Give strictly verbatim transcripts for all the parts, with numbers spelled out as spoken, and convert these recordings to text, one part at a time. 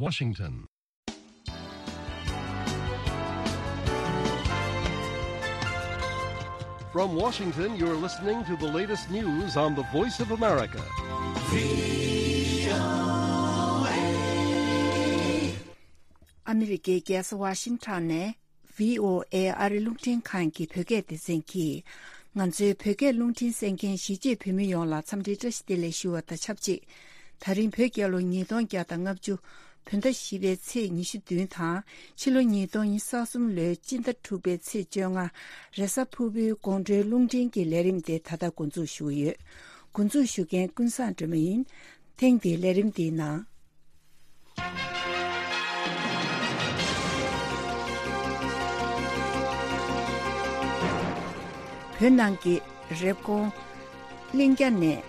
Washington. From Washington, you're listening to the latest news on the Voice of America. ཨ་མི་རི་ཀའི་རྒྱལ་ས་ཝ་ཤིང་ཊོན་ནས། བྷི་ཨོ་ཨེ་ཨ་རི་རླུང་འཕྲིན་ཁང་གི་བོད་སྐད་སྡེ་ཚན་གྱིས། ང་ཚོའི་བོད་སྐད་རླུང་འཕྲིན་གསན་མཁན་གཞིས་བྱེས་བོད་མི་ཡོངས་ལ་འཚམས་འདྲིའི་བཀྲ་ཤིས་བདེ་ལེགས་ཞུ་བ་དང་ཆབས་ཅིག་ད་རིང་བོད་རྒྱལ་ལོ་ཉིས་སྟོང་བརྒྱ་དང་ལྔ་བཅུ་བོད་ཟླ་བཞི་པའི་ཚེས་ཉི་ཤུ་བདུན་དང་། ཕྱི་ལོ་ཉིས་སྟོང་ཉི་ཤུ་རྩ་གསུམ་ལོའི་སྤྱི་ཟླ་དྲུག་པའི་ཚེས་བཅོ་ལྔ། རེས་གཟའ་ཕུར་བུའི་དགོང་དྲོའི་རླུང་འཕྲིན་གྱི་ལས་རིམ་དེ་ད་ལྟ་འགོ་འཛུགས་ཞུ་གི་ཡོད། འགོ་འཛུགས་ཞུ་མཁན་ཀུན་བཟང་སྒྲོལ་མ་ཡིན། ཐེངས་འདིའི་ལས་རིམ་འདིའི་ནང་། བོད་ནང་གི་རེབ་གོང་གླིང་རྒྱ་ནས་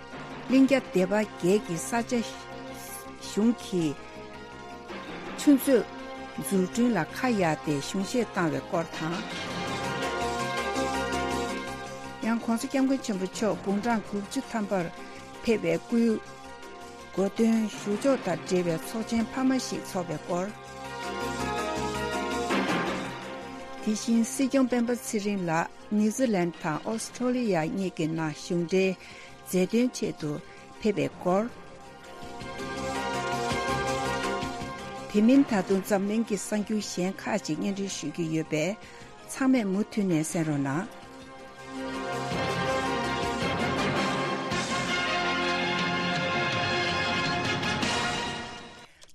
གླིང་རྒྱ་སྡེ་པ་བརྒྱད་ཀྱི་ས་ཆ་གཞུང་གི་ཆུ་མཛོད་འཛུགས་སྐྲུན་ལ་ཁ་གཡར་ཏེ་གཞུང་བཞེས་བཏང་བའི་སྐོར་དང་། ཡང་༧གོང་ས་༧སྐྱབས་མགོན་ཆེན་པོ་མཆོག་དགུང་གྲངས་དགུ་བཅུ་ཐམ་པར་ཕེབས་པའི་སྐུའི་གོ་སྟོན་ཞུ་ཕྱོགས་དང་འབྲེལ་བའི་ཚོགས་ཆེན་འཕར་མ་ཞིག་འཚོགས་པའི་སྐོར། དེ་བཞིན་སྲིད་སྐྱོང་སྤེན་པ་ཚེ་རིང་ལགས་ནིའུ་ཛི་ལན་དང་ཨོ་སི་ཁྲོ་ལི་ཡ་གཉིས་ཀྱི་ནང་གཞུང་འབྲེལ་མཛད་དོན་ཆེད་དུ་ཕེབས་པའི་སྐོར། དེ་མིན་ད་དུང་འཛམ་གླིང་གི་གསར་འགྱུར་གཞན་ཁག་ཅིག་སྙན་སྒྲོན་ཞུ་རྒྱུ་ཡོད་པས། ཚང་མས་མུ་མཐུད་ནས་གསན་རོགས་གནང་།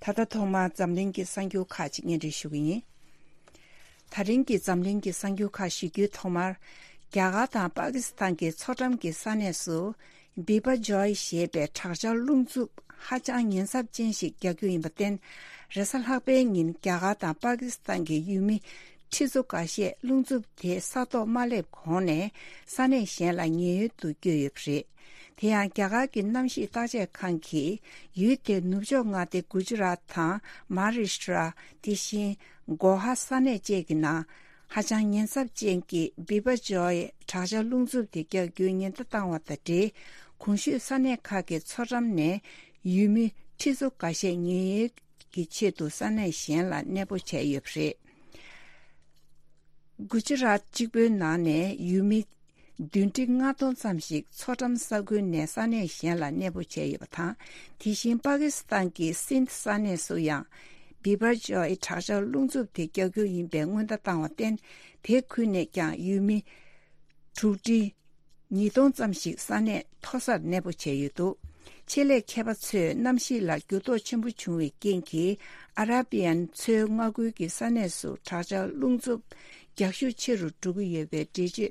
ད་ལྟ་ཐོག་མར་འཛམ་གླིང་གི་གསར་འགྱུར་ཁག་ཅིག་སྙན་སྒྲོན་ཞུ་གི་ཡིན། ད་རིང་གི་འཛམ་གླིང་གི་གསར་འགྱུར་ཁག་ཞུ་རྒྱུའི་ཐོག་མར། རྒྱ་གར་དང་པ་ཀི་སི་ཐན་གྱི་མཚོ་འགྲམ་གྱི་ས་གནས་སུ། བི་བ་ཇོའི་ཞེས་པའི་དྲག་ཆར་རླུང་འཚུབ་ཧ་ཅང་ཉེན་ཚབས་ཅན་ཞིག་རྒྱག་རྒྱུ་ཡིན་པར་བརྟེན། རེས་གཟའ་ལྷག་པའི་ཉིན་རྒྱ་གར་དང་པ་ཀི་སི་ཐན་གྱི་ཡུལ་མི་ཁྲི་ཚོ་འགའ་ཤས་རླུང་འཚུབ་དེ་ས་ཐོག་མ་སླེབས་གོང་ནས་ས་གནས་གཞན་ལ་ཉེན་གཡོལ་དུ་བསྐྱོད་ཡོད་པ་རེད། དེ་ཡང་རྒྱ་གར་གྱི་གནམ་གཤིས་བརྟག་དཔྱད་ཁང་གིས་ཡུལ་དེའི་ནུབ་ཕྱོགས་མངའ་སྡེ་གུ་ཇི་རཱཏ་དང་མ་ཧཱ་རཱ་ཤི་ཏྲ། དེ་བཞིན་གོ་ཧ་ས་གནས་བཅས་ཀྱི་ནང་། ཧ་ཅང་ཉེན་ཚབས་ཅན་གྱི་བི་བ་ཇོའི་དྲག་ཆར་རླུང་འཚུབ་དེ་རྒྱག་རྒྱུའི་ཉེན་བརྡ་བཏང་བ་དང་འབྲེལ། གོང་ཞུས་ས་གནས་ཁག་གི་མཚོ་འགྲམ་ནས་ཡུལ་མི་ཁྲི་ཚོ་འགའ་ཤས་ཉེན་གཡོལ་གྱི་ཆེད་དུ་ས་གནས་གཞན་ལ་གནས་སྤོ་བྱས་ཡོད་པ་རེད། གུ་ཇི་རཱཏ་གཅིག་པུའི་ནང་ནས་ཡུལ་མི་བདུན་ཁྲི་ལྔ་སྟོང་ཙམ་ཞིག་མཚོ་འགྲམ་ས་ཁུལ་ནས་ས་གནས་གཞན་ལ་གནས་སྤོ་བྱས་ཡོད་པ་དང་། དེ་བཞིན་པ་ཀི་སི་ཐན་གྱི་སིན་དྷ་ས་གནས་སུ་ཡང་། བི་བར་ཇོའི་དྲག་ཆར་རླུང་འཚུབ་དེ་རྒྱག་རྒྱུ་ཡིན་པའི་སྔོན་བརྡ་བཏང་བར་བརྟེན། དེ་ཁུལ་ནས་ཀྱང་ཡུལ་མི་དྲུག་ཁྲི་ཉིས་སྟོང་ཙམ་ཞིག་ས་གནས་མཐོ་སར་གནས་སྤོ་བྱས་ཡོད་འདུག་ཆེད་ལས་མཁས་པ་ཚོས་གནམ་གཤིས་ལ་འགྱུར་ལྡོག་ཆེན་པོ་བྱུང་བའི་རྐྱེན་གྱིས། ཨ་ར་བི་ཡན་མཚོའི་མངའ་ཁུལ་གྱི་ས་གནས་སུ་དྲག་ཆར་རླུང་འཚུབ་རྒྱག་ཤུགས་ཆེ་རུ་འགྲོ་གི་ཡོད་པའི་འགྲེལ་བརྗོད་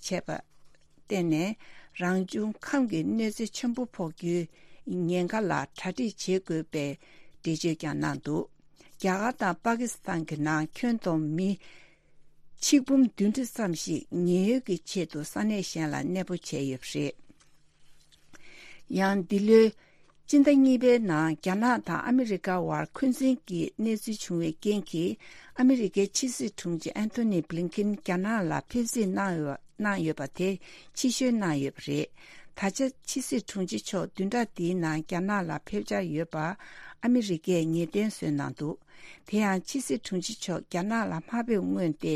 བྱས་པ། བརྟེན་ནས། རང་བྱུང་ཁམས་ཀྱི་གནོད་འཚེ་ཆེན་པོ་ཕོག་རྒྱུའི་ཉེན་ཁ་ལ་གྲ་སྒྲིག་བྱེད་དགོས་པའི་འགྲེལ་བརྗོད་ཀྱང་གནང་འདུག་རྒྱ་གར་དང་པ་ཀི་སི་ཐན་གྱི་ནང་ཁྱོན་བསྡོམས་མི་ཆིག་འབུམ་བདུན་ཁྲི་ཙམ་ཞིག་ཉེན་གཡོལ་གྱི་ཆེད་དུ་ས་གནས་གཞན་ལ་གནས་སྤོ་བྱས་ཡོད་པ་རེད། ཡང་འདི་ལོའི་སྤྱི་ཟླ་གཉིས་པའི་ནང་རྒྱ་ནག་དང་ཨ་མི་རི་ཀ་བར་འཁོན་འཛིན་གྱི་གནས་ཚུལ་བྱུང་བའི་རྐྱེན་གྱིས། ཨ་མི་རི་ཀའི་ཕྱི་སྲིད་དྲུང་ཆེ་ཨན་ཐོ་ནི་བྷི་ལིན་ཁིན་རྒྱ་ནག་ལ་ཕེབས་བསུ་གནང་ཡོད་གནང་ཡོད་པ་དེ་ཕྱིར་བཤོལ་གནང་ཡོད་པ་རེད། ད་ཆ་ཕྱི་སྲིད་དྲུང་ཆེ་མཆོག་བདུན་ཕྲག་འདིའི་ནང་རྒྱ་ནག་ལ་ཕེབས་འཆར་ཡོད་པ་ཨ་མི་རི་ཀས་ངེས་གཏན་བཟོས་གནང་འདུག་དེ་ཡང་ཕྱི་སྲིད་དྲུང་ཆེ་མཆོག་རྒྱ་ནག་ལ་མ་ཕེབས་སྔོན་ཏེ།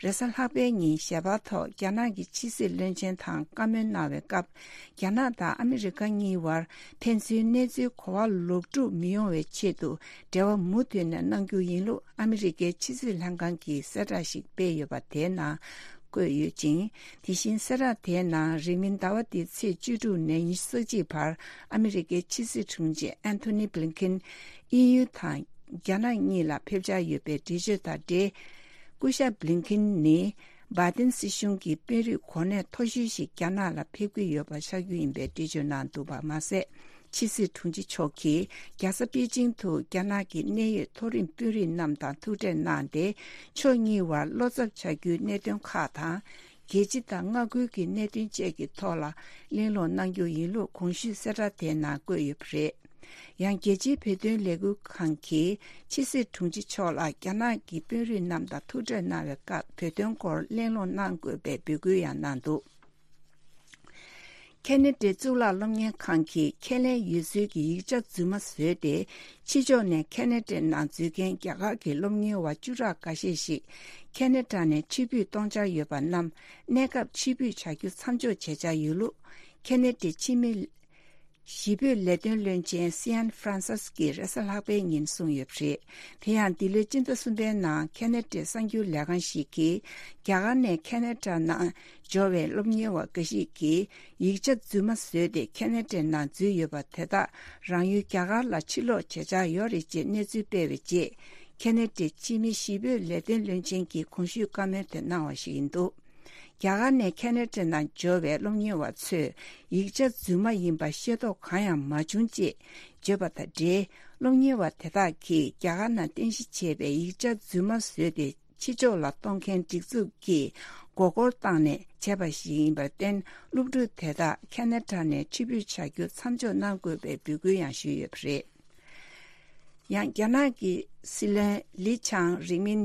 རེས་གཟའ་ལྷག་པའི་ཉིན་ཞལ་པར་ཐོག་རྒྱ་ནག་གི་ཕྱི་སྲིད་བློན་ཆེན་དང་བཀའ་མོལ་གནང་བའི་སྐབས། རྒྱ་ནག་དང་ཨ་མི་རི་ཀ་གཉིས་བར་ཕན་ཚུན་གནས་ཚུལ་གོ་བ་ལོག་འགྲོ་མི་ཡོང་བའི་ཆེད་དུ་འབྲེལ་བ་མུ་མཐུད་ནས་གནང་རྒྱུ་ཡིན་ལུགས་ཨ་མི་རི་ཀའི་ཕྱི་སྲིད་ལྷན་ཁང་གིས་གསལ་བསྒྲགས་ཤིག་སྤེལ་ཡོད་པ་དེའི་ནང་བཀོད་ཡོད་ཅིང་། དེ་བཞིན་གསལ་བསྒྲགས་དེའི་ནང་རིང་མིན་ཟླ་བ་འདིའི་ཚེས་བཅུ་དྲུག་ནས་ཉི་ཤུ་རྩ་གཅིག་བར་ཨ་མི་རི་ཀའི་ཕྱི་སྲིད་དྲུང་ཆེ་ཨན་ཐོ་ནི་བྷི་ལིན་ཁིན་དབྱིན་ཡུལ་དང་རྒྱ་ནག་གཉིས་ལ་ཕེབས་འཆར་ཡོད་པའི་འགྲེལ་བརྗོད་དང་འབྲེལ། སྐུ་ཞབས་བྷི་ལིན་ཁིན་ནི་བྷའི་ཏིན་སྲིད་གཞུང་གི་དཔོན་རིགས་གོ་གནས་མཐོ་ཤོས་ཤིག་རྒྱ་ནག་ལ་ཕེབས་ཀྱི་ཡོད་པ་ཆགས་རྒྱུ་ཡིན་པའི་འགྲེལ་བརྗོད་གནང་འདུག་པ་མ་ཟད། ཕྱི་སྲིད་དྲུང་ཆེ་མཆོག་གིས་རྒྱལ་ས་པེ་ཅིང་དུ་རྒྱ་ནག་གི་གནད་ཡོད་མཐོ་རིམ་དཔོན་རིགས་རྣམས་དང་ཐུག་འཕྲད་གནང་སྟེ། ཕྱོགས་གཉིས་བར་བློ་འཚབ་ཆགས་རྒྱུའི་གནད་དོན་ཁག་དང་། རྒྱལ་སྤྱི་དང་མངའ་ཁུལ་གྱི་གནད་དོན་བཅས་ཀྱི་ཐོག་ལ་གླེང་སློང་གནང་རྒྱུ་ཡིན་ལུགས་གོང་ཞུས་གསལ་བསྒྲགས་དེའི་ནང་བཀོད་ཡོད་པ་རེད། ཡང་རྒྱལ་སྤྱིའི་བོད་དོན་ལས་འགུལ་ཁང་གིས་ཕྱི་སྲིད་དྲུང་ཆེ་མཆོག་ལ་རྒྱ་ནག་གི་དཔོན་རིགས་རྣམས་དང་ཐུག་འཕྲད་གནང་བའི་སྐབས་བོད་དོན་སྐོར་གླེང་སློང་གནང་དགོས་པའི་འབོད་སྐུལ་ཡང་གནང་འདུག་ཁེ་ན་ཌའི་གཙུག་ལག་སློབ་གཉེར་ཁང་གིས་ཁས་ལེན་ཡོད་ཚུལ་གྱི་ཡིག་ཆ་རྫུན་མ་བཟོས་ཏེ། ཕྱི་ཕྱོགས་ནས་ཁེ་ན་ཌའི་ནང་འཛུལ་མཁན་རྒྱ་གར་གྱི་སློབ་གཉེར་བ་བཅུ་ཕྲག་འགའ་ཤས་ཤིག་ཁེ་ན་ཌ་ནས་ཕྱིར་འབུད་གཏོང་འཆར་ཡོད་པ་རྣམས། གནས་སྐབས་ཕྱིར་འབུད་བྱ་རྒྱུ་མཚམས་འཇོག་བྱེད་འཆར་ཡོད་ལུགས། ཁེ་ན་ཌའི་ཕྱི་མི་གཞིས་སྤོས་ལས་དོན་བློན་ཆེན་སི་ཨན་ཧྥ་རན་སིས་ཀྱིས་རེས་གཟའ་ལྷག་པའི་ཉིན་གསུངས་ཡོད་པ་རེད། དེ་ཡང་འདི་ལོའི་སྤྱི་ཟླ་གསུམ་པའི་ནང་ཁེ་ན་ཌའི་གསར་འགྱུར་ལས་ཁང་ཞིག་གིས། རྒྱ་གར་ནས་ཁེ་ན་ཌ་ནང་འབྱོར་བའི་སློབ་གཉེར་བ་འགའ་ཞིག་གིས་ཡིག་ཆ་རྫུན་མ་བཟོས་ཏེ་ཁེ་ན་ཌའི་ནང་འཛུལ་ཡོད་པ་དེ་དག་རང་ཡུལ་རྒྱ་གར་ལ་ཕྱིར་ལོག་བྱེད་འཆར་ཡོད་རེད་ཅེས་གནས་ཚུལ་སྤེལ་བའི་རྗེས། ཁེ་ན་ཌའི་ཕྱི་མི་གཞིས་སྤོས་ལས་དོན་བློན་ཆེན་གྱིས་གོང་ཞུས་བཀའ་མོལ་དེ་གནང་བ་ཞིག་ཡིན་འདུག་རྒྱ་གར་ནས་ཁེ་ན་ཌ་ནང་འབྱོར་བའི་སློབ་གཉེར་བ་ཚོས་ཡིག་ཆ་རྫུན་མ་ཡིན་པ་ཤེས་རྟོགས་གང་ཡང་མ་བྱུང་ཅེས་བརྗོད་པ་དང་འབྲེལ། སློབ་གཉེར་བ་དེ་དག་གིས་རྒྱ་གར་ནང་རྟེན་གཞི་བྱས་པའི་ཡིག་ཆ་རྫུན་མ་བཟོས་ཏེ། ཕྱི་ཕྱོགས་ལ་གཏོང་མཁན་སྒྲིག་འཛུགས་ཀྱིས་མགོ་སྐོར་བཏང་ནས་བྱས་པ་ཞིག་ཡིན་པར་བརྟེན། སློབ་ཕྲུག་དེ་དག་ཁེ་ན་ཌ་ནས་ཕྱིར་འབུད་བྱ་རྒྱུ་མཚམས་འཇོག་གནང་དགོས་པའི་འབོད་སྐུལ་ཡང་ཞུས་ཡོད་པ་རེད། ཡང་རྒྱ་ནག་གི་སྲིད་བློན་ལི་ཆང་རིང་མིན་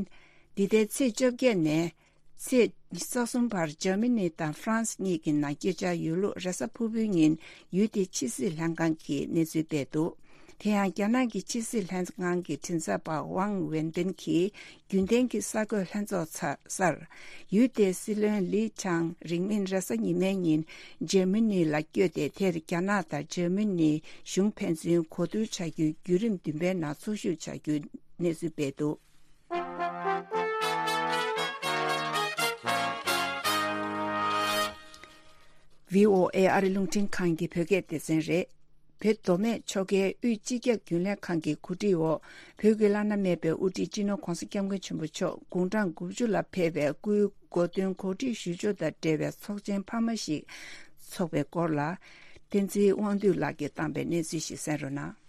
འདི་ཟླའི་ཚེས་བཅོ་བརྒྱད་ནས་ཚེས་ཉི་ཤུ་རྩ་གསུམ་བར་འཇར་མ་ནི་དང་ཧྥ་རན་སི་གཉིས་ཀྱི་ནང་སྐྱོད་འཆར་ཡོད་ལུགས་རེས་གཟའ་ཕུར་བུའི་ཉིན་ཡུལ་དེའི་ཕྱི་སྲིད་ལྷན་ཁང་གིས་གནས་ཚུལ་སྤེལ་འདུག་དེ་ཡང་རྒྱ་ནག་གི་ཕྱི་སྲིད་ལྷན་ཁང་གི་མགྲིན་ཚབ་པ་ཝང་ཝེན་ཏིན་གྱིས་རྒྱུན་ལྡན་གྱི་གསར་འགོད་ལྷན་ཚོགས་ཚར་སར། ཡུལ་དེའི་སྲིད་བློན་ལི་ཆང་རིང་མིན་རེས་གཟའ་ཉི་མའི་ཉིན་འཇར་མ་ནི་ལ་བསྐྱོད་དེ། དེར་རྒྱ་ནག་དང་འཇར་མ་ནི་གཞུང་ཕན་ཚུན་གོ་བསྡུར་བྱ་རྒྱུའི་བརྒྱུད་རིམ་བདུན་པའི་ནང་ཚོགས་ཞུགས་བྱ་རྒྱུའི་གནས་ཚུལ་སྤེལ་འདུག་བྷི་ཨོ་ཨེ་ཨ་རི་རླུང་འཕྲིན་ཁང་གི་བོད་སྐད་སྡེ་ཚན་རེད། བོད་མདོ་སྨད་ཆོལ་ཁའི་དབུས་སྤྱི་ཁྱབ་རྒྱུན་ལས་ཁང་གི་གོ་སྒྲིག་འོག་བོད་ཀྱི་བླ་ན་མེད་པའི་དབུ་ཁྲིད་སྤྱི་ནོར་༧གོང་ས་༧སྐྱབས་མགོན་ཆེན་པོ་མཆོག་དགུང་གྲངས་དགུ་བཅུ་ལ་ཕེབས་པའི་སྐུའི་གོ་སྟོན་གོ་སྒྲིག་ཞུ་ཕྱོགས་དང་འབྲེལ་བའི་ཚོགས་ཆེན་འཕར་མ་ཞིག་འཚོགས་པའི་སྐོར་ལ། བསྟན་འཛིན་དབང་འདུས་ལགས་ཀྱིས་བཏང་པའི་གནས་ཚུལ་ཞིག་གསན་རོགས་གནང་།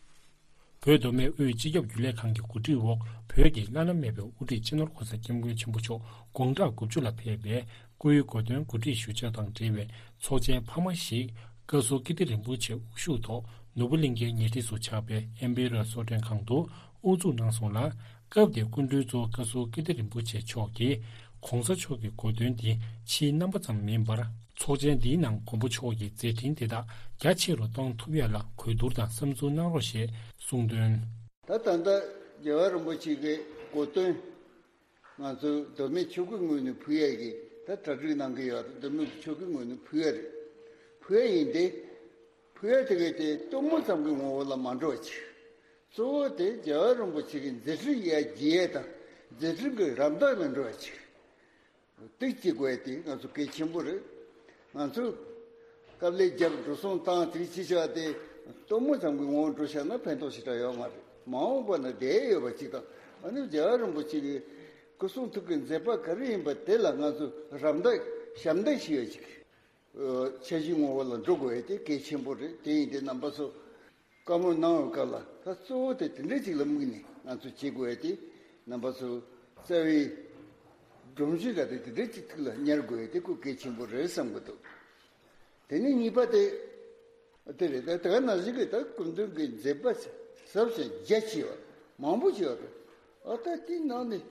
བོད་མདོ་སྨད་དབུས་སྤྱི་ཁྱབ་རྒྱུན་ལས་ཁང་གི་གོ་སྒྲིག་འོག་བོད་ཀྱི་བླ་ན་མེད་པའི་དབུ་ཁྲིད་སྤྱི་ནོར་༧གོང་ས་༧སྐྱབས་མགོན་ཆེན་པོ་མཆོག་དགུང་གྲངས་དགུ་བཅུ་ལ་ཕེབས་པའི་སྐུའི་གོ་སྟོན་གོ་སྒྲིག་ཞུ་ཕྱོགས་དང་འབྲེལ་བའི་ཚོགས་ཆེན་འཕར་མ་ཞིག་བཀའ་ཟུར་ཀིརྟི་རིན་པོ་ཆེ་དབུ་བཞུགས་ཐོག་ནོར་བུ་གླིང་ཁའི་ཉེ་འཁྲིས་སུ་ཆགས་པའི་ཨེམ་པེ་རར་གསོལ་མགྲོན་ཁང་དུ་དབུ་འཛུགས་གནང་སོང་ལ། སྐབས་དེའི་སྐུ་མགྲོན་གཙོ་བོ་བཀའ་ཟུར་ཀིརྟི་རིན་པོ་ཆེ་མཆོག་གིས། ༧གོང་ས་མཆོག་གི་གོ་སྟོན་འདི་ཕྱིའི་རྣམ་པ་ཙམ་མིན་པར། ཚོགས་ཆེན་འདིའི་ནང་མགོན་པོ་མཆོག་གི་མཛད་འཕྲིན་དེ་དག་རྒྱ་ཆེ་རུ་གཏོང་ཐུབ་ཡ་ལ་གོ་བསྡུར་དང་བསམ་ཚུལ་གནང་རོགས་ཞེས་གསུངས་དོན། ད་ད་ལྟ་རྒྱལ་བ་རིན་པོ་ཆེ་གི་གོ་སྟོན་ང་ཚོ་མདོ་སྨད་ཆོལ་ཁའི་ངོས་ནས་ཕུལ་ཡ་གི་ད་གྲ་སྒྲིག་གནང་གི་ཡོད། མདོ་སྨད་ཆོལ་ཁའི་ངོས་ནས་ཕུལ་ཡ་རེད། ཕུལ་ཡ་ཡིན་ཏེ། ཕུལ་ཡ་དེ་གས་དེ་སྟོན་མོ་ཙམ་གྱི་ངོ་བོ་ལ་མ་འགྲོ་བ་ཅིག་གཙོ་བོ་དེ་རྒྱལ་བ་རིན་པོ་ཆེ་གི་མཛད་འཕྲིན་ཡར་རྒྱས་ཡ་དང་མཛད་འཕྲིན་གྱི་རམ་འདེགས་ལ་འགྲོ་བ་ཅིག་དེ་བྱེད་དགོས་ཡ་དེ་ང་ཚོ་གལ་ཆེན་པོ་རེད། ང་ཚོ་དཀའ་ལས་བརྒྱབ་འགྲོ་སོང་བཏང་དེ་ཅི་བྱ་དེ་སྟོན་མོ་ཙམ་གྱི་ངོ་བོ་འགྲོ་བཞག་ན་ཕན་ཐོགས་ཞེ་དྲག་ཡོད་མ་རེད། མ་འོངས་པ་ན་བསྡད་ཡོད་པ་ཅིག་དང་། ཨ་ནི་རྒྱལ་བ་རིན་པོ་ཆེ་གི་སྐུ་གསུང་ཐུགས་ཀྱི་མཛད་པ་ག་རེ་ཡིན་པ་དེ་ལ་ང་ཚོ་རམ་འདེགས་ཞབས་འདེགས་ཞུ་ཡ་ཅིག་འཆར་གཞིའི་ངོ་བོ་ལ་འགྲོ་དགོས་ཡ་དེ་གལ་ཆེན་པོ་རེད། དེ་ཡིན་དུས་རྣམ་པ་ཚོ་བཀའ་མོལ་གནང་བའི་སྐབས་ལ་ད་གཙོ་བོ་དེ་དེ་འདྲ་ཅིག་ལ་དམིགས་ནས་ང་ཚོ་བྱེད་དགོས་ཡ་དེ། རྣམ་པ་ཚོ་རྩ་བའི་སྒྲོམ་གཞི་འདྲ་དེ་དེ་འདྲ་ཅིག་ཐུགས་ལ་ཉར་དགོས་ཡ་དེ་ཁོ་གལ་ཆེན་པོ་རེད་བསམ་གྱི་འདུག་དེ་ནས་གཉིས་པ་དེ་དེ་རེད། ད་དེ་ག་ནང་བཞིན་གྱི་ད་སྐུ་མདུན་གྱི་མཛད་པ་ཟབ་ཞིང་རྒྱ་ཆེ་བ་མང་པོ་ཞིག་ཡོད་རེད། ཨ་ད་དེའི་ནང་ནས་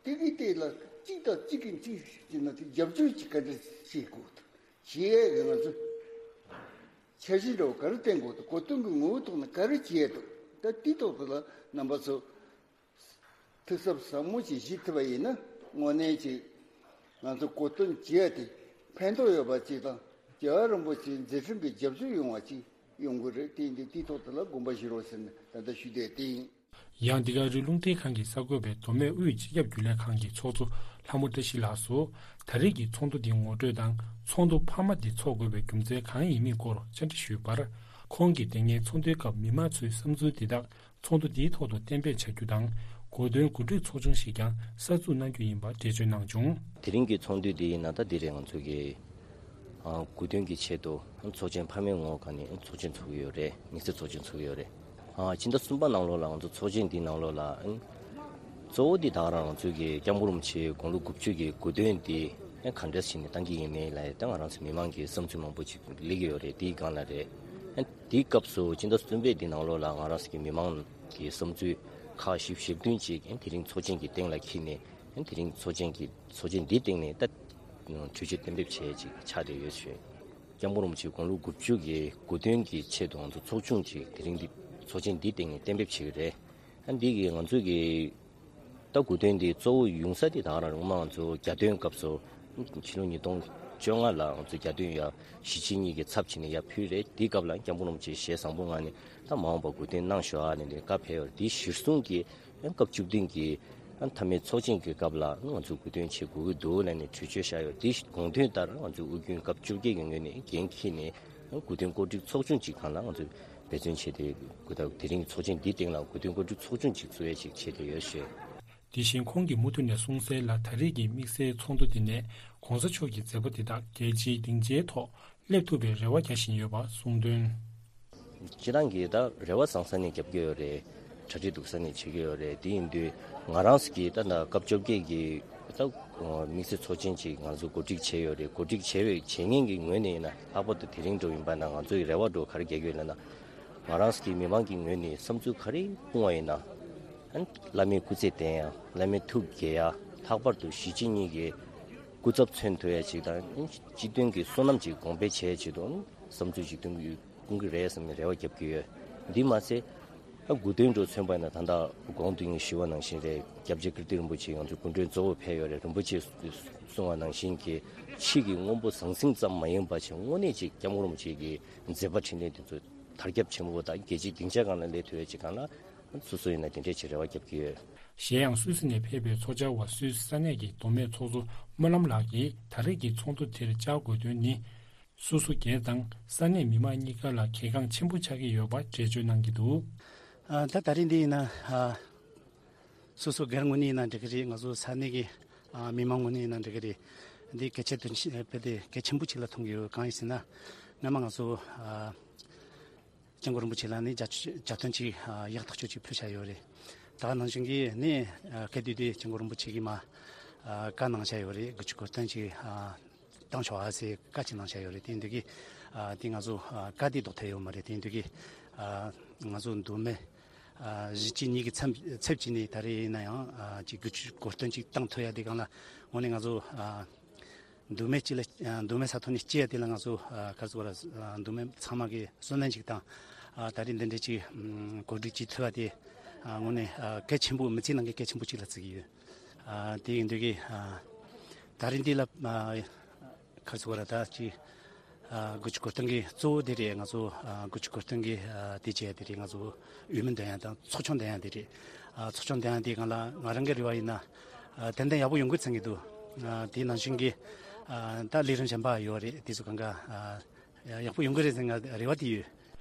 དེ་གི་སྟེང་ལ་གཅིག་དང་གཅིག་གིས་གཅིག་བྱས་ན་དེ་རྒྱབ་སྐྱོར་གྱི་ག་འདྲ་བྱེད་དགོས་འདུག་བྱེད་ཡས་ཀྱི་ང་ཚོ་འཆར་གཞི་འདྲ་བོ་ག་རེ་བཏིང་དགོས་འདུག་གོ་སྟོན་གྱི་ངོ་བོའི་ཐོག་ནས་ག་རེ་བྱེད་ཡས་འདུག་ད་དེའི་ཐོག་ཏུ་ལ་རྣམ་པ་ཚོ་ཐུགས་གཟབ་ཟབ་མོ་ཞིག་བཞེས་ཐུབ་པ་ཡིན་ན། དངོས་གནས་ཅིག་ང་ཚོ་གོ་སྟོན་བྱེད་ཡ་དེ་ཕན་ཐོགས་ཡོད་པ་ཅིག་དང་། རྒྱལ་བ་རིན་པོ་ཆེའི་མཛད་འཕྲིན་གྱི་རྒྱབ་སྐྱོར་ཡོང་བ་ཅིག་ཡོང་གི་རེད། དེ་ཡིན་དུས་དེའི་ཐོག་ཏུ་ལ་དགོངས་པ་བཞེས་རོགས་ཟེར་ནས་ད་ལྟ་ཞུ་བསྡད་དེ་ཡིན། ཡང་འདི་ག་རི་རླུང་འཕྲིན་ཁང་གིས་གསར་འགོད་པས་མདོ་སྨད་དབུས་སྤྱི་ཁྱབ་རྒྱུན་ལས་ཁང་གི་ཚོགས་གཙོ་ལྷ་མོ་བཀྲ་ཤིས་ལགས་སུ། ད་རེས་ཀྱི་ཚོགས་འདུ་འདིའི་ངོ་སྤྲོད་དང་། ཚོགས་འདུ་འཕར་མ་འདི་འཚོགས་དགོས་པའི་རྒྱུ་མཚན་གང་ཡིན་མིན་སྐོར་བཅར་འདྲི་ཞུས་པར། ཁོང་གིས་དེ་སྔའི་ཚོགས་འདུའི་སྐབས་མི་མང་ཚོའི་བསམ་ཚུལ་འདི་དག་ཚོགས་འདུ་འདིའི་ཐོག་ཏུ་གཏན་འབེབས་བྱ་རྒྱུ་དང་། གོ་སྟོན་གོ་སྒྲིག་ཚོགས་ཆུང་ཞིག་ཀྱང་གསར་འཛུགས་གནང་རྒྱུ་ཡིན་པ་འགྲེལ་བརྗོད་གནང་བྱུང་། དེ་རིང་གི་ཚོགས་འདུ་འདི་ཡིན་ན་ད་འདི་རེད། ང་ཚོ་གི་ཨ་གོ་སྟོན་གྱི་ཆེད་དུ་ཚོགས་ཆེན་འཕར་མའི་ངོ་ག་ནས་ཚོགས་ཆེན་ཚོགས་ཀྱི་ཡོད་རེད། དམིགས་བསལ་ཚོགས་ཆེན་ཚོགས་ཀྱི་ཡོད་རེད། ཨ་ཕྱི་ཟླ་གསུམ་པ་ནང་ལོགས་ལ་ང་ཚོ་ཚོགས་ཆེན་འདི་ནང་ལོགས་ལ་ཨ་གཙོ་བོ་འདི་ད་ག་རང་ང་ཚོ་གི་སྐྱབས་མགོན་རིན་པོ་ཆེའི་དགུང་ལོ་དགུ་བཅུ་གི་གོ་སྟོན་འདི་ཨ་ག་འདྲས་བྱས་ནས་གཏང་གི་ཡིན་མིན་ལ་ད་ང་རང་ཚོ་མི་མང་གི་བསམ་ཚུལ་མང་པོ་ཅིག་སླེབས་ཀྱི་ཡོད་རེད། དེའི་སྒང་ལ་རེད། ཨ་དེའི་སྐབས་སུ་ཕྱི་ཟླ་གསུམ་པའི་འདི་ནང་ལོགས་ལ་ང་རང་ཚོ་གི་མི་མང་གི་བསམ་ཚུལ་ཁག་བཞི་བཅུ་ཞེ་བདུན་ཅིག་ཨ་དེ་རིང་ཚོགས་ཆེན་གྱི་སྟེང་ལ་འཁྱེར་ནས། དེ་རིང་ཚོགས་ཆེན་གྱི་ཚོགས་ཆེན་འདིའི་སྟེང་ནས་ད་གྲོས་ཆོད་གཏན་འབེབས་བྱས་ཅིག་ཆགས་བསྡད་ཡོད་ཞུ། སྐྱབས་མགོན་རིན་པོ་ཆེའི་དགུང་ལོ་དགུ་བཅུ་གི་གོ་སྟོན་གྱི་ཆེད་དུ་ང་ཚོ་ཚོགས་ཆུང་ཅིག་དེ་རིང་འདི་ཚོགས་ཆེན་འདིའི་སྟེང་ནས་གཏན་འབེབས་བྱེད་ཀྱི་རེད། ཨ་འདི་གི་ང་ཚོ་གི་ད་གོ་སྟོན་འདི་གཙོ་བོ་ཡོང་ས་དེ་ད་རང་རུང་མ་ང་ཚོ་རྒྱ་སྟོན་སྐབས་སུ་ཕྱི་ལོ་ཉིས་སྟོང་བཅོ་ལྔ་ལ་ང་ཚོ་རྒྱ་སྟོན་ཡ་གཞིས་བྱེས་གཉིས་ཀྱི་ཚབ་བྱས་ནས་ཡར་ཕུལ་རེད། དེའི་སྐབས་ལ་སྐྱབས་མགོན་རིན་པོ་ཆེ་ཞལ་བཟང་པོ་མངགས་ནས་ད་མ་འོངས་པ་གོ་སྟོན་གནང་ཤོག་ཨ་ནས་ནས་བཀའ་ཕེབས་ཡོད་རེད། དེའི་གཞིར་བཟུང་གིས་ཡང་སྐབས་བཅུ་བདུན་གྱི་ཨ་མཐའ་མའི་ཚོགས་ཆེན་གྱི་སྐབས་ལ་ང་ཚོ་གོ་སྟོན་བྱེད་དགོས་ཀྱི་འདུག་ལབ་ནས་གྲོས་ཆོད་བཞག་ཡོད། དེ་དགོངས་དོན་ལྟར་ང་ཚོ་དབུས་རྒྱུན་སྐབས་བཅོ་བརྒྱད་ཀྱི་ངོས་ནས་འགན་འཁྱེར་ནས་གོ་སྟོན་གོ་སྒྲིག་ཚོགས་ཆུང་གཅིག་སྒང་ལ་ང་ཚོས་འབད་བརྩོན་བྱས་ཏེ་གོ་ད་དེ་རིང་གི་ཚོགས་ཆེན་འདིའི་སྟེང་ལ་གོ་སྟོན་གོ་སྒྲིག་ཚོགས་ཆུང་གཅིག་བཙུགས་ཡས་ཅིག་བྱས་ཏེ་ཡོད་ཞུས། དེ་བཞིན་ཁོང་གིས་མུ་མཐུད་ནས་གསུངས་གསལ་ལ། ད་རེས་ཀྱི་དམིགས་བསལ་ཚོགས་འདུ་འདི་ནས་༸གོང་ས་མཆོག་གི་མཛད་པ་འདི་དག་རྒྱལ་སྤྱིའི་སྡིངས་ཆའི་ཐོག་སླེབས་ཐུབ་པའི་རེ་བ་རྒྱག་བཞིན་ཡོད་པ་གསུངས་དོན། སྤྱིར་བཏང་གི་ད་རེ་བ་བཟང་ས་ནས་རྒྱབ་ཀྱི་ཡོད་རེད། གྲ་སྒྲིག་སྡུག་ས་ནས་བྱེད་ཀྱི་ཡོད་རེད། དེ་ཡིན་དུས་ང་རང་ཚོ་གིས་ད་ད་སྐབས་བཅོ་བརྒྱད་ཀྱི་ད་དམིགས་བསལ་ཚོགས་ཆེན་ཅིག་ང་ཚོ་གོ་སྒྲིག་བྱས་ཡོད་རེད། གོ་སྒྲིག་བྱས་པའི་བྱས་ཉེས་ཀྱི་ངོས་ནས་ཡིན་ན་ལྷག་པར་དུ་དེ་རིང་འགྲོ་ཡིན་པ་ན་ང་ཚོ་ཡི་རེ་བ་འགྲོ་ག་རེ་རྒྱག་གི་ཡོད་ལབ་ན། ང་རང་ཚོ་གི་མི་མང་གི་ངོས་ནས་བསམ་ཚུལ་ག་རེ་སྤུངས་པ་ཡིན་ན། ཨ་ནི་བླ་མའི་སྐུ་ཚེ་བརྟན་ཡ། བླ་མའི་ཐུགས་དགྱེས་ཡ། ལྷག་པར་དུ་གཞིས་བྱེས་གཉིས་ཀྱི་སྐུ་ཚབ་མཚོན་ཐུབ་ཡ་ཅིག་དང་། སྤྱི་མཐུན་གྱི་བསོད་ནམས་ཅིག་གོང་འཕེལ་བྱེད་ཡ་ཆེད་དུ་བསམ་ཚུལ་ཅིག་སྟོན་གྱི་ཡོད། སྐུང་གི་རེད་བསམ་ནས་རེ་བ་རྒྱབ་ཀྱི་ཡོད། འདི་མ་ཟད། ཨ་དགུ་སྟོན་འགྲོ་མཚོན་པ་ཡིན་ན་ད་ལྟ་གོང་དུ་ངས་ཞུས་པ་ནང་བཞིན་རེད། སྐྱབས་རྗེ་ཀིརྟི་རིན་པོ་ཆེ་ང་ཚོའི་སྐུ་མགྲོན་གཙོ་བོ་ཕེབས་ཡོད་རེད། རིན་པོ་ཆེས་གསུངས་པ་ནང་བཞིན་གྱི་ཕྱི་གི་དངོས་པོ་ཟང་ཟིང་ཙམ་མ་ཡིན་པ་བྱས་དངོས་གནས་ཅིག་སྐྱབས་མགོན་རིན་པོ་ཆེ་གི་མཛད་པ་འཕྲིན་ལས་འདི་ཚོ་དར་ཁྱབ་ཆེན་པོ་དང་རྒྱལ་སྤྱིའི་སྡིངས་ཆ་སྒང་ལ་སླེབས་ཐུབ་ཡ་ཅིག་སྒང་ལ་སོ་སོ་ཡིན་ན་དེ་འདྲས་ཅིག་རེ་བ་རྒྱབ་ཀྱི་ཡོད། གཞན་ཡང་སུད་སི་ནས་ཕེབས་པའི་ཚོགས་བཅར་བ་སུད་སི་ས་གནས་ཀྱི་མདོ་སྨད་ཚོགས་གཙོ་སྨོན་ལམ་ལགས་ཀྱིས་ད་རེས་ཀྱི་ཚོགས་འདུ་དེར་བཅར་དགོས་དོན་ནི། སོ་སོ་སྒེར་དང་ས་གནས་མི་མང་གཉིས་ཀ་ལ་གལ་འགངས་ཆེན་པོ་ཆགས་ཀྱི་ཡོད་པ་འགྲེལ་བརྗོད་གནང་གི་འདུག་ཨ་ད་ད་རེས་འདི་ཡིན་ན་ཨ་སོ་སོ་སྒེར་ངོས་ནས་ཡིན་ན་འགྲིག་གི་རེད། ང་ཚོ་ས་གནས་ཀྱི་ཨ་མི་མང་ངོས་ནས་ཡིན་ན་འགྲིག་གི་རེད། འདི་གལ་ཆེ་དོན་ཆེ་དཔེ་དེ་གལ་ཆེན་པོ་ཅིག་ལ་མཐོང་གི་ཡོད། གང་ཡིན་ཟེར་ན་སྔོན་མ་ང་ཚོ་ཨ་སྐྱབས་མགོན་རིན་པོ་ཆེ་ལ་ནི་མཇལ་མཇལ་འཕྲད་ཅིག་ཨ་ཡག་ཐག་ཆོད་ཅིག་ཕུལ་བཞག་ཡོད་རེད། ད་ག་ནང་བཞིན་གྱི་ནི་ཨ་སྐབས་དེ་དུས་སྐྱབས་མགོན་རིན་པོ་ཆེ་གིས་མ་ཨ་བཀའ་གནང་བཞག་ཡོད་རེད། དགུ་བཅུ་གོ་སྟོན་ཅིག་ཨ་བཏང་ཆོག་ཨ་ཟེར་བཀའ་ཅིག་གནང་བཞག་ཡོད་རེད། དེ་ཡིན་དུས་ཀྱི་ཨ་དེ་ང་ཚོ་ཨ་བཀའ་དེ་ལྡོག་ཐབས་ཡོད་མ་རེད། དེ་ཡིན་དུས་ཀྱི་ཨ་ང་ཚོ་མདོ་སྨད་ཨ་གཞིས་བྱེས་གཉིས་ཀྱི་ཚབ་ཚབ་བྱས་ནས་ད་རེས་ཡིན་ན་ཡང་ཨ་ཅིག་དགུ་བཅུ་གོ་སྟོན་ཅིག་བཏང་ཐུབ་ཡ་དེ་སྒང་ལ་དངོས་གནས་ང་ཚོ་ཨ་མདོ་སྨད་སྤྱི་ལ་ཨ་མདོ་སྨད་ས་ཐོག་ནས་སྐྱེལ་ཡ་དེ་ལ་ང་ཚོ་ཨ་ག་རེ་ཟེར་དགོས་རེད། ཨ་མདོ་སྨད་ཚང་མ་གི་བསོད་ནམས་ཅིག་དང་ཨ་ད་རེས་འདི་འདྲ་ཅིག་ཨམ་གོ་སྒྲིག་བྱེད་ཐུབ་པ་དེ་ཨ་དངོས་གནས་ཨ་གལ་ཆེན་པོ་མི་ཚེའི་ནང་གི་གལ་ཆེན་པོ་ཅིག་ལ་བརྩི་གི་ཡོད། ཨ་དེ་ཡིན་དུས་ཀྱི་ཨ་ད་རེས་འདི་ལ་ཨ་ག་རེ་ཟེར་དགོས་རེད། ད་ཅིག་ཨ་དགུ་བཅུ་གོ་སྟོན་གྱི་གཙོ་བོ་དེ་རེད། ང་ཚོ་ཨ་དགུ་བཅུ་གོ་སྟོན་གྱི་ཨ་དེ་བྱས་དེ་རེད། ང་ཚོ་འོས་མི་འདོན་ཡ་དང་ཚོགས་ཆུང་འདོན་ཡ་དེ་རེད། ཨ་ཚོགས་ཆུང་འདོན་ཡ་དེ་སྒང་ལ་ང་རང་གི་རེ་བ་ཡིན་ན་ཨ་ཏན་ཏན་ཡག་པོ་ཡོང་གི་ཚང་གི་འདུག་ཨ་དེ་ནང་བཞིན་གྱི་ཨ་ད་ལས་རིམ་གཞན་པ་ཡོད་རེད། དེ་ཚོ་གང་ག་ཨ་ཡག་པོ་ཡོང་གི་རེད་ཟེར་ང་རེ་བ་དེ་ཡོད།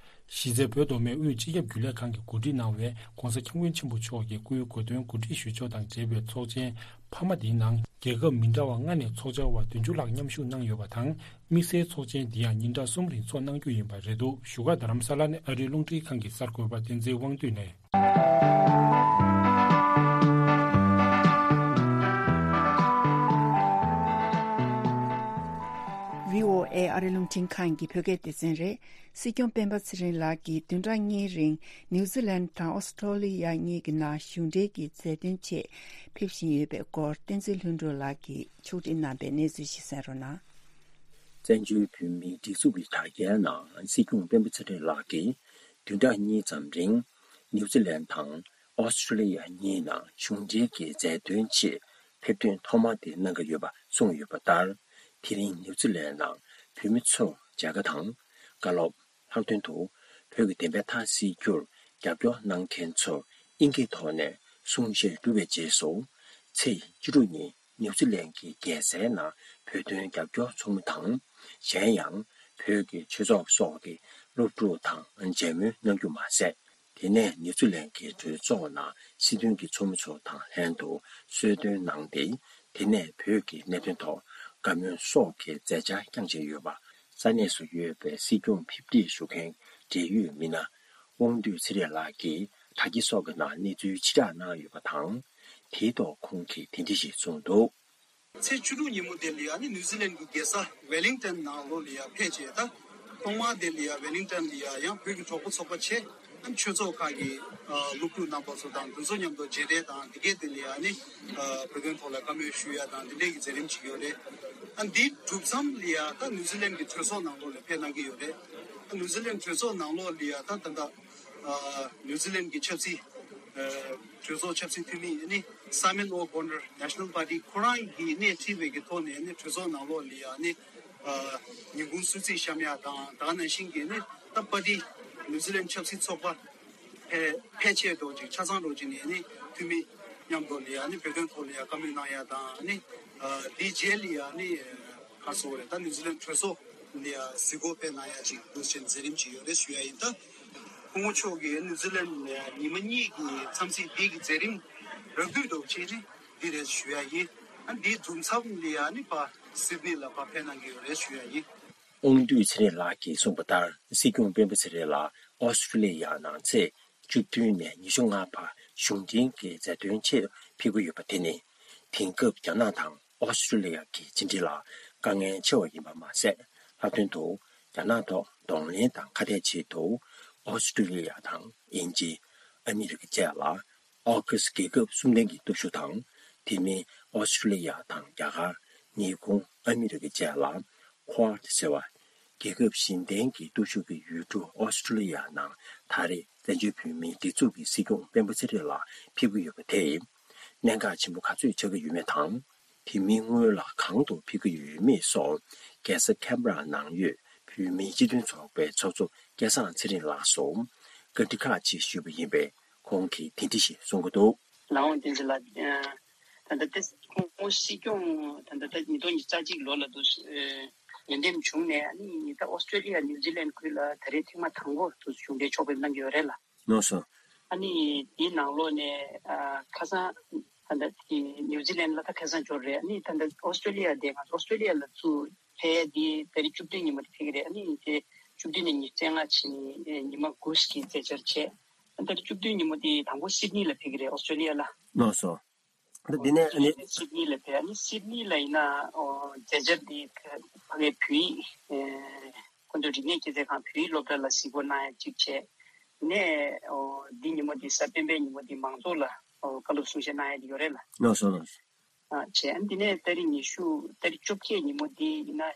གཞི་རྩའི་བོད་མདོ་སྨད་དབུས་སྤྱི་ཁྱབ་རྒྱུན་ལས་ཁང་གིས་གོ་སྒྲིག་གནང་བའི་༸གོང་ས་༸སྐྱབས་མགོན་ཆེན་པོ་མཆོག་གི་སྐུའི་གོ་སྟོན་གོ་སྒྲིག་ཞུ་ཕྱོགས་དང་འབྲེལ་བའི་ཚོགས་ཆེན་འཕར་མ་འདིའི་ནང་རྒྱལ་ཁབ་མི་འདྲ་བ་ལྔ་ནས་ཚོགས་བཅར་བ་བདུན་ཅུ་ལྷག་མཉམ་ཞུགས་གནང་ཡོད་པ་དང་། དམིགས་བསལ་ཚོགས་ཆེན་འདི་ཡང་ཉིན་གྲངས་གསུམ་རིང་ཚོགས་གནང་རྒྱུ་ཡིན་པ་རེད་འདུག་བཞུགས་སྒར་རྡ་རམ་ས་ལ་ནས་ཨ་རིའི་རླུང་འཕྲིན་ཁང་གི་གསར་འགོད་པ་བསྟན་འཛིན་དབང་འདུས་ནས། བྷི་ཨོ་ཨེ་ཨ་རིའི་རླུང་འཕྲིན་ཁང་གི་བོད་སྐད་སྡེ་ཚན་རེད། སྲིད་སྐྱོང་སྤེན་པ་ཚེ་རིང་ལགས་ཀྱིས་བདུན་ཕྲག་གཉིས་རིང་ནིའུ་ཛི་ལན་དང་ཨོ་སི་ཁྲོ་ལི་ཡ་གཉིས་ཀྱི་ནང་གཞུང་འབྲེལ་གྱི་མཛད་དོན་ཆེད་ཕེབས་བཞིན་ཡོད་པའི་སྐོར་བསྟན་འཛིན་ལྷུན་གྲུབ་ལགས་ཀྱིས་ཕྱོགས་སྒྲིག་གནང་པའི་གནས་ཚུལ་ཞིག་གསན་རོགས་གནང་། བཙན་བྱོལ་བོད་མིའི་སྒྲིག་འཛུགས་ཀྱི་དྲ་རྒྱའི་ནང་སྲིད་སྐྱོང་སྤེན་པ་ཚེ་རིང་ལགས་ཀྱིས་བདུན་ཕྲག་གཉིས་ཙམ་རིང་ནིའུ་ཛི་ལན་དང་ཨོ་སི་ཁྲོ་ལི་ཡ་གཉིས་ནང་གཞུང་འབྲེལ་གྱི་མཛད་དོན་ཆེད་ཕེབས་ཐོན་ཐོག་མ་དེ་གནང་གི་ཡོད་པ་གསུངས་ཡོད་པ་ལྟར། དེ་རིང་ནིའུ་ཛི་ལན་ནང་བོད་མི་ཚོར་མཇལ་ཁ་དང་བཀའ་སློབ། ལྷག་དོན་དུ་བོད་ཀྱི་བདེན་པའི་མཐའ་གསལ་རྒྱུར་རྒྱབ་སྐྱོར་གནང་མཁན་ཚོར་དབྱིན་སྐད་ཐོག་ནས་གསུང་བཤད་གྲུབ་པའི་རྗེས་སུ། ཚེས་བཅུ་དྲུག་ཉིན་ནིའུ་ཛི་ལན་གྱི་རྒྱལ་སའི་ནང་བོད་དོན་རྒྱབ་སྐྱོར་ཚོགས་མི་དང་། གཞན་ཡང་བོད་ཀྱི་ཆོས་ཚོགས་སོགས་ཀྱི་སློབ་ཕྲུག་དང་མཇལ་མོལ་གནང་རྒྱུ་མ་ཟད། དེ་ནས་ནིའུ་ཛི་ལན་གྱི་གྲོས་ཚོགས་ནང་སྲིད་དོན་གྱི་ཚོགས་མི་ཚོ་དང་ལྷན་དུ་གསོལ་སྟོན་གནང་སྟེ། དེ་ནས་བོད་ཀྱི་གནད་དོན་ཐོག་བཀའ་མོལ་སོགས་ཀྱི་མཛད་འཆར་བསྐྱངས་བཞིན་ཡོད་པ། ས་གནས་སུ་ཡོད་པའི་སྲིད་སྐྱོང་ཕེབས་འཁྲིད་ཞུ་མཁན་འབྲེལ་ཡོད་མི་སྣ་དབང་འདུས་ཚེ་རིང་ལགས་ཀྱིས་དྲ་རྒྱ་སོགས་ཀྱི་ནང་གནས་ཚུལ་ཕྱིར་བསྒྲགས་གནང་ཡོད་པ་དང་། དེའི་ཐོག་ཁོང་གིས་དེ་འདྲ་ཞིག་གསུངས་འདུག། ཚེས་བཅུ་དྲུག་ཉིན་མོ་དེ་ལ་ཡང་ནི་ནིའུ་ཛི་ལན་གྱི་རྒྱལ་ས་ཝེ་ལིང་ཏན་ནང་ལོགས་ལ་ཡང་ཕེབས་བྱས། ད་ཐོག་མར་དེ་ལ་ཡང་ཝེ་ལིང་ཏན་ལ་ཡང་ཡང་བོད་ཀྱི་གྲོགས་པོ་ཚོགས་པ་ཆེ་ཨ་ཆོས་ཚོགས་ཁག་གི་ཨ་སློབ་ཕྲུག་རྣམ་པ་ཚོ་དང་དེ་ཚོ་མཉམ་དུ་མཇལ་འཕྲད་དང་། དེ་གའི་དེ་ལ་ཡང་ནི་ཨ་བོད་དོན་ཐོག་ལ་བཀའ་མོལ་ཞུ་ཡ་དང་དེ་འདྲའི་གི་མཛད་རིམ་ཅིག་ཡོད་རེད། ཨ་འདི་གྲུབ་མཚམས་ལ་ཡ་ད་ནིའུ་ཛི་ལན་གྱི་གྲོས་ཚོགས་ནང་ལོགས་ལ་ཕེབས་གནང་གི་ཡོད་རེད། ཨ་ནིའུ་ཛི་ལན་གྲོས་ཚོགས་ནང་ལོགས་ལ་ཡ་ད་ད་ད་ཨ་ནིའུ་ཛི་ལན་གྱི་ཆབ་སྲིད་ཨ་གྲོས་ཚོགས་ཆབ་སྲིད་འཐུས་མི་ཨ་ནི་Simon O'Connor National Party ཁོ་རང་གིས་སྣེ་ཁྲིད་པའི་གི་ཐོག་ནས་ཨ་ནི་གྲོས་ཚོགས་ནང་ལོགས་ལ་ཡ་ཨ་ནི་ཨ་ཉིན་གུང་གསོལ་ཚིགས་བཤམས་ཡ་དང་ད་ག་ནང་བཞིན་གྱི་ཨ་ནི་ད་པར་ཊི་ནིའུ་ཛི་ལན་ཆབ་སྲིད་ཚོགས་པ་ཕལ་ཕལ་ཆེར་འགྲོ་ཅིག་ཆ་ཚང་འགྲོ་ཅིག་ནས་ནི་འཐུས་མི་མཉམ་དུ་ལ་ཡ་ནི་བོད་དོན་ཐོག་ལ་ཡ་བཀའ་མོལ་གནང་ཡ་དང་ནི་ཨ་དེའི་རྗེས་ལ་ཡ་ནི་ག་རེ་ཟེར་དགོས་རེད། ད་ནིའུ་ཛི་ལན་གྲོས་ཚོགས་ལ་ཡ་གཟིགས་སྐོར་ཕེབས་གནང་ཡ་ཅིག་འདུག་ཅེས་མཛད་རིམ་ཅིག་ཡོད་རེད་ཞུ་ཡ་ཡིན། ད་སྐུ་ངོ་མཆོག་གིས་ནིའུ་ཛི་ལན་ལ་ཡ་ཉི་མ་གཉིས་ཀྱི་འཚམས་གཟིགས་འདི་གི་མཛད་རིམ་རགས་བསྡུས་འདྲ་བོ་ཅིག་རེད། འདི་རེད་ཞུ་ཡ་ཡིན། ཨ་འདིའི་མཚམས་ལ་ཡ་ནི་ཕར་སིད་ནི་ལ་ཕར་ཕེབས་གནང་གི་ཡོད་རེད་ཞུ་ཡ་ཡིན། དབང་འདུས་ཚེ་རིང་ལགས་ཀྱིས་གསུངས་པ་ལྟར། སྲིད་སྐྱོང་སྤེན་པ་ཚེ་རིང་ལགས་ཨོ་སི་ཀྲི་ལི་ཡར་ནང་ཚེས་བཅུ་བདུན་ནས་ཉི་ཤུ་ལྔ་བར་གཞུང་འབྲེལ་གྱི་མཛད་དོན་ཆེད་ཕེབས་ཀྱི་ཡོད་པ་དེ་ནི། དེང་སྐབས་རྒྱ་ནག་དང་ཨོ་སི་ཀྲི་ལི་ཡ་གི་ཕྱི་འབྲེལ་ལ་དཀའ་ངལ་ཆེ་བ་ཡིན་པ་མ་ཟད། ལྷག་དོན་དུ་རྒྱ་ནག་ཐོག་གདོང་ལེན་དང་ཁ་གཏད་ཆེད་དུ་ཨོ་སི་ཀྲི་ལི་ཡ་དང་དབྱིན་ཇི། ཨ་མི་རི་ཀ་བཅས་ལ་ཨོ་ཁུ་སི་རྒྱལ་ཁབ་གསུམ་ལྡན་གྱི་སྟོབས་ཤུགས་དང་། དེ་མིན་ཨོ་སི་ཀྲི་ལི་ཡ་དང་རྒྱ་གར། ཉི་ཧོང་། ཨ་མི་རི་ཀ་བཅས་ལ་Quad ཟེར་བ། རྒྱལ་ཁབ་བཞི་ལྡན་གྱི་སྟོབས་ཤུགས་ཀྱི་ཡུལ་གྲུ་ཨོ་སི་ཀྲི་ལི་ཡ་ནང་ད་རེས་བཙན་བྱོལ་བོད་མིའི་སྒྲིག་འཛུགས་ཀྱི་སྲིད་སྐྱོང་སྤེན་པ་ཚེ་རིང་ལགས་ཕེབས་ཀྱི་ཡོད་པ་དེས། གནད་འགག་ཆེན་པོ་ག་ཚོད་ཆགས་ཀྱི་ཡོད་མེད་དང་། དེ་མིན་སྔོན་ལ་གང་དུ་ཕེབས་ཀྱི་ཡོད་མེད་སོགས། རྒྱལ་ས་ཁན་བྷ་ར་ནང་ཡོད་བོད་མིའི་སྤྱི་མཐུན་ཚོགས་པའི་ཚོགས་གཙོ་སྐལ་བཟང་ཚེ་རིང་ལགས་སུ་བཀའ་འདྲི་ཁག་ཅིག་ཞུས་པ་ཡིན་པས། ཁོང་གིས་དེ་འདྲ་ཞིག་གསུང་གི་འདུག། ལགས་འོང་། བསྟན་འཛིན་ལགས། ད་ལྟ་ཏེ་ཁོང་སྲིད་སྐྱོང་ད་ལྟ་ད་ཉིས་སྟོང་ཉི་ཤུ་རྩ་གཅིག་ལོ་ལ་འདུག་ཡོན་ཏན་བྱུང་ནས། ཨ་ནི་ད་ཨོ་སི་ཀྲོ་ལི་ཡ་ནིའུ་ཛི་ལན་ཁུལ་ལ་ད་རེས་ཐེངས་མ་དང་པོ་འདུག་གཞུང་འབྲེལ་ཕྱོགས་ཕེབས་གནང་གི་ཡོད་རེད་ལ། ལགས་སོ། ཨ་ནི་དེའི་ནང་ལོགས་ནས་ཨ་ཁ་སང་ད་ལྟ་དེ་ནིའུ་ཛི་ལན་ལ་ད་ཁ་སང་འབྱོར་རེད། ཨ་ནི་ད་ལྟ་ཨོ་སི་ཀྲོ་ལི་ཡ་དེ་ང་ཚོ་ཨོ་སི་ཀྲོ་ལི་ཡ་ལ་ཚུར་ཕེབས་དེ་ད་རེས་བཅུ་བདུན་ཉིན་མོ་དེ་ཕེབས་ཀྱི་རེད། ཨ་ནི་དེ་བཅུ་བདུན་ནས་ཉི་ཤུ་རྩ་ལྔ་ཕྱིན་ནས་ཉི་མ་དགུ་ཞིག་གི་མཛད་འཆར་བྱས། ཨ་ད་རེས་བཅུ་བདུན་ཉིན་མོ་དེ་དང་པོ་སིད་ནི་ལ་ཕེབས་ཀྱི་རེད། ཨོ་སི་ཀྲོ་ལི་ཡ་ལ། ལགས་སོ། ད་འདི་ནས་ཨ་ནི། སིད་ནི་ལ་ཕེབས། ཨ་ནི་སིད་ནི་ལ་ཡིན་ན་ཨོ་མཛད་འཆར་འདི་ཕ་གིའི་བོད་ཡིག་ཨེ་ཁོ་ཚོའི་རིག་གནས་སྐྱེད་ཚལ་ཁང་བོད་ཡིག་སློབ་གྲྭ་ལ་གཟིགས་སྐོར་གནང་ཡ་གཅིག་བྱས། ནས་ཨོ་འདི་ཉིན་མོ་འདི་གཟའ་སྤེན་པའི་ཉིན་མོ་འདི་མང་ཚོགས་ལ་ཨོ་བཀའ་སློབ་གསུང་བཤད་གནང་ཡ་འདི་ཡོད་རེད་ལ། ལགས་སོ་ལགས་སོ། ཨ་བྱས། ཨ་འདི་ནས་ཏ་རིག་ཉི་ཤུ་ཏ་རིག་བཅོ་བརྒྱད་ཉིན་མོ་འདི་ཡིན་ན་ཨ་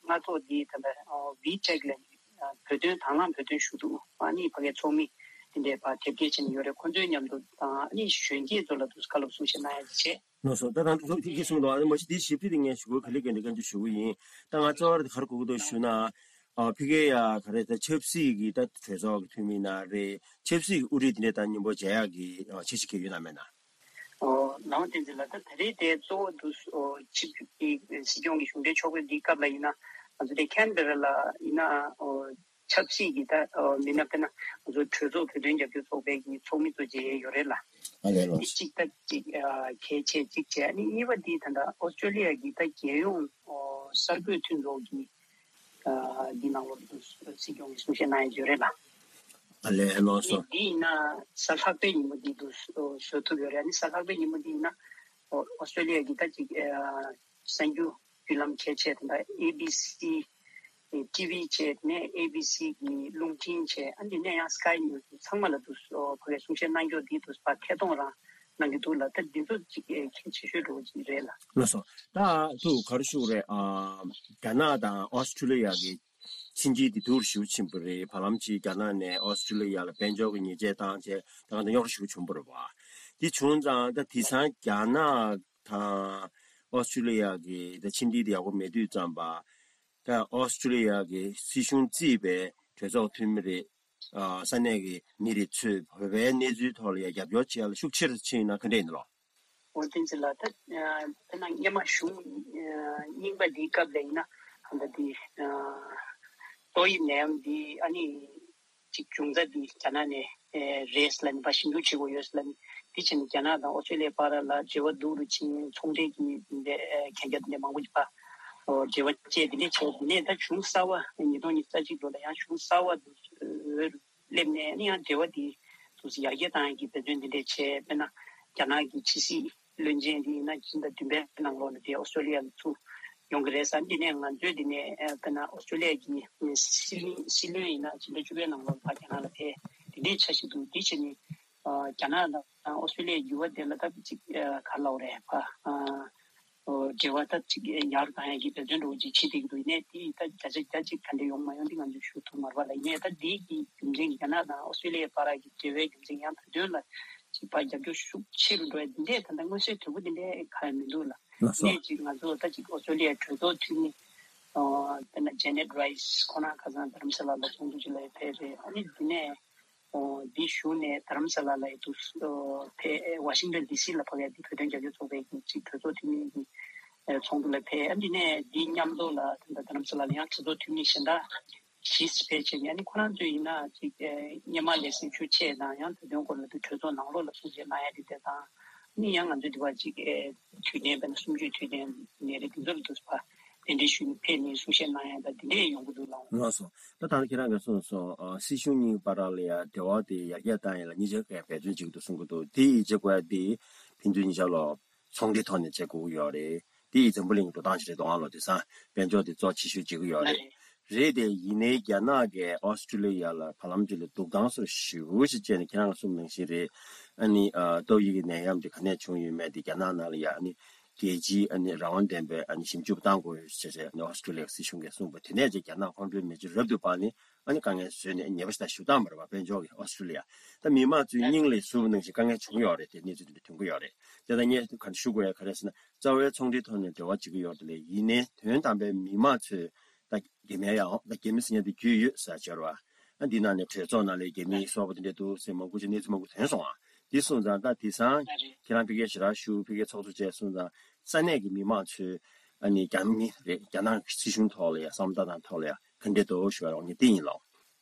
སྔ་ཐོག་འདི་ད་ལྟ་ཨོ་ཝི་ཊེག་ལ་ཨ་བོད་དོན་དང་བླངས་བོད་དོན་ཞུ་གཏུག་ཨ་ནི་ཕ་གིའི་ཚོགས་མི་འདི་འདྲའི་བར་དེབ་སྐྱེལ་བྱས་ནས་ཡོད་རེད། ཁོང་ཚོའི་མཉམ་དུ་དང་ཨ་ནི་གཞོན་སྐྱེས་ཚོ་ལ་དུ་བཀའ་སློབ་གསུང་བཤད་གནང་ཡ་བྱས། ལགས་སོ། ད་ད་ད་ཁྱེད་ཀྱིས་གསུངས་འདུག། ཨ་ནི་མ་གཞི་དེ་ཞིབ་ཕྲ་དེ་ངས་ཞུ་དགོས་ག་ལེ་ག་འདྲ་ག་འདྲ་ཞུ་གི་ཡིན། ད་ང་གཙོ་བོ་དེ་ག་རེ་གོ་གི་འདུག་ཞུ་ན། ཨ་ཕ་གི་ཡ་ག་རེ་ད་ཆབ་སྲིད་ཀྱི་ད་གྲོས་ཚོགས་ཀྱི་འཐུས་མི་ན་རེད། ཆབ་སྲིད་ཀྱི་དབུ་ཁྲིད་དེ་འདྲ་ད་མཉམ་པོ་མཇལ་ཡག་གི་འཆར་གཞི་ག་ཡོད་ན་མེད་ན། ཨོ་ལགས་འོང་། བསྟན་འཛིན་ལགས། ད་ད་རེས་དེ་གཙོ་བོ་དུ་ཨོ་ཆིབས་བསྒྱུར་གྱི་སྲིད་སྐྱོང་གི་གཞུང་འབྲེལ་ཕྱོགས་ཕེབས་འདིའི་སྐབས་ལ་ཡིན་ན་ང་ཚོ་དེ་ཁན་བྷེ་ར་ལ་ཡིན་ན་ཨོ་ཆབ་སྲིད་ཀྱི་ད་ཨོ་མི་སྣ་དཔེར་ན་ང་ཚོ་གྲོས་ཚོགས་བོད་དོན་རྒྱབ་སྐྱོར་ཚོགས་པའི་གི་ཚོགས་མི་ཚོ་མཇལ་ཡས་ཡོད་རེད་ལ། ཨ་ལས་ལགས་སོ། དེ་གཅིག་ད་གཅིག་ཨ་གལ་ཆེ་གཅིག་བྱས། ཨ་ནི་གཉིས་པ་འདི་ད་ལྟ་ཨོ་སི་ཀྲོ་ལི་ཡ་གི་ད་རྒྱལ་ཡོངས་ཨོ་གསར་འགོད་མཐུན་ཚོགས་ཀྱི་ཨ་འདི་ནང་ལོགས་སུ་སྲིད་སྐྱོང་གི་གསུང་བཤད་གནང་ཡས་ཡོད་རེད་ལ། ཨ་ལས་ལགས་སོ། ཨ་ནི་འདི་ཡིན་ན་གཟའ་ལྷག་པའི་ཉིན་མོ་འདི་དུ་བཟོ་ཐུབ་ཡོད་རེད། ཨ་ནི་གཟའ་ལྷག་པའི་ཉིན་མོ་འདི་ཡིན་ན་ཨོ་ཨོ་སི་ཀྲོ་ལི་ཡ་གི་ད་ཅིག་ཨ་གསར་འགྱུར་བརྒྱུད་ལམ་གལ་ཆེ་དེ་འདྲ་ཨེ་བི་སི་ཊི་ཝི་བྱས་ནས་ཨེ་བི་སི་གི་རླུང་འཕྲིན་བྱས། ཨ་འདི་ནས་ཡང་སི་ཀའི་ནིའུ་སི་ཚང་མ་ལ་དུ་ཕ་གིའི་གསུང་བཤད་གནང་རྒྱུ་འདི་དུ་ཕར་ཐད་གཏོང་རང་གནང་གི་འདུག་ལ། ད་འདི་ཚོ་ཅིག་གལ་ཆེ་ཤོས་འགྲོ་གི་རེད་ལ། ལགས་སོ། ད་དུ་ག་རེ་ཞུ་དགོས་རེད། ཨ་རྒྱ་ནག་དང་ཨོ་སི་ཀྲོ་ལི་ཡ་གི་ཕྱི་འབྲེལ་འདི་སྡུག་རུ་ཞེ་པོ་ཕྱིན་པ་རེད། བར་ལམ་ཅིག་རྒྱ་ནག་ནས་ཨོ་སི་ཀྲོ་ལི་ཡ་ལ་དཔལ་འབྱོར་གྱི་ཉེས་ཆད་བཏང་བྱས་ད་ག་ད་རྙོག་དྲ་ཞེ་པོ་བྱུང་བ་རེད་བ། འདི་བྱུང་ཙང་ད་དེང་སང་རྒྱ་ནག་དང་ཨོ་སི་ཀྲོ་ལི་ཡ་གི་ད་ཕྱི་འབྲེལ་འདི་ཡག་པོ་མེད་དུས་ཙམ་པ། ད་ཨོ་སི་ཀྲོ་ལི་ཡ་གི་སྲིད་གཞུང་རྩིས་པའི་གྲོས་ཚོགས་འཐུས་མི་རེད། ཨ་ས་གནས་ཀྱི་མི་རེ་ཚོས་བོད་པའི་གནས་ཚུལ་ཐོག་ལ་ཡ་རྒྱབ་སྐྱོར་བྱེད་ཡ་ལ་ཤུགས་ཆེར་ཕྱིན་ཡོད་ན་ག་འདྲ་ཡིན་ནོ། འོ་བསྟན་འཛིན་ལགས། ད་ཨ་དཔེར་ན་སྔོན་མ་གཞུང་ཨ་རྙིང་པ་འདིའི་སྐབས་ལ་ཡིན་ན་ད་ལྟ་འདི་ཨ་ཏོག་དབྱིབས་ནད་ཡམས་འདི་ཨ་ནི་གཅིག་བྱུང་ས་འདི་རྒྱ་ནག་ནས་ཨེ་རེད་ལབ་ནས་ཕར་ཞིབ་འཇུག་བྱེད་དགོས་ཡོད་ལབ་ནས། དེ་བྱས་ནས་རྒྱ་ནག་དང་ཨོ་སི་ཀྲོ་ལི་ཡའི་བར་ལ་འབྲེལ་བ་སྡུག་རུ་ཕྱིན། ཚོང་འབྲེལ་གྱི་འདི་འདྲའི་ཨེ་གན་རྒྱ་འདི་འདྲའི་མང་པོ་ཅིག་ཕར་ཨོ་འབྲེལ་བ་བཅད། འདི་འདྲའི་བྱས། འདི་ནས་ད་གཞུང་གསར་བ་ཉིས་སྟོང་ཉི་ཤུ་རྩ་གཅིག་ལོ་ལ་ཡང་གཞུང་གསར་བ་འདུག་འོས་སླེབས་ནས་ནི་ཡང་འབྲེལ་བ་འདི་དུས་སུ་ཡར་རྒྱས་བཏང་ཡག་གི་འབད་བརྩོན་འདི་འདྲས་བྱས། དཔེར་ན་རྒྱ་ནག་གི་ཕྱི་སྲིད་བློན་ཆེན་འདི་ཡིན་ན་ཕྱི་ཟླ་བདུན་པའི་ནང་ལོགས་ལ་དེ་ཨོ་སི་ཀྲོ་ལི་ཡ་ལ་ཚུར་ཡོང་གི་རེད་ཟེར། འདི་ནས་ང་ཚོས་འདི་ནས་ཨ་དཔེར་ན་ཨོ་སི་ཀྲོ་ལི་ཡ་གི་སྲིད་བློན་སྲིད་བློན་ཡིན་ན་ཕྱི་ཟླ་བཅུ་པའི་ནང་ལོགས་ལ་ཕར་རྒྱ་ནག་ལ་ཕེབས། དེ་འདྲའི་འཆར་གཞི་འདུག། དེ་བྱས་ནས་ཨ་རྒྱ་ནག་དང་ཨོ་སི་ཀྲོ་ལི་ཡའི་འགྱུར་བ་དེ་ལ་ད་ཅིག་ཨ་ག་རེ་ལབ་དགོས་རེད། ཕར་ཨ་ཨོ་ འབྲེལ་བ་ད་ཅིག་ཡར་གང་ཡག་གི་འབད་བརྩོན་འགྲོ་ཅིག་བྱེད་བསྡད་ཀྱི་འདུག་ཡིན་ནའི་དེ་ད་བརྒྱ་ཆ་བརྒྱ་ཅིག་ག་འདྲ་ཡོང་མ་ཡོང་དེ་ང་ཚོས་ཞུ་ཐུབ་མ་རེད་པ་ལ། ཡིན་ནའི་ད་དེ་གི་རྒྱུ་མཚན་རྒྱ་ནག་དང་ཨོ་སི་ཀྲོ་ལི་ཡའི་བར་གྱི་འབྲེལ་བའི་རྒྱུ་མཚན་ཡང་བོད་དོན་ལ་ཅིག་ཕར་རྒྱབ་སྐྱོར་ཤུགས་ཆེ་རུ་འགྲོ་ཡ་འདི་འདྲས་ད་ལྟ་མངོན་གསལ་དོད་པོ་འདི་འདྲས་གང་ཡང་མི་འདུག་ལ། ལགས་སོ། ཡིན་ནའི་ཅིག་ང་ཚོ་ད་ཅིག་ཨོ་སི་ཀྲོ་ལི་ཡའི་གྲོས་ཚོགས་འཐུས་མི་དཔེར་ན་ཇེ་ནེད་རའི་སི་ཁོང་རང་ཁ་སང་རྡ་རམ་ས་ལ་ལ་ཚོགས་འདུ་ཅིག་ལ་ཡང་ཕེབས་རེད། ཨ་ནི་འདི་ནས་འོ་འདི་གཞུག་ནས་རྡ་རམ་ས་ལ་ལ་ཡང་འདུག་ཕེབས། ཝ་ཤིང་ཊོན་ཌི་སི་ལ་ཕེབས་ཡ་འདི་བོད་དོན་རྒྱབ་སྐྱོར་ཚོགས་པའི་གི་ཅིག་གྲོས་ཚོགས་འཐུས་མི་གི་ཚོགས་འདུ་ལ་ཕེབས། ཨ་འདི་ནས་འདི་མཉམ་དུ་ལ་ད་ལྟ་རྡ་རམ་ས་ལ་ལ་ཡང་གྲོས་ཚོགས་འཐུས་མི་གཞན་དག་བཞི་ཕལ་ཆེར་ཡང་ནི་ཁོ་རང་ཚོས་ཡིན་ན་ཅིག་སྔོན་མ་ལས་སེམས་ཤུགས་ཆེ་དང་ཡང་བོད་དོན་སྐོར་ལ་དུ་གྲོས་ཚོགས་ནང་ལོགས་ལ་གསུང་བཤད་གནང་ཡ་དེ་དེ་དང་ནི་ཡང་ང་ཚོའི་དུ་བ་ཅིག་དུས་ནས་བན་གསུམ་བཅུའི་དུས་ནས་ནས་རེ་དེ་ཚོ་ལ་དུ་བ་གདན་འདྲེན་ཞུས་ནས་ཕེབས་ནས་གསུང་བཤད་གནང་ཡ་ད་དེ་འདྲས་ཡོང་གི་འདུག་ལགས། ལགས་སོ། ད་ད་ཁྱེད་རང་གིས་གསུངས་སོང་། སྲིད་གཞུང་གཉིས་བར་ལ་ཡ་འབྲེལ་བ་དེ་ཡར་རྒྱས་བཏང་ཡ་ལ་གཉིས་ཆ་གས་འབད་བརྩོན་བྱེད་ཀྱི་འདུག་གསུང་གི་འདུག་དེ་ཡིས་བྱེད་དགོས་ཡ་དེ་ཕན་ཚུན་གཉིས་ཆ་ལོ། ཚོང་འབྲེལ་ཐོག་ནས་བྱེད་དགོས་ཀྱི་ཡོད་རེད། དེ་ཡིས་འཛམ་བུ་གླིང་གི་འགྲོ་སྟངས་ཤིག་རེད་འདུག་ཨང་ལོ། དེང་སང་དཔལ་འབྱོར་དེ་གཙོ་ཆེ་ཤོས་བྱེད་ཀྱི་ཡོད་རེད། རེད་དེ་ཡིན་ནའི་རྒྱ་ནག་གིས་ཨོ་སི་ཀྲི་ལི་ཡ་ལ་བར་ལམ་ཅིག་ལ་འདུག་སྟངས་སོར་ཞེ་པོ་ཞིག་བྱས་ནས་ཁྱེད་རང་གསུངས་ནང་བཞིན་རེད། ཨ་ནི་ཏོག་དབྱིབས་ཀྱི་ནད་ཡམས་དེ་ག་ནས་བྱུང་ཡོད་མེད་དེ་རྒྱ་ནག་ནང་ལ་ཡ་ཨ་ནི་རྒྱལ་སྤྱིའི་ཨ་ནི་རང་དབང་ལྡན་པའི་ཨ་ནི་ཞིབ་འཇུག་བཏང་དགོས་ཡོད་ཞེས་ཨ་ནི་ཨོ་སི་ཀྲི་ལི་ཡ་སྲིད་གཞུང་གིས་གསུངས་པ་དེ་ནས་ཅིག་རྒྱ་ནག་ཁོང་ཚོའི་མི་སྤྱི་རབ་ཏུ་བར་ནས་ཨ་ནི་དཀའ་ངལ་བཟོས་ནས་ཉེས་པ་ཞིག་དང་ཞུ་སྟངས་མ་རེད་པ། དཔལ་འབྱོར་གྱི་ཨོ་སི་ཀྲི་ལི་ཡ། ད་མི་མང་ཚོའི་སྙིང་ལ་ཟུག་པ་ནང་བཞིན་དཀའ་ངལ་བྱུང་ཡོད་རེད། དེ་གནས་ཚུལ་དེ་འདྲ་ཐོན་གྱི་ཡོད་རེད། དེ་ད་ངས་ག་འདྲ་ཞུ་དགོས་ཡ་ག་རེ་ཟེར་ན། རྩ་བའི་ཚོང་འབྲེལ་ཐོག་ནས་འབྲེལ་བ་བྱེད་ཀྱི་ཡོད་རེད་དེ་ལས་ཡིན་ནའི་དོན་དམ་པའི་མི་མང་ཚོས་ད་རྒྱ་མིའི་ཡང་ད་རྒྱ་མི་ཟེར་མཁན་དེ་རྒྱུས་ཡོད་ཟེར་བྱས་རེད་པ། ཨ་འདི་ནང་ནས་གྲོས་ཚོགས་ནང་ལ་རྒྱ་མིའི་སོག་པོ་དེ་འདྲ་འདུག་ཟེར་མང་པོ་ཅིག་གནས་ཚུལ་མང་པོ་ཐོན་སོང་ཨ། འདི་སོང་ཙང་ད་དེང་སང་ཁྱེད་རང་ཕ་གིར་ཞེ་དྲག་བཞུགས། ཕ་གིར་ཚོགས་གཙོ་བྱས་སོང་ཙང་ས་གནས་ཀྱི་མི་མང་ཚོས་ཨ་ནི་རྒྱ་མི་རེད་རྒྱ་ནག་སྲིད་གཞུང་ཐོག་ལ་ཡ་བསམ་བློ་བཏང་སྟངས་ཐོག་ལ་ཡ་ག་འདྲས་འདུག་ཞུ་བ་རོགས་ངས་འདི་ཡིན་ལོ།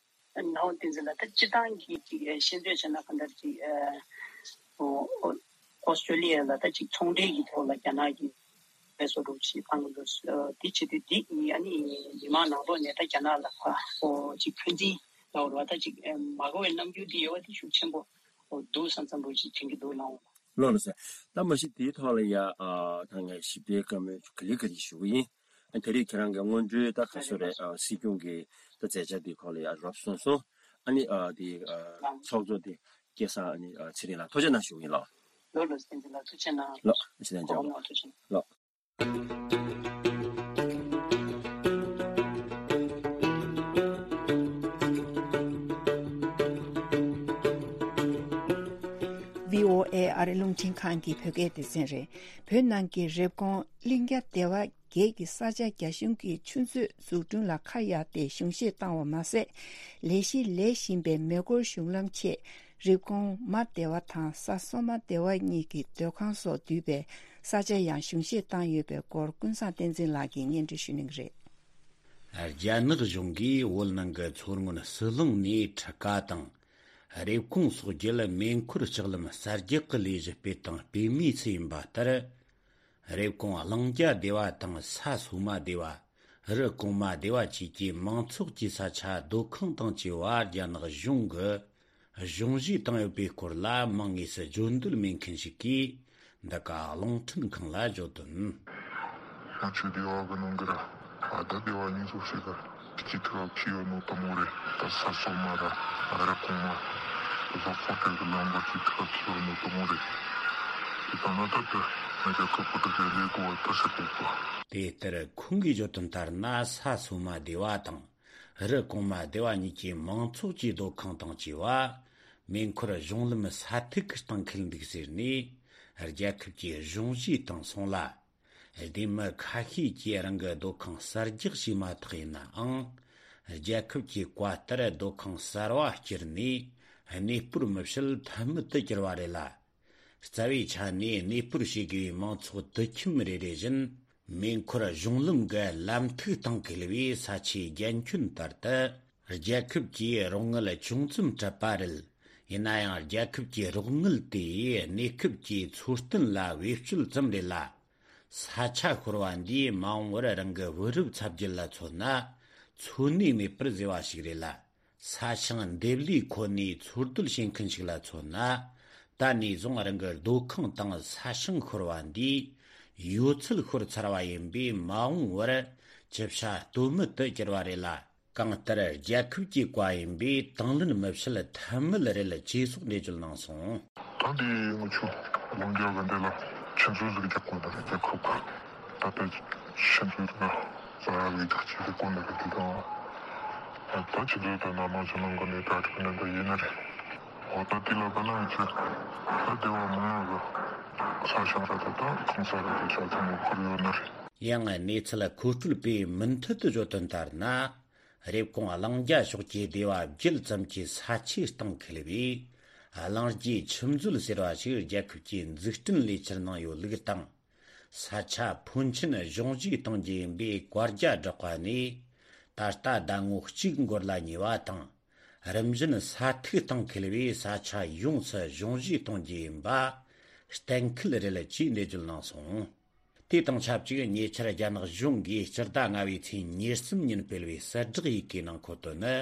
ནའོ་བསྟན་འཛིན་ལགས། ད་སྤྱིར་བཏང་གི་ཅིག་ཤེས་འདོད་བྱས་ན་གང་ལྟར་ཅིག་ཨོ་སི་ཀྲོ་ལི་ཡ་ལ་ད་ཅིག་ཚོང་འབྲེལ་གྱི་ཐོག་ལ་རྒྱ་ནག་གིས་བེད་སྤྱོད་རོགས་ཞེས་བཏང་གི་འདུག་དེ་བྱེད་དུས་འདི་ཨ་ནི་མི་མང་ནང་ལོགས་ནས་ད་རྒྱ་ནག་ལ་ཁ་ཨོ་ཅིག་འཁོན་འཛིན་ལ་འོར་བ་ད་ཅིག་མ་དགའ་བའི་རྣམ་འགྱུར་འདི་ཡོད་པ་དེ་ཤུགས་ཆེན་པོ་འདུག་བསམ་བསམ་པོ་ཅིག་དྲན་གྱི་འདུག་ལགས། ལགས་ལགས་སོ། ད་མ་གཞི་དེའི་ཐོག་ལ་ཡ་ད་ངས་ཞིབ་ཕྲའི་བཀའ་མོལ་ག་ལེ་ག་ལེ་ཞུ་གི་ཡིན། ད་རེས་ཁྱེད་རང་གི་སྔོན་འགྲོའི་ད་ག་ཚོད་རེད། ཨ་སྲིད་སྐྱོང་གི་ད་མཛད་འཆར་དེའི་སྐོར་ལ་ཡང་རོབ་གསུངས་སོང་། ཨ་ནི་ཨ་དེ་ཨ་ཚོགས་གཙོ་དེ་སྐལ་བཟང་ཨ་ནི་ཨ་ཚེ་རིང་ལགས་ཐུགས་རྗེ་གནང་ཞུ་གི་ཡིན་ལགས། ལགས་ལགས་བསྟན་འཛིན་ལགས་ཐུགས་རྗེ་གནང་། ལགས་ཐུགས་རྗེ་གནང་། ལགས་ཐུགས་རྗེ་གནང་། ལགས། བྷི་ཨོ་ཨེ་ཨ་རི་རླུང་འཕྲིན་ཁང་གི་བོད་སྐད་སྡེ་ཚན་རེད། བོད་ནང་གི་རེབ་གོང་གླིང་ག་སྡེ་བ་བརྒྱད་ཀྱི་ས་ཆ་རྒྱ་གཞུང་གིས་ཆུ་མཛོད་འཛུགས་སྐྲུན་ལ་ཁ་གཡར་ཏེ་གཞུང་བཞེས་བཏང་བ་མ་ཟད། ལས་གཞི་ལས་བཞིན་པའི་མེ་འཁོར་གཞུང་ལམ་ཆེད་རེབ་གོང་མ་སྡེ་བ་དང་ས་སོ་མ་སྡེ་བ་གཉིས་ཀྱི་སྡོད་ཁང་སོགས་འདུས་པའི་ས་ཆ་ཡང་གཞུང་བཞེས་བཏང་ཡོད་པའི་སྐོར་ཀུན་བཟང་བསྟན་འཛིན་ལགས་ཀྱིས་སྙན་སྒྲོན་ཞུ་གནང་གི་རེད། རྒྱ་ནག་གཞུང་གིས་བོད་ནང་གི་མཚོ་སྔོན་ཟི་ལིང་ནས་ཁྲི་ཀ་དང་། རེབ་གོང་སོགས་བརྒྱུད་མེ་འཁོར་ལྕགས་ལམ་གསར་རྒྱག་གི་ལས་གཞི་སྤེལ་དང་སྤེལ་མུས་སུ་ཡིན་པ་ལྟར། རེབ་གོང་གླིང་ག་སྡེ་བ་དང་ས་སོ་མ་སྡེ་བ། རི་གོང་མ་སྡེ་བ་བཅས་ཀྱི་མང་ཚོགས་ཀྱི་ས་ཆ་སྡོད་ཁང་དང་བཅས་པ་རྒྱ་ནག་གཞུང་གིས་གཞུང་བཞེས་བཏང་ཡོད་པའི་སྐོར་ལ་མིང་དངོས་སུ་བརྗོད་འདོད་མེད་མཁན་ཞིག་གིས་འདི་ག་རླུང་འཕྲིན་ཁང་ལ་བརྗོད་དོན། ང་ཚོའི་སྡེ་བ་གི་ནང་གི་ར་ཨ་ད་སྡེ་བ་གཉིས་ཚོ་ཞིག་གི་ཅི་ཐུག་ཁྱི་ཡོད་ནོ་དུ་མོ་རེད། ད་ས་སོ་མ་ར་རི་གོང་མ་བཟོ་ཚོགས་དེ་གི་ལམ་བར་ཅི་ཐུག་ཁྱི་ཡོད་ནོ་དུ་མོ་རེད། དེ་ད་ན་ད་དེ་ང་རྒྱལ་ཁབ་ཀྱི་དེ་གི་ལས་གོ་བ་ད་ས་གོ་གོ། དེ་ལྟར་ཁོང་གིས་བརྗོད་དོན་ལྟར་ན་ས་སོ་མ་སྡེ་བ་དང་རི་གོང་མ་སྡེ་བ་གཉིས་ཀྱི་མང་ཚོགས་ཀྱི་སྡོད་ཁང་དང་བཅས་པ་མེ་འཁོར་གཞུང་ལམ་ས་ཐིག་གི་སྟེང་འཁེལ་འདུག་ཟེར་ནས་རྒྱལ་ཁབ་ཀྱི་གཞུང་བཞེས་བཏང་སོང་ལ། སྡེ་མི་ཁ་ཤས་ཀྱིས་རང་གི་སྡོད་ཁང་གསར་རྒྱག་བྱས་མ་ཐག་ཡིན་ནའང་། རྒྱལ་ཁབ་ཀྱི་བཀའ་ལྟར་སྡོད་ཁང་གསར་བ་བསྐྱུར་ནས་གནས་སྤོར་མི་བྱེད་ཐབས་མེད་དུ་གྱུར་བ་རེད་ལ། རྩ་བའི་ཆ་ནས་གནས་སྤོར་བྱེད་དགོས་པའི་མང་ཚོགས་དུད་ཁྱིམ་རེ་རེ་བཞིན་མེ་འཁོར་གཞུང་ལམ་གྱི་ལམ་ཐིག་སྟེང་འཁེལ་བའི་ས་ཆའི་རྒྱན་ཁྱོན་ལྟར་དུ། རྒྱལ་ཁབ་ཀྱིས་རོགས་དངུལ་ཅུང་ཙམ་སྤྲད་པ་རེད། ཡིན་ན་ཡང་རྒྱལ་ཁབ་ཀྱི་རོགས་དངུལ་དེ་གནས་སྐབས་ཀྱི་འཚོ་རྟེན་ལ་བེད་སྤྱོད་ཙམ་རེད་ལ། ས་ཆ་ཤོར་བ་འདིས་མ་འོངས་པར་རང་གི་བུ་རབས་ཚ་རྒྱུད་ལ་མཚོན་ན་འཚོ་གནས་མེད་པར་བཟོས་པ་ཞིག་རེད་ལ། ས་ཞིང་འདེབས་ལས་ཁོ་ནས་འཚོ་སྡོད་བྱེད་མཁན་ཞིག་ལ་མཚོན་ན། ད་ནས་བཟུང་རང་གི་སྡོད་ཁང་དང་ས་ཞིང་ཤོར་བ་འདིས་ཡོད་ཚད་ཤོར་ཚར་བ་ཡིན་པས་མ་འོངས་པར་ཅི་བྱ་གཏོལ་མེད་དུ་གྱུར་བ་རེད་ལ། གང་ལྟར་རྒྱལ་ཁབ་ཀྱི་བཀའ་ཡིན་པས་དང་ལེན་མི་བྱེད་ཐབས་མེད་རེད་ཅེས་སོགས་འགྲེལ་བརྗོད་གནང་སོང་། ད་འདི་ང་ཚོ་ལུང་རྒྱ་ག་འདི་ལ་ཆུ་མཛོད་ཟིག་རྒྱག་དགོས་ན་རྒྱལ་ཁབ་ཀྱི་ ད་ལྟ་ཕྱི་འབྲེལ་གྱི་ས་ལས་ཐག་ཆེ་གི་གོ་ནས་གི་དེ་དང་། ད་ཕྱི་འབྲེལ་དུ་ན་མ་ཆུ་ནང་གི་ནས་གྲ་སྒྲིག་ནས་འདི་ཡིན་ནི་རེད། འོ་ད་དེ་ལ་ག་ན་ཆུ་ད་སྡེ་བ་མང་ང་གི་ས་ཞིང་ར་ད་ད་གང་ས་ར་ད་ཆ་ཚང་མ་ཁུར་ཡོད་ནི་རེད། ཡང་གནས་ཚུལ་མཁོ་སྤྲོད་པས་མུ་མཐུད་དུ་བརྗོད་དོན་ལྟར་ན། རེབ་གོང་གླིང་རྒྱལ་ཕྱོགས་ཀྱི་སྡེ་བ་བརྒྱད་ཙམ་གྱི་ས་ཆའི་སྟེང་འཁེལ་བའི་གླིང་རྒྱུད་ཆུ་མཛོད་ཟེར་བ་ཞིག་རྒྱལ་ཁབ་ཀྱི་འཛུགས་སྐྲུན་ལས་འཆར་ནང་ཡོད་ལུགས་དང་། ས་ཆ་ཕོན་ཆེན་གཞུང་བཞེས་གཏོང་རྒྱུ་ཡིན་པའི་བཀའ་རྒྱ་བསྒྲགས་པ་ནས་ད་ལྟ་ཟླ་ངོ་གཅིག་འགོར་ལ་ཉེ་བ་དང་། རིམ་བཞིན་ས་ཐིག་སྟེང་འཁེལ་བའི་ས་ཆ་ཡོངས་སུ་གཞུང་བཞེས་གཏོང་རྒྱུ་ཡིན་པ་གཏན་འཁེལ་རེད་ཅེས་འགྲེལ་བརྗོད་གནང་སོང་། དེ་དང་ཆབས་ཅིག་ཉེ་ཆར་རྒྱ་ནག་གཞུང་གིས་སྤྱི་ཟླ་ལྔ་པའི་ཚེས་ཉེར་གསུམ་ཉིན་སྤེལ་བའི་གསལ་བསྒྲགས་ཡི་གེའི་ནང་འཁོད་དུ་ནི།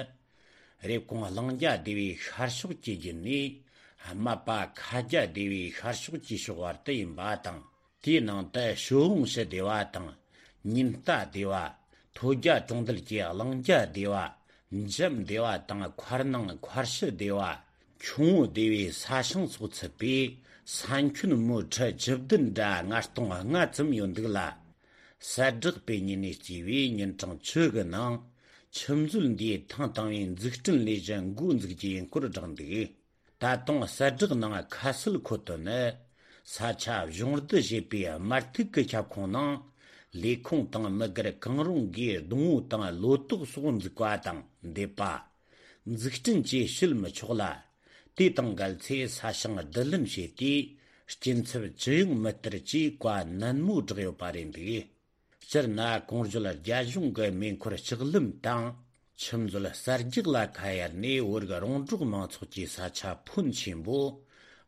རེབ་གོང་གླིང་རྒྱལ་སྡེ་བའི་ཤར་ཕྱོགས་ཀྱི་རྒྱུད་ནས་རྨ་པ་ཁ་རྒྱལ་སྡེ་བའི་ཤར་ཕྱོགས་ཀྱི་ཕྱོགས་བར་དུ་ཡིན་པ་དང་། དེའི་ནང་དུ་ཞོ་འོང་ཞི་སྡེ་བ་དང་། ཉིན་རྟ་སྡེ་བ། ཐོད་རྒྱལ་གྲོང་རྡལ་གྱི་གླིང་རྒྱལ་སྡེ་བ། འཇམ་སྡེ་བ་དང་མཁར་ནང་མཁར་ཤི་སྡེ་བ། ཁྱུང་པོ་སྡེ་བའི་ས་ཞིང་སོགས་ཚུད་པའི་ས་ཁྱོན་མོ་ཁྲི་བཅུ་བདུན་དྲུག་སྟོང་ལྔ་ཙམ་ཡོད་འདུག་ལ། གསལ་བསྒྲགས་སྤེལ་ཉིན་ནས་བརྩིས་པའི་ཉིན་གྲངས་བཅུ་གི་ནང་ཆུ་མཛོད་འདིའི་ཐེངས་དང་པོའི་འཛུགས་སྐྲུན་ལས་གཞི་འགོ་འཛུགས་རྒྱུའི་སྐོར་བསྒྲགས་འདུག་ད་དུང་གསལ་བསྒྲགས་ནང་ཁ་གསལ་འཁོད་དོན་ནི། ས་ཆ་གཞུང་བསྡུ་བྱས་པའི་དམར་ཐིག་གི་ཁྱབ་ཁོངས་ནང་ལས་ཁུངས་དང་མི་སྒེར་གང་རུང་གིས་སྡོང་བོ་དང་ལོ་ཏོག་སོགས་འཛུགས་པ་དང་འདེབས་པ། འཛུགས་སྐྲུན་བཅས་བྱེད་མི་ཆོག་ལ། དེ་དང་འགལ་ཚེ་ས་ཞིང་བསྡུ་ལེན་བྱས་ཏེ་སྐྱིན་ཚབ་ཅི་ཡང་མི་སྟེར་ཅེས་བཀའ་ནན་མོ་བསྒྲགས་ཡོད་པ་རེད་འདུག་སྤྱིར་ན་གོང་བརྗོད་རྒྱ་གཞུང་གི་མེ་འཁོར་ལྕགས་ལམ་དང་ཆུ་མཛོད་གསར་རྒྱག་ལ་ཁ་གཡར་ནས་བོད་རིགས་རོང་འབྲོག་མང་ཚོགས་ཀྱི་ས་ཆ་ཕོན་ཆེན་པོ་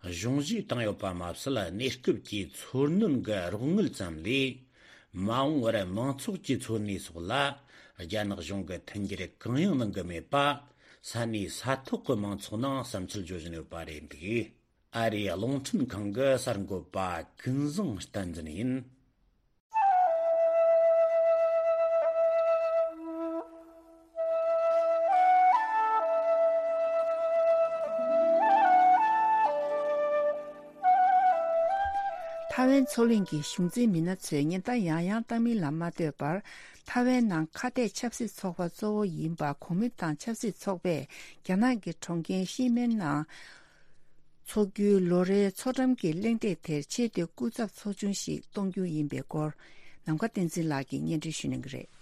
གཞུང་བཞེས་བཏང་ཡོད་པ་མ་ཟད། གནས་སྐབས་ཀྱི་འཚོ་སྣོན་གྱི་རོགས་དངུལ་ཙམ་ལས་མ་འོངས་པར་མང་ཚོགས་ཀྱི་འཚོ་གནས་སོགས་ལ་རྒྱ་ནག་གཞུང་གིས་མཐུན་འགྱུར་གང་ཡང་གནང་གི་མེད་པ་ས་གནས་ས་ཐོག་གི་མང་ཚོགས་ནང་བསམ་ཚུལ་བརྗོད་བཞིན་ཡོད་པ་རེད་འདུག་ཨ་རིའི་རླུང་འཕྲིན་ཁང་གི་གསར་འགོད་པ་ཀུན་བཟང་བསྟན་འཛིན་ཡིན། ཐའེ་ཝན་མཚོ་གླིང་གི་གཞུང་འཛིན་མི་སྣ་ཚོས་ཉེན་བརྡ་ཡང་ཡང་བཏང་མིན་ལ་མ་ལྟོས་པར། ཐའེ་ཝན་ནང་ཁ་གཏད་ཆབ་སྲིད་ཚོགས་པ་གཙོ་བོ་ཡིན་པ་གོ་མིན་ཏང་ཆབ་སྲིད་ཚོགས་པས་རྒྱ་ནག་གི་གྲོང་ཁྱེར་ཤི་མེན་ནང་འཚོགས་རྒྱུའི་ལོ་རེའི་མཚོ་འགྲམ་གྱི་གླེང་སྟེགས་དེར་ཆེད་དུ་སྐུ་ཚབ་ཚོགས་ཆུང་ཞིག་གཏོང་རྒྱུ་ཡིན་པའི་སྐོར། ནམ་མཁའ་བསྟན་འཛིན་ལགས་ཀྱིས་སྙན་སྒྲོན་ཞུ་གནང་གི་རེད།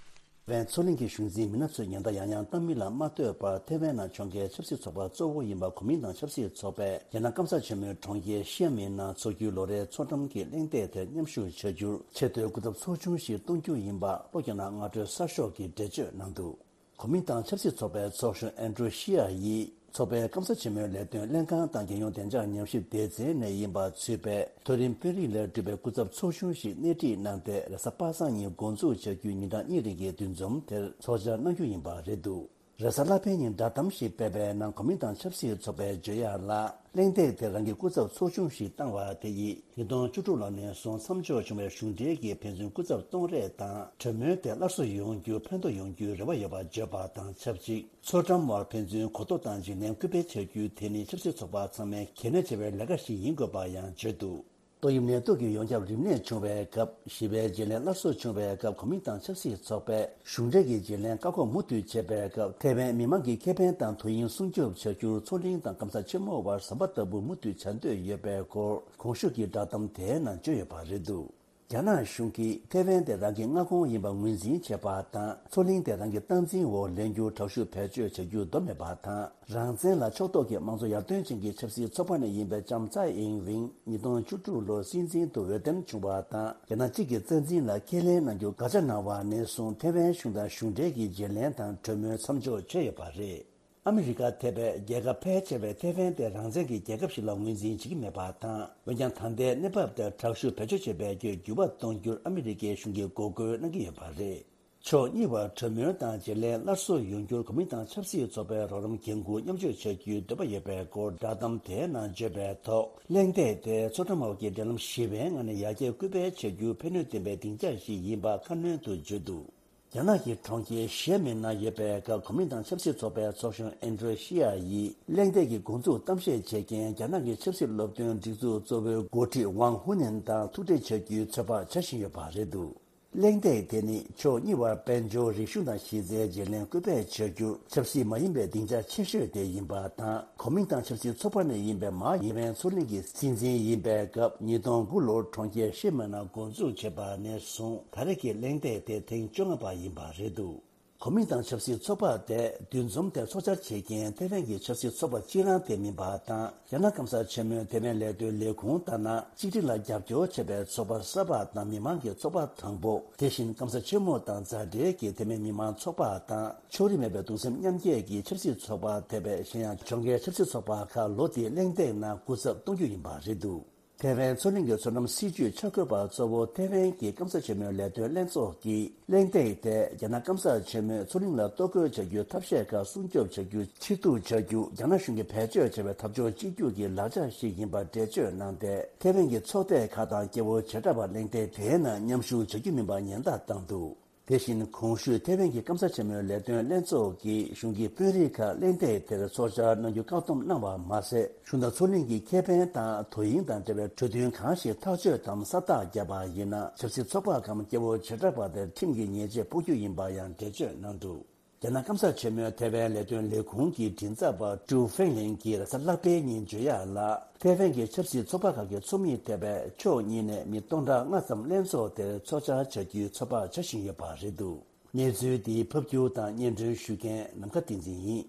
ཐའེ་ཝན་མཚོ་གླིང་གི་གཞུང་འཛིན་མི་སྣ་ཚོས་ཉེན་བརྡ་ཡང་ཡང་བཏང་མིན་ལ་མ་ལྟོས་པར། ཐའེ་ཝན་ནང་ཁྲོམ་སྐད་ཆབ་སྲིད་ཚོགས་པ་གཙོ་བོ་ཡིན་པ་གོ་མིན་ཏང་ཆབ་སྲིད་ཚོགས་པས་རྒྱ་ནག་སྐམ་ས་ཆེན་མོའི་གྲོང་ཁྱེར་ཤི་མིན་ནང་འཚོགས་རྒྱུའི་ལོ་རེའི་མཚོ་འགྲམ་གྱི་གླེང་སྟེགས་དེར་མཉམ་ཞུགས་བྱ་རྒྱུར་ཆེད་དུ་སྐུ་ཚབ་ཚོགས་ཆུང་ཞིག་གཏོང་རྒྱུ་ཡིན་པ་ལྷོ་རྒྱ་ནག་སྔ་དྲོའི་གསར་ཤོག་གིས་འགྲེལ་བརྗོད་གནང་འདུག་གོ་མིན་ཏང་ཆབ་སྲིད་ཚོགས་པའི་ཚོགས་གཞོན་ཨན་ཀྲུའུ་ཤི་ཡ་ཡིས་ཚོགས་པའི་སྐམ་ས་ཆེན་མོའི་ལས་དོན་ལྷན་ཁང་དང་རྒྱལ་ཡོངས་བདེ་འཇགས་ཉམས་ཞིབ་སྡེ་ཚན་ནས་ཡིན་པ་ཚུད་པའི་མཐོ་རིམ་དཔོན་རིགས་ལས་གྲུབ་པའི་སྐུ་ཚབ་ཚོགས་ཆུང་ཞིག་སྣེ་ཁྲིད་གནང་སྟེ། རེས་གཟའ་པ་སངས་ཉིན་འགོ་འཛུགས་བྱ་རྒྱུའི་ཉིན་གྲངས་གཉིས་རིང་གི་འདུ་འཛོམས་དེར་ཚོགས་བཅར་གནང་རྒྱུ་ཡིན་པ་རེད་འདུག་རེས་གཟའ་ལྷག་པའི་ཉིན་བསྒྲགས་གཏམ་ཞིག་སྤེལ་བའི་ནང་གོ་མིན་ཏང་ཆབ་སྲིད་ཚོགས་པས་བརྗོད་ཡག་ལ། གླེང་སྟེགས་དེར་རང་གི་སྐུ་ཚབ་ཚོགས་ཆུང་ཞིག་བཏང་བ་དེ་ཡིས་ཉིས་སྟོང་བཅུ་དྲུག་ལོ་ནས་བཟུང་མཚམས་འཇོག་བྱུང་བའི་གཞུང་འབྲེལ་གྱི་ཕན་ཚུན་སྐུ་ཚབ་གཏོང་རེས་དང་གྲོས་མོལ་དེ་སླར་གསོ་ཡོང་རྒྱུར་ཕན་ཐོགས་ཡོང་རྒྱུའི་རེ་བ་ཡོད་པ་བརྗོད་པ་དང་ཆབས་ཅིག་མཚོ་འགྲམ་བར་ཕན་ཚུན་གོ་རྟོགས་དང་བརྗེ་ལེན་སྐུལ་སྤེལ་བྱ་རྒྱུ་དེ་ནི་ཆབ་སྲིད་ཚོགས་པ་ཚང་མས་གལ་གནད་ཆེ་བའི་ལས་ཀ་ཞིག་ཡིན་དགོས་པ་ཡང་བརྗོད་འདུག་ཏོག་དབྱིབས་ནད་དུག་གི་ཡོངས་ཁྱབ་རིམས་ནད་བྱུང་བའི་སྐབས། ཞི་བའི་བརྗེ་ལེན་སླར་གསོ་བྱུང་བའི་སྐབས། གོ་མིན་ཏང་ཆབ་སྲིད་ཚོགས་པས་གཞུང་འབྲེལ་གྱི་བརྗེ་ལེན་བཀག་འགོག་མུ་མཐུད་བྱས་པའི་སྐབས། ཐའེ་ཝན་མི་མང་གི་ཁེ་ཕན་དང་དོ་དབྱིངས་སྲུང་སྐྱོབ་བྱ་རྒྱུར་མཚོ་གླིང་དང་སྐམ་ས་ཆེན་མོ་བར་ཟམ་པ་ལྟ་བུ་མུ་མཐུད་བྱ་འདོད་ཡོད་པའི་སྐོར་གོང་ཞུས་ཀྱི་བསྒྲགས་གཏམ་དེའི་ནང་བརྗོད་ཡོད་པ་རེད་འདུག་རྒྱ་ནག་གཞུང་གིས་ཐའེ་ཝན་དེ་རང་གི་མངའ་ཁོངས་ཡིན་པ་ངོས་འཛིན་བྱེད་པ་དང་། མཚོ་གླིང་དེ་རང་གི་སྟངས་འཛིན་འོག་ལེན་རྒྱུར་དྲག་ཤུགས་བེད་སྤྱོད་བྱ་རྒྱུ་འདོར་མེད་པ་དང་། རང་བཙན་ལ་ཕྱོགས་གཏོགས་ཀྱི་དམངས་གཙོ་ཡར་ཐོན་ཅན་གྱི་ཆབ་སྲིད་ཚོགས་པ་ནས་ཡིན་པའི་ལྕམ་ཚའེ་ཨིན་ཝིན་ཉིས་སྟོང་བཅུ་དྲུག་ལོར་སྲིད་འཛིན་དུ་འོས་འདེམས་བྱུང་བ་དང་། རྒྱ་ནག་གཅིག་གི་རྩ་འཛིན་ལ་ཁས་ལེན་གནང་རྒྱུར་དགག་བྱ་གནང་བ་ནས་བཟུང་ཐའེ་ཝན་གཞུང་དང་གཞུང་འབྲེལ་གྱི་བརྗེ་ལེན་དང་གྲོས་མོལ་མཚམས་འཇོག་བྱས་ཡོད་པ་རེད། ཨ་མི་རི་ཀ་ཐེ་བའི་རྒྱལ་ཁབ་ཕལ་ཆེ་བས་ཐའེ་ཝན་དེ་རང་བཙན་གྱི་རྒྱལ་ཁབ་ཞིག་ལ་ངོས་འཛིན་བྱེད་ཀྱི་མེད་པ་དང་། འོན་ཀྱང་ད་ལྟའི་གནས་བབ་དེར་དྲག་ཤུགས་བེད་སྤྱོད་བྱེད་པའི་རྒྱུ་འགྱུར་བ་གཏོང་རྒྱུར་ཨ་མི་རི་ཀའི་གཞུང་གིས་འགོག་རྒོལ་གནང་གི་ཡོད་པ་རེད། ཕྱོགས་གཉིས་བར་གྲོས་མོལ་དང་བརྗེ་ལེན་སླར་གསོ་ཡོང་རྒྱུར་གོ་མིན་ཏང་ཆབ་སྲིད་ཚོགས་པའི་རོགས་རམ་འགན་འཁུར་མཉམ་སྤྱོད་བྱ་རྒྱུའི་འདོད་པ་ཡོད་པའི་སྐོར་བསྒྲགས་གཏམ་དེའི་ནང་བརྗོད་པའི་ཐོག་གླེང་སྟེགས་དེ་མཚོ་འགྲམ་འོག་གི་འབྲེལ་ལམ་ཞི་བའི་ངང་ནས་ཡར་རྒྱས་སྐུལ་སྤེལ་བྱ་རྒྱུར་ཕན་ནུས་ལྡན་པའི་སྡིངས་ཆ་ཞིག་ཡིན་པ་ཁ་སྣོན་དུ་བརྗོད་འདུག་རྒྱ་ནག་གི་གྲོང་ཁྱེར་ཞི་མིན་ནང་ཡོད་པའི་སྐབས་གོ་མིན་ཏང་ཆབ་སྲིད་ཚོགས་པའི་ཚོགས་གཞོན་ཨན་ཌྲེ་ཤི་ཡ་ཡིས་གླེང་སྟེགས་ཀྱི་འགོ་འཛུགས་གཏམ་བཤད་བྱེད་མཁན་རྒྱ་ནག་གི་ཆབ་སྲིད་སློབ་སྟོན་སྒྲིག་འཛུགས་གཙོ་བོའི་འགོ་ཁྲིད་ཝང་ཧུ་ནན་དང་ཐུག་འཕྲད་བྱ་རྒྱུའི་ཚོད་དཔག་བྱ་བཞིན་ཡོད་པ་རེད་འདུག་གླེང་སྟེགས་དེ་ནི་ཕྱོགས་གཉིས་བར་དཔལ་འབྱོར་རིག་གཞུང་དང་གཞི་རྩའི་བརྗེ་ལེན་སྐུལ་སྤེལ་བྱ་རྒྱུར་ཆབ་སྲིད་མ་ཡིན་པའི་སྡིངས་ཆ་ཆེ་ཤོས་དེ་ཡིན་པ་དང་། གོ་མིང་དང་ཆབ་སྲིད་ཚོགས་པ་ནས་ཡིན་པའི་མཱ་ཡིན་ཝན་མཚོ་གླིང་གི་སྲིད་འཛིན་ཡིན་པའི་སྐབས་ཉིས་སྟོང་དགུ་ལོར་གྲོང་ཁྱེར་ཧྲི་མན་ན་འགོ་འཛུགས་བྱས་པ་ནས་བཟུང་ད་རེས་ཀྱི་གླེང་སྟེགས་དེ་ཐེངས་བཅོ་ལྔ་པ་ཡིན་པ་རེད་འདུག་གོ་མིང་དང་ཆབ་སྲིད་ཚོགས་པ་དེ་འདུ་འཛོམས་དེ་ཚོགས་བཅར་བྱེད་མཁན་ཐེ་ཝན་གྱི་ཆབ་སྲིད་ཚོགས་པ་གཅིག་རང་དེ་མིན་པ་དང་། རྒྱ་ནག་སྐམ་ས་ཆེན་མོའི་ཐེ་ཝན་ལས་དོན་ལས་ཁུངས་ལྟར་ན། གཅིག་སྒྲིལ་ལ་རྒྱབ་སྐྱོར་བྱེད་པའི་ཚོགས་པ་གསར་པ་དང་མི་མང་གི་ཚོགས་པ་དང་པོ། དེ་བཞིན་སྐམ་ས་ཆེན་མོ་དང་མཛའ་འབྲེལ་གྱི་ཐེ་ཝན་མི་མང་ཚོགས་པ་དང་། ཕྱོགས་རིས་མེད་པའི་གདུང་སེམས་མཉམ་སྐྱེད་ཀྱི་ཆབ་སྲིད་ཚོགས་པ་ཐེ་བའི་གཞན་ཡང་ཕྱོགས་འགལ་ཆབ་སྲིད་ཚོགས་པ་ཁག་ལོ་འདིའི་གླེང་སྟེགས་ནང་སྐུ་ཚབ་གཏོང་རྒྱུ་ཡིན་པ་རེད་འདུག་ཐེ་ཝན་མཚོ་གླིང་གི་མཚོ་ནམ་སྲིད་ཇུས་འཆར་འགོད་པ་གཙོ་བོ་ཐེ་ཝན་གྱི་སྐམ་ས་ཆེན་མོའི་ལས་དོན་ལྷན་ཚོགས་ཀྱིས་གླེང་སྟེགས་དེ་རྒྱ་ནག་སྐམ་ས་ཆེན་མོས་མཚོ་གླིང་ལ་གཏོར་རྒོལ་བྱ་རྒྱུའི་ཐབས་ཤེས་ཁག་སྲུང་སྐྱོབ་བྱ་རྒྱུ་ཕྱིར་བསྡུ་བྱ་རྒྱུ། རྒྱ་ནག་གཞུང་གིས་བེད་སྤྱོད་བྱས་པའི་འཐབ་ཕྱོགས་གཅིག་གྱུར་གྱི་ལག་ཆ་ཞིག་ཡིན་པར་འགྲེལ་བརྗོད་གནང་སྟེ། ཐེ་ཝན་གྱི་ཚོགས་སྡེ་ཁག་དང་སྐྱེ་བོ་བྱེ་བྲག་པ་གླེང་སྟེགས་དེའི་ནང་མཉམ་ཞུགས་བྱ་རྒྱུ་མིན་པ་ཉེན་བརྡ་བཏང་འདུག་དེ་བཞིན་གོང་ཞུས་ཐེ་ཝན་གྱི་སྐམ་ས་ཆེན་མོའི་ལས་དོན་ལྷན་ཚོགས་ཀྱིས་གཞུང་གི་དཔོན་རིགས་ཁག་གླེང་སྟེགས་དེར་ཚོགས་བཅར་གནང་རྒྱུ་བཀག་སྡོམ་གནང་བ་མ་ཟད། གཞུང་དང་མཚོ་གླིང་གི་ཁེ་ཕན་དང་དོ་དབྱིངས་དང་འབྲེལ་བའི་གྲོས་མཐུན་གང་ཞིག་ཐག་གཅོད་དམ་ས་རྟགས་བརྒྱབ་པ་ཡིན་ན། ཆབ་སྲིད་ཚོགས་པ་གམ་སྐྱེ་བོ་བྱེ་བྲག་པ་དེར་ཁྲིམས་ཀྱི་ཉེས་ཆད་ཕོག་རྒྱུ་ཡིན་པ་ཡང་འགྲེལ་བརྗོད་གནང་འདུག་རྒྱ་ནག་སྐམ་ས་ཆེན་མོའི་ཐེ་ཝན་ལས་དོན་ལས་ཁུངས་ཀྱི་མགྲིན་ཚབ་པ་ཀྲུའུ་ཧྥེང་ལིན་གྱིས་རེས་གཟའ་ལྷག་པའི་ཉིན་བརྗོད་ཡག་ལ། ཐེ་ཝན་གྱི་ཆབ་སྲིད་ཚོགས་པ་ཁག་གི་ཚོགས་མི་ཐེ་བའི་ཕྱོགས་གཉིས་ནས་མི་སྟོང་ཕྲག་ལྔ་ཙམ་ལྷན་ཚོགས་དེར་ཚོགས་བཅར་བྱ་རྒྱུའི་ཚོད་དཔག་བྱ་བཞིན་ཡོད་པ་རེད་འདུག་གནས་ཚུལ་འདི་ཕབ་སྒྱུར་དང་སྙན་སྒྲོན་ཞུ་མཁན་ནམ་མཁའ་བསྟན་འཛིན་ཡིན།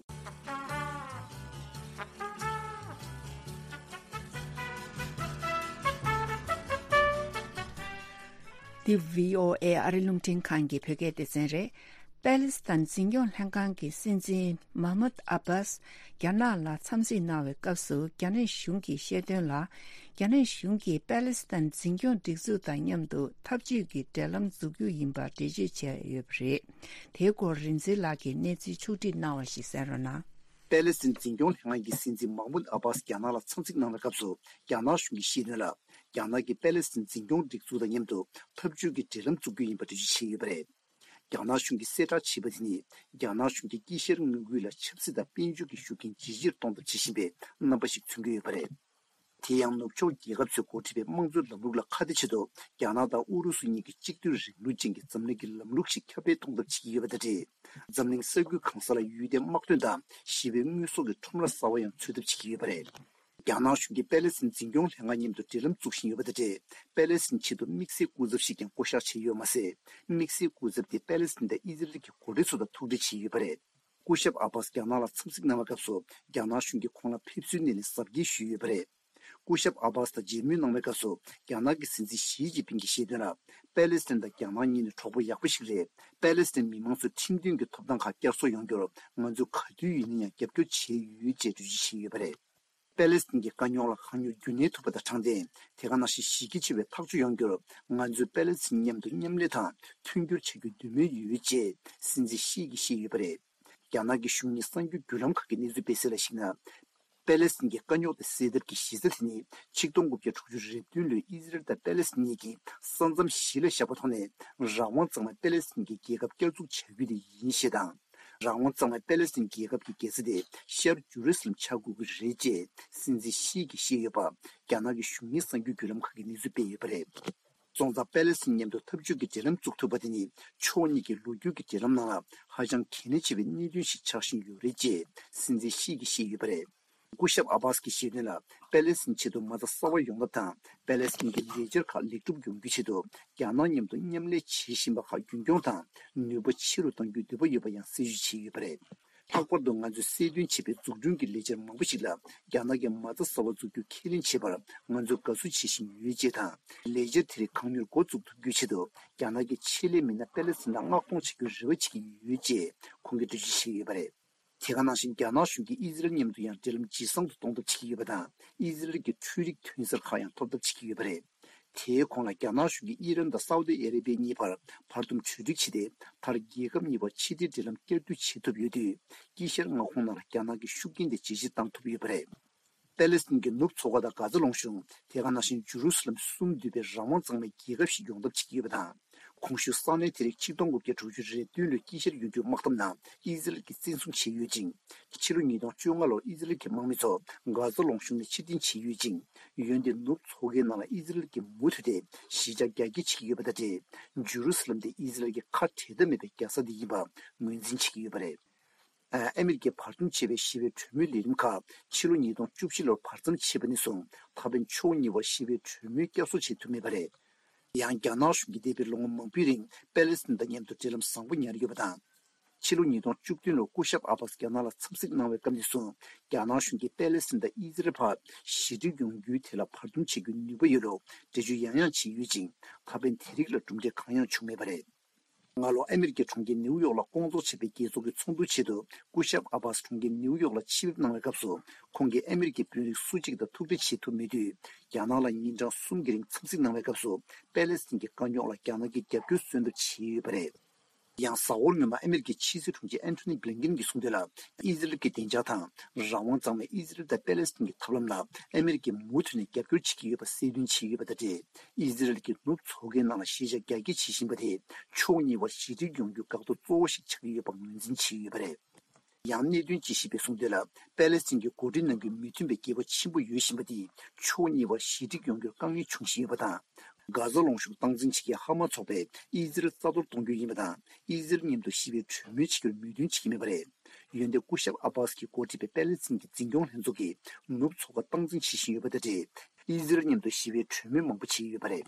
འདི་བྷི་ཨོ་ཨེ་ཨ་རི་རླུང་འཕྲིན་ཁང་གི་བོད་སྐད་སྡེ་ཚན་རེད། པེ་ལི་སི་ཐན་འཛིན་སྐྱོང་ལྷན་ཁང་གི་སྲིད་འཛིན་མཱ་མུད་ཨ་བྷཱས་རྒྱ་ནག་ལ་འཚམས་གཟིགས་གནང་བའི་སྐབས་སུ། རྒྱ་ནག་གཞུང་གིས་བཤད་དོན་ལ། རྒྱ་ནག་གཞུང་གིས་པེ་ལི་སི་ཐན་འཛིན་སྐྱོང་སྒྲིག་འཛུགས་དང་མཉམ་དུ་འཐབ་ཇུས་ཀྱི་འབྲེལ་ལམ་འཛུགས་རྒྱུ་ཡིན་པར་འགྲེལ་བརྗོད་བྱས་ཡོད་པ་རེད། དེའི་སྐོར་རིག་འཛིན་ལགས་ཀྱིས་གནས་ཚུལ་ཕྱོགས་བསྒྲིགས་གནང་བ་ཞིག་གསན་རོགས་གནང་། པེ་ལི་སི་ཐན་འཛིན་སྐྱོང་ལྷན་ཁང་གི་སྲིད་འཛིན་མཱ་མུད་ཨ་བྷཱས་རྒྱ་ནག་ལ་འཚམས་གཟིགས་གནང་བའི་སྐབས་སུ། རྒྱ་ནག་གཞུང་གིས་བཤད་དོན་ལ། རྒྱ་ནག་གིས་པེ་ལི་སི་ཐན་འཛིན་སྐྱོང་སྒྲིག་འཛུགས་དང་མཉམ་དུ་འཐབ་ཇུས་ཀྱི་འབྲེལ་ལམ་འཛུགས་རྒྱུ་ཡིན་པ་འགྲེལ་བརྗོད་བྱས་ཡོད་པ་རེད། རྒྱ་ནག་གཞུང་གིས་གསལ་བསྒྲགས་བྱས་པ་དེ་ནི། རྒྱ་ནག་གཞུང་གིས་དཀྱིལ་ཤར་མངའ་ཁུལ་ལ་ཆབ་སྲིད་དང་དཔལ་འབྱོར་གྱི་ཤུགས་རྐྱེན་ཇེ་ཆེར་གཏོང་ཐབས་བྱེད་བཞིན་པའི་རྣམ་པ་ཞིག་མཚོན་གྱི་ཡོད་པ་རེད། དེ་ཡང་ནུབ་ཕྱོགས་རྒྱལ་ཁབ་ཚོས་འགོ་ཁྲིད་པའི་དམངས་གཙོའི་ལམ་ལུགས་ལ་ཁ་གཏད་བྱེད་དུ། རྒྱ་ནག་དང་ཨུ་རུ་སུ་གཉིས་ཀྱིས་གཅིག་སྡུད་རིང་ལུགས་ཅན་གྱི་འཛམ་གླིང་གི་ལམ་ལུགས་ཤིག་ཁྱབ་སྤེལ་གཏོང་ཐབས་བྱེད་ཀྱི་ཡོད་པ་དང་འབྲེལ། འཛམ་གླིང་ས་ཁུལ་གང་ས་ལ་ཡུལ་དེའི་དམག་དོན་དང་ཞི་བའི་དངོས་ཟོག་གི་ཁྲོམ་ར་གསར་བ་ཡང་འཚོལ་ཐབས་བྱེད་ཀྱི་ཡོད་པ་རེད། རྒྱ་ནག་གཞུང་གིས་པེ་ལེ་སི་ཐན་འཛིན་སྐྱོང་ལྷན་ཁང་མཉམ་དུ་འབྲེལ་ལམ་འཛུགས་བཞིན་ཡོད་པ་དང་འབྲེལ། པེ་ལེ་སི་ཐན་ཆེད་དུ་དམིགས་བསལ་སྐུ་ཚབ་ཞིག་ཀྱང་བསྐོ་གཞག་བྱས་ཡོད་མ་ཟད། དམིགས་བསལ་སྐུ་ཚབ་དེ་པེ་ལེ་སི་ཐན་དང་ཨི་ཟི་རལ་གྱི་འགོ་ཁྲིད་ཚོ་དང་ཐུག་འཕྲད་བྱས་ཡོད་པ་རེད། སྐུ་ཞབས་ཨ་བྷ་སི་རྒྱ་ནག་ལ་འཚམས་གཟིགས་གནང་བའི་སྐབས་སུ། རྒྱ་ནག་གཞུང་གིས་ཁོང་ལ་ཕེབས་བསུའི་སྣེ་ལེན་གཟབ་རྒྱས་ཞུས་ཡོད་པ་རེད། སྐུ་ཞབས་ཨ་བྷ་སི་དང་མཇལ་མོལ་གནང་བའི་སྐབས་སུ། རྒྱ་ནག་གི་སྲིད་འཛིན་ཞི་ཅིན་ཕིང་གིས་བཤད་དོན་ལ། པེ་ལེ་སི་ཐན་དང་རྒྱ་ནག་གཉིས་ནི་གྲོགས་པོ་ཡག་པོ་ཞིག་རེད། པེ་ལེ་སི་ཐན་མི་མང་ཚོས་ཁྲིམས་མཐུན་གྱི་ཐོབ་ཐང་ཁག་བསྐྱར་གསོ་ཡོང་རྒྱུར། ང་ཚོས་ག་དུས་ཡིན་ན་ཡང་རྒྱབ་སྐྱོར་བྱས་ཡོད་ཅེས་འགྲེལ་བརྗོད་བྱས་ཡོད་པ་རེད། པེ་ལེ་སི་ཐན་གྱི་དཀའ་རྙོག་ལ་གང་མྱུར་རྒྱུན་གནས་ཐུབ་པ་དང་དྲང་བདེན། དེ་ག་ནང་བཞིན་གཞི་རྒྱ་ཆེ་བའི་ཐག་གཅོད་ཡོང་རྒྱུར། ང་ཚོས་པེ་ལེ་སི་ཐན་མཉམ་དུ་མཉམ་ལས་དང་མཐུན་འགྱུར་བྱ་རྒྱུའི་འདོད་མོས་ཡོད་ཅེས་སྲིད་འཛིན་ཞི་གིས་བཤད་ཡོད་པ་རེད། རྒྱ་ནག་གི་གཞུང་གཉིས་གསར་འགྱུར་བརྒྱུད་ལམ་ཁག་གིས་གནས་ཚུལ་སྤེལ་གསལ་ལ་གཞིགས་ན། པེ་ལེ་སི་ཐན་གྱི་དཀའ་རྙོག་དེ་སེལ་ཐབས་ཀྱི་གཞི་རྩ་དེ་ནི། ཆིག་སྟོང་དགུ་བརྒྱ་དྲུག་ཅུ་རེ་བདུན་ལོའི་ཨི་ཟི་རལ་དང་པེ་ལེ་སི་ཐན་གཉིས་ཀྱིས་ས་མཚམས་གཞི་ལ་བཞག་པ་ཐོག་ནས་རང་དབང་གཙང་མའི་པེ་ལེ་སི་ཐན་གྱི་རྒྱལ་ཁབ་བསྐྱར་འཛུགས་བྱ་རྒྱུ་དེ་ཡིན་ཞེས་དང་། རང་དབང་གཙང་མའི་པེ་ལེ་སི་ཐན་རྒྱལ་ཁབ་ཀྱི་རྒྱལ་ས་དེ་ཤར་ཇུ་རུ་སི་ལམ་ཆགས་དགོས་ཀྱི་རེད་ཅེས་སྲིད་འཛིན་ཞི་གིས་བཤད་ཡོད་པ། རྒྱ་ནག་གི་གཞུང་གཉིས་གསར་འགྱུར་བརྒྱུད་ལམ་ཁག་གིས་གནས་ཚུལ་སྤེལ་ཡོད་པ་རེད། སོང་ཙང་པེ་ལེ་སི་ཐན་མཉམ་དུ་འཐབ་ཇུས་ཀྱི་འབྲེལ་ལམ་བཙུགས་ཐུབ་པ་དེ་ནི་ཕྱོགས་གཉིས་ཀྱི་ལོ་རྒྱུས་ཀྱི་འབྲེལ་ལམ་ནང་ལ་ཧ་ཅང་གལ་གནད་ཆེ་བའི་གནད་དོན་ཞིག་ཆགས་བཞིན་ཡོད་རེད་ཅེས་སྲིད་འཛིན་ཞི་གིས་བཤད་ཡོད་པ་རེད། སྐུ་ཞབས་ཨ་བྷ་སི་གིས་བཤད་དོན་ལ། པེ་ལེ་སི་ཐན་ཆེད་དུ་མ་རྩ་གསར་བ་ཡོང་ཐབས་དང་། པེ་ལེ་སི་ཐན་གྱི་ལས་འཆར་ཁག་ལེགས་གྲུབ་ཡོང་རྒྱུའི་ཆེད་དུ། རྒྱ་ནག་མཉམ་དུ་མཉམ་ལས་བྱེད་བཞིན་པ་ཁག་རྒྱུན་འཁྱོངས་དང་། ནུས་པ་ཆེ་རུ་གཏང་རྒྱུའི་འདོད་པ་ཡོད་པ་ཡང་གསལ་བརྗོད་བྱས་ཡོད་པ་རེད། ལྷག་པར་དུ་ང་ཚོས་གསལ་སྟོན་བྱས་པའི་འཛུགས་སྐྲུན་གྱི་ལས་འཆར་མང་པོ་ཞིག་ལ། རྒྱ་ནག་གིས་མ་རྩ་གསར་བ་འཛུགས་རྒྱུ་ཁས་ལེན་བྱས་པར་ང་ཚོས་དགའ་བསུ་བྱེད་བཞིན་ཡོད་ཅེས་དང་། ལས་འཆར་དེ་རིགས་གང་མྱུར་འགོ་འཛུགས་ཐུབ་རྒྱུའི་ཆེད་དུ། རྒྱ་ནག་གིས་ཆེད་ལས་མི་སྣ་པེ་ལེ་སི་ཐན་ལ་མངགས་གཏོང་བྱ་རྒྱུར་རེ་བ་བྱེད་ཀྱི་ཡོད་ཅེས་ཁོང་གིས་འགྲེལ་བརྗོད་བྱས་ཡོད་པ་རེད། དེ་ག་ནང་བཞིན་རྒྱ་ནག་གཞུང་གིས་ཨི་ཟི་རལ་མཉམ་དུ་ཡང་འབྲེལ་ལམ་ཇེ་བཟང་དུ་གཏོང་ཐབས་བྱེད་ཀྱི་ཡོད་པ་དང་། ཨི་ཟི་རལ་གྱི་འཕྲུལ་རིག་ཐོན་གསར་ཁག་ཡང་ཐོབ་ཐབས་བྱེད་ཀྱི་ཡོད་པ་རེད། དེའི་གོང་ལ་རྒྱ་ནག་གཞུང་གིས་ཨི་རན་དང་སའུ་ཏི་ཨ་རེ་བྷི་ཡ་གཉིས་བར་བར་འདུམ་གྲོས་འགྲིག་བྱས་ཏེ། མཐར་རྒྱལ་ཁབ་གཉིས་བར་ཕྱི་འབྲེལ་འབྲེལ་ལམ་བསྐྱར་མཐུད་བྱེད་ཐུབ་ཡོད་དུས། དཀྱིལ་ཤར་མངའ་ཁོངས་ནང་ལ་རྒྱ་ནག་གི་ཤུགས་རྐྱེན་དེ་ཇེ་ཆེར་བཏང་ཐུབ་ཡོད་པ་རེད། པེ་ལེ་སི་ཐན་གྱི་ནུབ་མཚོ་ཁ་དང་གྷ་ཛ་ལུང་གཞུང་། དེ་ག་ནང་བཞིན་ཇུ་རུ་སི་ལམ་གསུམ་འདུས་པའི་རང་དབང་གཙང་མའི་རྒྱལ་ཁབ་ཞིག་ཡོང་ཐབས་བྱེད་ཀྱི་ཡོད་པ་དང་། གོང་ཞུས་ས་གནས་དེ་རིགས་ཆིག་སྟོང་དགུ་བརྒྱ་དྲུག་ཅུ་རེ་བདུན་ལོའི་དཀྱིལ་ཤར་ཡོང་རྒྱུའི་དམག་འཐབ་ནང་ཨི་ཟི་རལ་གྱིས་བཙན་བཟུང་བྱས་ཡོད་ཅིང་། ཕྱི་ལོ་ཉིས་སྟོང་བཅོ་ལྔ་ལོར་ཨི་ཟི་རལ་གྱི་དམག་མི་ཚོ་གྷ་ཛ་ལུང་གཤོང་ནས་ཕྱིར་འཐེན་བྱས་ཡོད་ཅིང་། འོན་ཏེ་ནུབ་མཚོ་ཁའི་ནང་ལ་ཨི་ཟི་རལ་གྱིས་མུ་མཐུད་དེ་གཞིས་ཆགས་རྒྱ་སྐྱེད་བྱེད་ཀྱི་ཡོད་པ་དང་འབྲེལ། ཇུ་རུ་སི་ལམ་དེ་ཨི་ཟི་རལ་གྱི་ཁ་བྲལ་ཐབས་མེད་པའི་རྒྱལ་ས་དེ་ཡིན་པ་ངོས་འཛིན་བྱེད་ཀྱི་ཡོད་པ་རེད། ཨ་མེ་རི་ཀས་བར་འདུམ་བྱས་པའི་ཞི་བའི་གྲོས་མོལ་ལས་རིམ་ཁག་ཕྱི་ལོ་ཉིས་སྟོང་བཅུ་བཞི་ལོར་བར་མཚམས་ཆད་པ་ནས་བཟུང་ད་ཕན་ཕྱོགས་གཉིས་བར་ཞི་བའི་གྲོས་མོལ་བསྐྱར་གསོ་བྱེད་ཐུབ་མེད་པ་རེད། ཡང་རྒྱ་ནག་གཞུང་གིས་འདས་པའི་ལོ་ངོ་མང་པོའི་རིང་པེ་ལེ་སི་ཐན་དང་མཉམ་དུ་འབྲེལ་ལམ་བཟང་པོ་ཉར་ཡོད་པ་དང་། ཕྱི་ལོ་ཉིས་སྟོང་བཅུ་བདུན་ལོར་སྐུ་ཞབས་ཨ་བྷ་སི་རྒྱ་ནག་ལ་འཚམས་གཟིགས་གནང་བའི་སྐབས་ནས་བཟུང་རྒྱ་ནག་གཞུང་གིས་པེ་ལེ་སི་ཐན་དང་ཨི་ཟི་རལ་བར་ཞི་འགྲིག་ཡོང་རྒྱུའི་ཐད་ལ་བར་འདུམ་བྱེད་རྒྱུའི་ནུས་པ་ཡོད་ལུགས་འགྲེལ་བརྗོད་ཡང་ཡང་བྱས་ཡོད་ཅིང་ད་ཕན་དེ་རིགས་ལ་གྲུབ་འབྲས་གང་ཡང་བྱུང་མེད་པ་རེད། སྔ་ལོ་ཨ་མེ་རི་ཀའི་གྲོང་ཁྱེར་ནེའུ་ཡོག་ལ་སྐོང་ཚོགས་བྱས་པའི་རྒྱལ་ཚོགས་ཀྱི་ཚོགས་འདུའི་ཆེད་དུ་སྐུ་ཞབས་ཨ་བྷ་སི་གྲོང་ཁྱེར་ནེའུ་ཡོག་ལ་ཆེད་ཕེབས་གནང་བའི་སྐབས་སུ་ཁོང་གིས་ཨ་མེ་རི་ཀའི་དཔོན་རིགས་སུ་གཅིག་དང་ཐུག་འཕྲད་བྱེད་ཐུབ་མེད་དུས་རྒྱ་ནག་ལ་ཉིན་གྲངས་གསུམ་གྱི་རིང་འཚམས་གཟིགས་གནང་བའི་སྐབས་སུ་པེ་ལེ་སི་ཐན་གྱི་དཀའ་རྙོག་ལ་རྒྱ་ནག་གིས་རྒྱབ་སྐྱོར་སོན་ཐབས་བྱས་ཡོད་པ་རེད། ཡང་གཟའ་འཁོར་སྔོན་མ་ཨ་མེ་རི་ཀའི་ཕྱི་སྲིད་དྲུང་ཆེ་ཨན་ཐོ་ནི་བྷི་ལིན་ཀིན་གྱིས་གསུངས་དོན་ལ། ཨི་ཟི་རལ་གྱི་བདེ་འཇགས་དང་རང་དབང་གཙང་མའི་ཨི་ཟི་རལ་དང་པེ་ལེ་སི་ཐན་གྱི་ཐབས་ལམ་ལ་ཨ་མེ་རི་ཀས་མུ་མཐུད་ནས་རྒྱབ་སྐྱོར་བྱེད་ཀྱི་ཡོད་པ་གསལ་སྟོན་བྱས་ཡོད་པ་དང་འབྲེལ། ཨི་ཟི་རལ་གྱིས་ནུབ་མཚོ་ཁའི་ནང་ལ་གཞིས་ཆགས་རྒྱ་སྐྱེད་བྱེད་བཞིན་པ་དེ་ཕྱོགས་གཉིས་བར་ཞི་འགྲིག་ཡོང་རྒྱུའི་འགག་ཐོག་གཙོ་བོ་ཞིག་ཆགས་ཀྱི་ཡོད་པ་ངོས་འཛིན་བྱས་ཡོད་པ་རེད། ཡང་གནད་དོན་དཔྱད་ཞིབ་པས་གསུངས་དོན་ལ། པེ་ལེ་སི་ཐན་གྱིས་འགོ་ཁྲིད་གནང་རྒྱུའི་མོས་མཐུན་པའི་འགལ་བ་ཆེན་པོ་ཡོད་བཞིན་པ་དེས་ཕྱོགས་གཉིས་བར་ཞི་འགྲིག་ཡོང་རྒྱུར་དཀའ་ངལ་འབྱུང་བཞིན་ཡོད་པ་དང་། གྷ་ཛ་ལུང་གཤོང་སྟངས་འཛིན་བྱེད་མཁན་ཧ་མ་ཚོགས་པས་ཨི་ཟི་རལ་རྩ་གཏོར་གཏོང་རྒྱུ་ཡིན་པ་དང་། ཨི་ཟི་རལ་མཉམ་དུ་ཞི་བའི་གྲོས་མོལ་བྱེད་རྒྱུར་མོས་མཐུན་བྱེད་ཀྱི་མེད་པ་རེད། འོན་ཏེ་སྐུ་ཞབས་ཨ་བྷ་སི་གིས་འགོ་ཁྲིད་པའི་པེ་ལེ་སི་ཐན་གྱི་འཛིན་སྐྱོང་ལྷན་ཚོགས་ཀྱིས་ནུབ་མཚོ་ཁ་སྟངས་འཛིན་བྱེད་བཞིན་ཡོད་པ་དང་འབྲེལ། ཨི་ཟི་རལ་མཉམ་དུ་ཞི་བའི་གྲོས་མོལ་མང་པོ་བྱས་ཡོད་པ་རེད།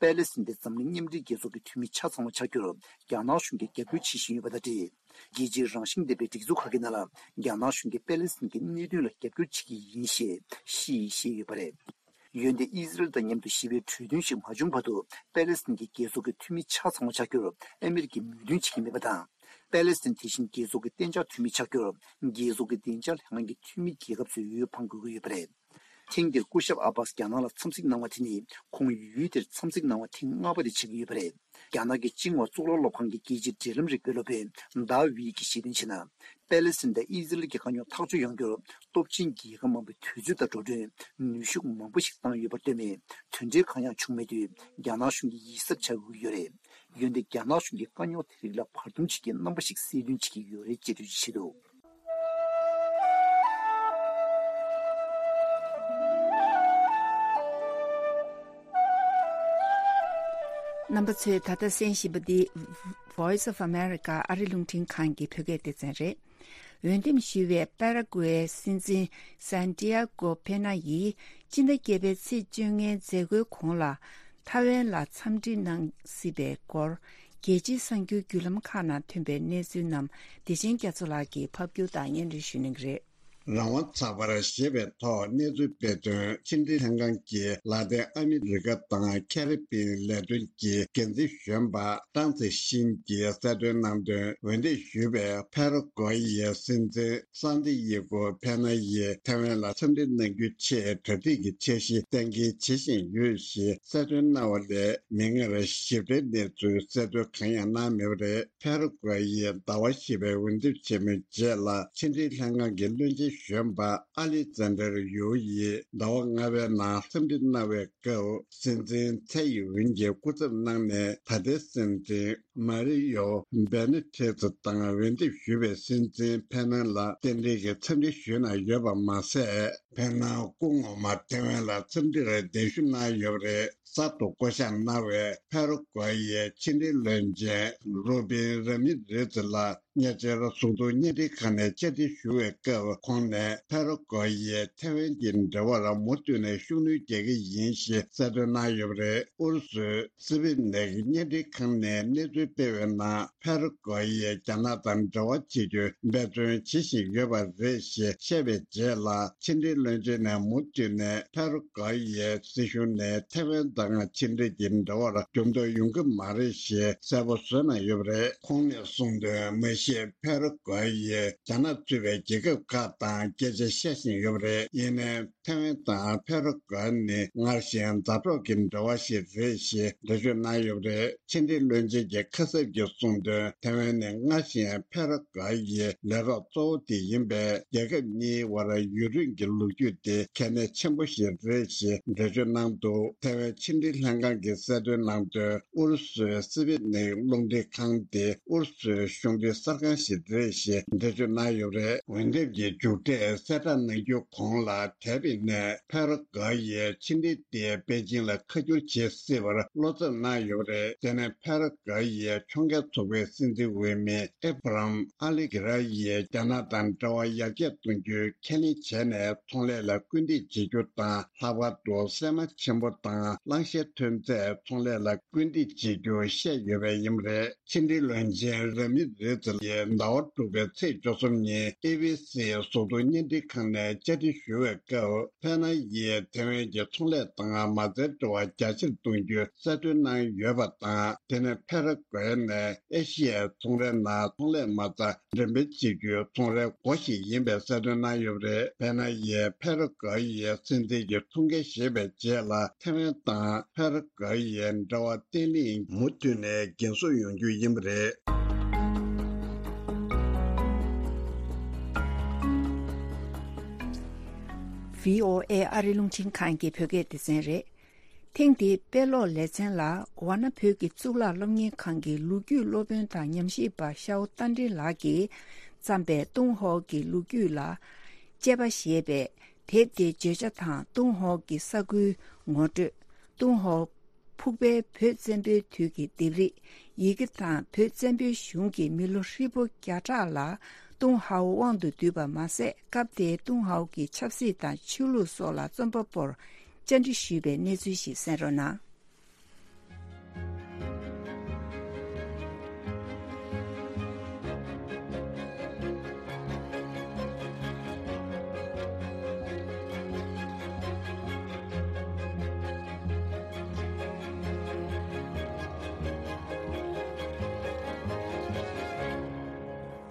པེ་ལེ་སི་ཐན་དེ་འཛམ་གླིང་མཉམ་འབྲེལ་རྒྱལ་ཚོགས་ཀྱི་འཐུས་མི་ཆ་ཚང་བ་ཆགས་རྒྱུར་རྒྱ་ནག་གཞུང་གིས་རྒྱབ་སྐྱོར་བྱེད་བཞིན་ཡོད་པ་དང་འབྲེལ། རྒྱལ་སྤྱིའི་རང་བཞིན་ལྡན་པའི་སྒྲིག་འཛུགས་ཁག་གི་ནང་ལ་རྒྱ་ནག་གཞུང་གིས་པེ་ལེ་སི་ཐན་གྱི་གནད་དོན་ལ་རྒྱབ་སྐྱོར་བྱེད་ཀྱི་ཡིན་ཞེས་ཞི་ཡིས་བཤད་ཡོད་པ་རེད། འོན་ཏེ་ཨི་ཟི་རལ་དང་མཉམ་དུ་ཞི་བའི་གྲོས་མཐུན་ཞིག་མ་བྱུང་བར་དུ་པེ་ལེ་སི་ཐན་གྱི་རྒྱལ་ཚོགས་ཀྱི་འཐུས་མི་ཆ་ཚང་བ་ཆགས་རྒྱུར་ཨ་མེ་རི་ཀས་མོས་མཐུན་བྱེད་ཀྱི་མེད་པ་དང་། པེ་ལེ་སི་ཐན་དེ་བཞིན་རྒྱལ་ཚོགས་ཀྱི་གཏན་འཇགས་འཐུས་མི་ཆགས་རྒྱུར་རྒྱལ་ཚོགས་ཀྱི་བདེ་འཇགས་ལྷན་ཁང་གི་འཐུས་མི་རྒྱལ་ཁབ་ཚོས་འོས་འཕང་དགོས་ཀྱི་ཡོད་པ་རེད། ཐེངས་འདིར་སྐུ་ཞབས་ཨ་བྷ་སི་རྒྱ་ནག་ལ་འཚམས་གཟིགས་གནང་བ་དེ་ནི་ཁོང་ཡུལ་དེར་འཚམས་གཟིགས་གནང་བ་ཐེངས་ལྔ་པ་དེ་ཆགས་ཀྱི་ཡོད་པ་རེད། རྒྱ་ནག་གི་ཅིང་ཧྭ་གཙུག་ལག་སློབ་ཁང་གི་རྒྱལ་སྤྱིའི་འབྲེལ་ལམ་རིག་པའི་སློབ་དཔོན་ཟླ་ཝེ་ཡིས་བཤད་དོན་བྱས་ན། པེ་ལེ་སི་ཐན་དང་ཨི་ཟི་རལ་གྱི་དཀའ་རྙོག་ཐག་གཅོད་ཡོང་རྒྱུར་སྟོབས་ཆེན་རྒྱལ་ཁབ་མང་པོས་དུས་ཚོད་དང་འགྲོ་གྲོན་ནུས་ཤུགས་མང་པོ་ཞིག་བཏང་ཡོད་པར་ལྟོས་ནས་དོན་འབྲས་གང་ཡང་བྱུང་མེད་དུས་རྒྱ་ནག་གཞུང་གིས་ཡིད་གཟབ་བྱ་དགོས་ཀྱི་ཡོད་རེད། འོན་ཏེ་རྒྱ་ནག་གཞུང་གིས་དཀའ་རྙོག་དེ་རིགས་ལ་བར་འདུམ་བྱེད་ཀྱི་རྣམ་པ་ཞིག་གསལ་སྟོན་བྱེད་ཀྱི་ཡོད་རེད་ཅེས་འགྲེལ་བརྗོད་བྱས་འདུག་རྣམ་པ་ཚོས་ད་ལྟ་གསན་བཞིན་པ་འདི་Voice of America ཨ་རི་རླུང་འཕྲིན་ཁང་གི་བོད་སྐད་སྡེ་ཚན་རེད། འོས་འདེམས་ཞུས་པའི་པ་ར་ཀུ་ཝེ་སྲིད་འཛིན་སན་ཏི་ཡ་ཀོ་ཕེ་ན་ཡིས་སྤྱི་ཟླ་བརྒྱད་པའི་ཚེས་བཅོ་ལྔའི་མཛད་སྒོའི་གོང་ལ་ཐའེ་ཝན་ལ་འཚམས་འདྲི་གནང་སྲིད་པའི་སྐོར་རྒྱལ་སྤྱིའི་གསར་འགྱུར་བརྒྱུད་ལམ་ཁག་ནང་ཐོན་པའི་གནས་ཚུལ་རྣམས་བདེ་ཆེན་རྒྱ་མཚོ་ལགས་ཀྱིས་ཕབ་སྒྱུར་དང་སྙན་སྒྲོན་ཞུ་གནང་གི་རེད། རང་དབང་ཚགས་པར་ཞེས་པའི་ཐོག་གནས་ཚུལ་སྤེལ་དོན་ཕྱི་འབྲེལ་ལྷན་ཁང་གི་ལ་ཏིན་ཨ་མི་རི་ཀ་དང་ཁེ་རི་པིན་ལས་དོན་གྱི་འགན་འཛིན་གཞོན་པ་ཀྲང་ཚེ་ཤིན་གྱིས་གསལ་སྟོན་གནང་དོན། འོས་འདེམས་ཞུས་པའི་ཕ་ར་གོ་ཡའི་སྲིད་འཛིན་སན་ཏི་ཡེ་གོ་ཕེ་ན་ཡིས་ཐའེ་ཝན་ལ་འཚམས་འདྲི་གནང་རྒྱུའི་ཆེད་གྲ་སྒྲིག་གི་འཆར་གཞི་གཏན་འཁེལ་བྱེད་བཞིན་ཡོད་ཞེས་གསལ་སྟོན་གནང་བ་ལས། མིག་སྔར་ཞིབ་ཕྲའི་གནས་ཚུལ་གསལ་སྟོན་གང་ཡང་གནང་མེད་པ་རེད། ཕེ་རུ་ཀུའེ་ཡིས་ཟླ་བ་བཞི་པའི་འོས་འདེམས་ཆེན་མོའི་རྗེས་ལ་ཕྱི་འབྲེལ་ལྷན་ཁང་གི་བློན་ཆེན་གཞོན་པ་ཨ་ལི་ཛན་ཏར་ཡུའུ་ཡིས་ཟླ་བ་ལྔ་པའི་ནང་འཚམས་འདྲི་གནང་བའི་སྐབས། སྲིད་འཛིན་ཚའེ་ཡིན་ཝུན་གྱིས་སྐུ་ཚབ་གནང་ནས་ད་ལྟའི་སྲིད་འཛིན་མ་རི་ཡོ་བེ་ནི་ཐེ་ཛི་དང་འོས་འདེམས་ཞུས་པའི་སྲིད་འཛིན་ཕེ་ནན་ལ་རྟེན་འབྲེལ་གྱི་འཚམས་འདྲི་ཞུས་གནང་ཡོད་པ་མ་ཟད། ཕེ་ནན་སྐུ་ངོ་མ་ཐེ་ཝན་ལ་འཚམས་འདྲིར་གདན་ཞུ་གནང་ཡོད་པ་རེད། གསར་དུ་བསྐོ་གཞག་གནང་བའི་ཕེ་རུ་ཀུའེ་ཡའི་ཕྱི་འབྲེལ་བློན་ཆེན་རུ་བིན་ར་མི་རེ་ཛི་ལགས་ཉེ་ཆར་གཟུགས་མཐོང་བརྙན་འཕྲིན་ཁང་ནས་བཅར་འདྲི་ཞུ་བའི་སྐབས། ཁོང་ནས་ཕེ་རུ་ཀུའེ་ཡིས་ཐེ་ཝན་གྱི་འབྲེལ་བར་མུ་མཐུད་ནས་ཤུགས་སྣོན་རྒྱག་གི་ཡིན་ཞེས་གསལ་སྟོན་གནང་ཡོད་པ་རེད། ཨུ་རུ་སུའི་སི་བི་ནེག་བརྙན་འཕྲིན་ཁང་ནས་གནས་ཚུལ་སྤེལ་བའི་ནང་། ཕེ་རུ་ཀོ་ཡིས་རྒྱ་ནག་དང་འབྲེལ་བ་བྱེད་རྒྱུའི་འབད་བརྩོན་བྱེད་བཞིན་ཡོད་པ་རེད་ཞེས་བཤད་པའི་རྗེས་ལ། ཕྱི་འབྲེལ་བློན་ཆེན་ནས་མུ་མཐུད་ནས་ཕེ་རུ་ཀོ་ཡིས་སྲིད་གཞུང་ནས་ཐེ་ཝན་དང་ཕྱི་འབྲེལ་གྱི་འབྲེལ་བར་འགྱུར་ལྡོག་ཡོང་གི་མ་རེད་ཞེས་གསལ་པོ་བཟོས་གནང་ཡོད་པ་རེད། ཁོང་ནས་གསུངས་དོན། མ་ ཞེས་ཕེ་རུ་ཀོ་ཡིས་རྒྱ་ནག་གཙོས་པའི་རྒྱལ་ཁབ་ཁག་དང་སྐད་ཆ་བཤད་བཞིན་ཡོད་པ་རེད། ཡིན་ནའི་ཐའེ་ཝན་དང་ཕེ་རུ་ཀོ་ནི་སྔར་བཞིན་མཛའ་གྲོགས་ཀྱི་འབྲེལ་བ་ཞིག་རེད་ཞེས་འགྲེལ་བརྗོད་གནང་ཡོད་པ་རེད། ཕྱི་འབྲེལ་བློན་ཆེན་གྱི་ཁ་གསབ་ཀྱིས་གསུངས་དོན། ཐའེ་ཝན་ནི་སྔར་བཞིན་ཕེ་རུ་ཀོ་ཡི་ལས་རོགས་གཙོ་བོ་དེ་ཡིན་པས། རྒྱལ་ཁབ་གཉིས་དབར་ཡུན་རིང་གི་ལོ་རྒྱུས་དེ་གལ་གནད་ཆེན་པོ་ཞིག་རེད་ཞེས་འགྲེལ་བརྗོད་གནང་འདུག་ཐའེ་ཝན་ཕྱི་འབྲེལ་ལྷན་ཁང་གིས་གསལ་སྟོན་གནང་དོན། ཨུ་རུ་སུའི་སི་པིད་ནིག་རླུང་འཕྲིན་ཁང་དེ་ཨུ་རུ་སུའི་གཞུང་འབྲེལ་གསར་ཁང་ཞིག་རེད་ཞེས་འགྲེལ་བརྗོད་གནང་ཡོད་པ་རེད། འོས་འདེམས་ཀྱི་མཇུག་འབྲས་གསལ་བསྒྲགས་གནང་རྒྱུའི་གོང་ལ། ཐའེ་པེ་ནས་ཕེ་རུ་ཀོ་ཡིས་ཕྱི་འབྲེལ་དེ་པེ་ཅིང་ལ་ཁ་བསྒྱུར་བྱེད་སྲིད་པར་བློ་འཚབ་གནང་ཡོད་པ་རེད། དེ་ནས་ཕེ་རུ་ཀོ་ཡིས་ཕྱོགས་འགལ་ཚོགས་པའི་སྲིད་འཛིན་འོས་མི་ཨེ་བྷ་རམ་ཨ་ལི་གྷི་ར་ཡིས་རྒྱ་ནག་དང་འབྲེལ་བ་ཡར་རྒྱས་གཏོང་རྒྱུའི་ཁས་ལེན་བྱས་ནས། ཚོང་ལས་ལ་སྐུལ་འདེད་བྱེད་རྒྱུ་དང་། ལྷག་པར་དུ་སྲན་མ་ཆེན་པོ་དང་གླང་ཤའི་ཐོན་རྫས་ཚོང་ལས་ལ་སྐུལ་འདེད་བྱེད་རྒྱུ་བཤད་ཡོད་པ་ཡིན་པ་རེད། ཕྱི་འབྲེལ་བློན་ཆེན་ར་མི་རེ་ཛི་ཡིས་ཟླ་བ་དྲུག་པའི་ཚེས་བཅུ་གསུམ་ཉིན་ཨེ་བྷི་སི་གཟུགས་མཐོང་བརྙན་འཕྲིན་ཁང་ནས་བཅར་འདྲི་ཞུ་བའི་སྐབས། ཕེ་ན་ཡིས་ཐེ་ཝན་གྱི་ཚོང་ལས་དང་མ་རྩའི་འབྲེལ་བ་རྒྱ་ཆེར་གཏོང་རྒྱུའི་གསལ་སྟོན་གནང་ཡོད་པ་དང་། དེ་ནི་ཕེ་རུ་ཀོ་ནི་ཨེ་ཤི་ཡའི་ཚོང་རའི་ནང་ཚོང་ལས་མ་རྩ་འགྲེམས་སྤེལ་བྱེད་རྒྱུའི་ཚོང་རའི་སྒོ་ཞིག་ཡིན་པའི་གསལ་སྟོན་གནང་ཡོད་པ་རེད། ཕེ་ན་ཡིས་ཕེ་རུ་ཀོ་ཡི་སྲིད་འཛིན་གྱི་ཐུགས་འགན་བཞེས་པའི་རྗེས་ལ། ཐེ་ཝན་དང་ཕེ་རུ་ཀོ་ཡའི་འབྲེལ་བ་བརྟན་ལྷིང་མུ་མཐུད་ནས་རྒྱུན་སྲུང་ཡོང་རྒྱུ་ཡིན་པ་རེད། བྷི་ཨོ་ཨེ་ཨ་རི་རླུང་འཕྲིན་ཁང་གི་བོད་སྐད་སྡེ་ཚན་རེད། ཐེངས་འདིའི་དཔེ་ཀློག་ལེ་ཚན་ལ། ཝཱ་ཎ་བོད་ཀྱི་གཙུག་ལག་སློབ་གཉེར་ཁང་གི་ལོ་རྒྱུས་སློབ་དཔོན་དང་ཉམས་ཞིབ་པ་ཤའོ་རྟ་མགྲིན་ལགས་ཀྱིས་བརྩམས་པའི་ཏུན་ཧོང་གི་ལོ་རྒྱུས་ལ་དཔྱད་པ་ཞེས་པའི་དེབ་དེའི་བརྗོད་བྱ་དང་། ཏུན་ཧོང་གི་ས་ཁུལ་ངོ་སྤྲོད། ཏུན་ཧོང་ཕུག་པའི་བོད་བཙན་པོའི་དུས་ཀྱི་ལྡེབས་རིས། ཡི་གེ་དང་བོད་བཙན་པོའི་གཞུང་གི་མི་ལོ་ཧྲིལ་པོ་བརྒྱ་ཕྲག་ལ་ཏུན་ཧོང་དབང་དུ་བསྡུས་པ་མ་ཟད། སྐབས་དེའི་ཏུན་ཧོང་གི་ཆབ་སྲིད་དང་ཆོས་ལུགས་སོགས་ལ་རྩོམ་པ་པོར་བཅར་འདྲི་ཞུས་པའི་གནས་ཚུལ་ཞིག་གསན་རོགས་གནང་།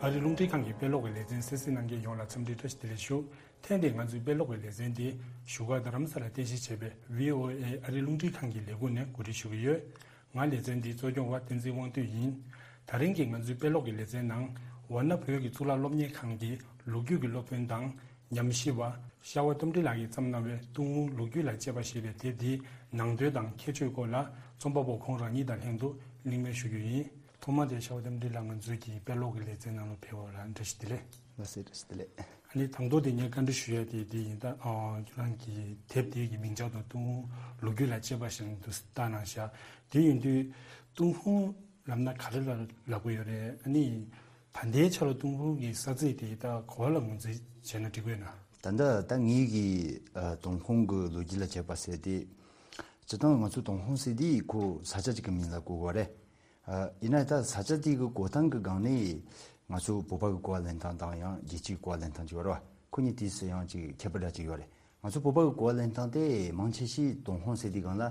ཨ་རི་རླུང་འཕྲིན་ཁང་གི་དཔེ་ཀློག་གི་ལེ་ཚན་གསན་གཟིགས་གནང་མཁན་ཡོངས་ལ་འཚམས་འདྲི་བཀྲ་ཤིས་བདེ་ལེགས་ཞུ། ཐེངས་འདིའི་ང་ཚོའི་དཔེ་ཀློག་གི་ལེ་ཚན་དེ་བཞུགས་སྒར་རྡ་རམ་ས་ལར་རྟེན་གཞི་བྱས་པའི་བྷི་ཨོ་ཨེ་ཨ་རི་རླུང་འཕྲིན་ཁང་གི་ལས་ཁུངས་ནས་གོ་སྒྲིག་ཞུ་གི་ཡོད། ང་ལེ་ཚན་འདིའི་གཙོ་སྐྱོང་བ་བསྟན་འཛིན་དབང་འདུས་ཡིན། ད་རིང་གི་ང་ཚོའི་དཔེ་ཀློག་གི་ལེ་ཚན་ནང་། ཝཱ་ཎ་བོད་ཀྱི་གཙུག་ལག་སློབ་གཉེར་ཁང་གི་ལོ་རྒྱུས་ཀྱི་སློབ་དཔོན་དང་ཉམས་ཞིབ་པ་ཤ་བ་རྟ་མགྲིན་ལགས་ཀྱིས་བརྩམས་གནང་བའི་ཏུན་ཧོང་ལོ་རྒྱུས་ལ་དཔྱད་པ་ཞེས་པའི་དེབ་འདིའི་ནང་དོན་དང་ཁྱད་ཆོས་སྐོར་ལ་རྩོམ་པ་པོ་ཁོང་རང་ཉིད་དང་ལྷན་དུ་གླེང་མོལ་ཞུ་རྒྱུ་ཡིན། ཐོག་མ་དེ་ཤ་བ་རྟ་མགྲིན་ལགས། ང་ཚོའི་གི་དཔེ་ཀློག་གི་ལེ་ཚན་ནང་ལ་ཕེབས་པ་ལ་བཀྲ་ཤིས་བདེ་ལེགས། ལགས་སོ། བཀྲ་ཤིས་བདེ་ལེགས། ཨ་ནི་དང་ཐོག་དེ་ངས་བཀའ་འདྲི་ཞུ་ཡ་དེ་དེ་ཡིན། ད་ཨ་ཁྱེད་རང་གི་དེབ་དེ་གི་མིང་བྱང་དུ་ཏུན་ཧོང་ལོ་རྒྱུས་ལ་དཔྱད་པ་ཞེས་འདུག་བཏགས་གནང་ཤག་དེ་ཡིན་དུས་ཏུན་ཧོང་ལབ་ན་ག་རེ་ལ་ལབ་དགོས་ཡོད་རེད། ཨ་ནི་ད་ལྟའི་ཆ་ལ་ཏུན་ཧོང་གི་ས་ཚིགས་དེ་ད་ག་པར་ལ་ངོས་འཛིན་བྱས་ན་འགྲིག་གི་ཡོད་ན། ད་ལྟ་ད་ངེད་ཀྱི་ཨ་ཏུན་ཧོང་གི་ལོ་རྒྱུས་ལ་དཔྱད་པ་ཟེར་དེ། སྤྱིར་བཏང་ང་ཚོ་ཏུན་ཧོང་ཟེར་དེ་ཁོ་ས་ཆ་གཅིག་གི་མིང་ལ་གོ་དགོས་རེད། ཨ་ཡིན་ན་ད་ས་ཆ་དེ་གི་གོ་སྟངས་ཀྱི་སྒང་ནས་ང་ཚོ་བོད་པ་གི་གོ་བ་ལེན་སྟངས་དང་ཡང་རྒྱལ་སྤྱིའི་གོ་བ་ལེན་སྟངས་ཅིག་ཡོད་རེད་བ། ཁོ་གཉིས་དུས་སུ་ཡང་ཅིག་ཁྱད་པར་འདྲ་ཅིག་ཡོད་རེད། ང་ཚོ་བོད་པ་གི་གོ་བ་ལེན་སྟངས་དེ་མང་ཆེ་ཤོས་ཏུན་ཧོང་ཟེར་དུས་སྒང་ལ།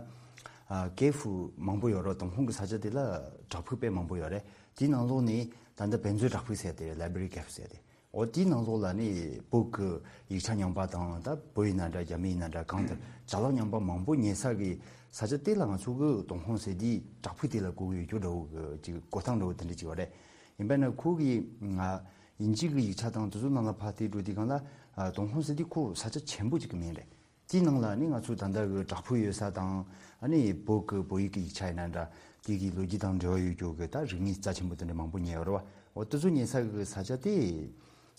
ཨ་ཀེ་ཧྥུ་མང་པོ་ཡོད་རེད། ཏུན་ཧོང་གི་ས་ཆ་དེ་ལ་བྲག་ཕུག་དཔེ་མང་པོ་ཡོད་རེད། དེའི་ནང་ལོགས་ནས་ད་ལྟ་བོད་མཛོད་བྲག་ཕུག་ཟེར་དེ་རེད། ལའི་བྷྲེ་རི་ཀེ་ཧྥུ་ཟེར་དེ། འོ་དེའི་ནང་ལོགས་ལ་ནི་བོད་ཀྱི་ཡིག་ཆ་རྙིང་པ་དང་། ད་བོད་ཡིན་ན་འདྲ། རྒྱ་མི་ཡིན་ན་འདྲ། གང་ལྟར་ཅ་ལག་རྙིང་པ་མང་པོ་ཉོ་ས་གི་ས་ཆ་དེ་ལ་ང་ཚོ་གི་ཏུན་ཧོང་ཟེར་དེ་བྲག་ཕུག་དེ་ལ་གོ་གི་ཡོད་རྒྱུ་འདྲ་བོ་གི་ཅིག་གོ་སྟངས་འདྲ་བོ་དེ་འདྲ་ཅིག་ཡོད་རེད། ཡིན་པས་ན་ཁོ་གི་ང་དབྱིན་ཇི་གི་ཡིག་ཆ་དང་དེ་ཚོ་ནང་ལ་ཕར་བལྟས་འགྲོ་དུས་སྒང་ལ། ཨ་ཏུན་ཧོང་ཟེར་དེ་ཁོ་ས་ཆ་ཆེན་པོ་ཅིག་གི་མིང་རེད། དེའི་ནང་ལ་ནི་ང་ཚོ་ད་ལྟ་གི་བྲག་ཕུག་ཡོད་ས་དང་། ཨ་ནི་བོད་ཀྱི་བོད་ཡིག་གི་ཡིག་ཆ་ཡིན་ན་འདྲ། དེ་གི་ལོ་རྒྱུས་དང་འབྲེལ་བ་ཡོད་རྒྱུ་གི་ད་རིག་གནས་རྩ་ཆེན་པོ་དེ་འདྲ་མང་པོ་ཉོས་ཡོད་རེད་བ། འོ་དེ་ཚོ་ཉོ་ས་གི་ས་ཆ་དེ་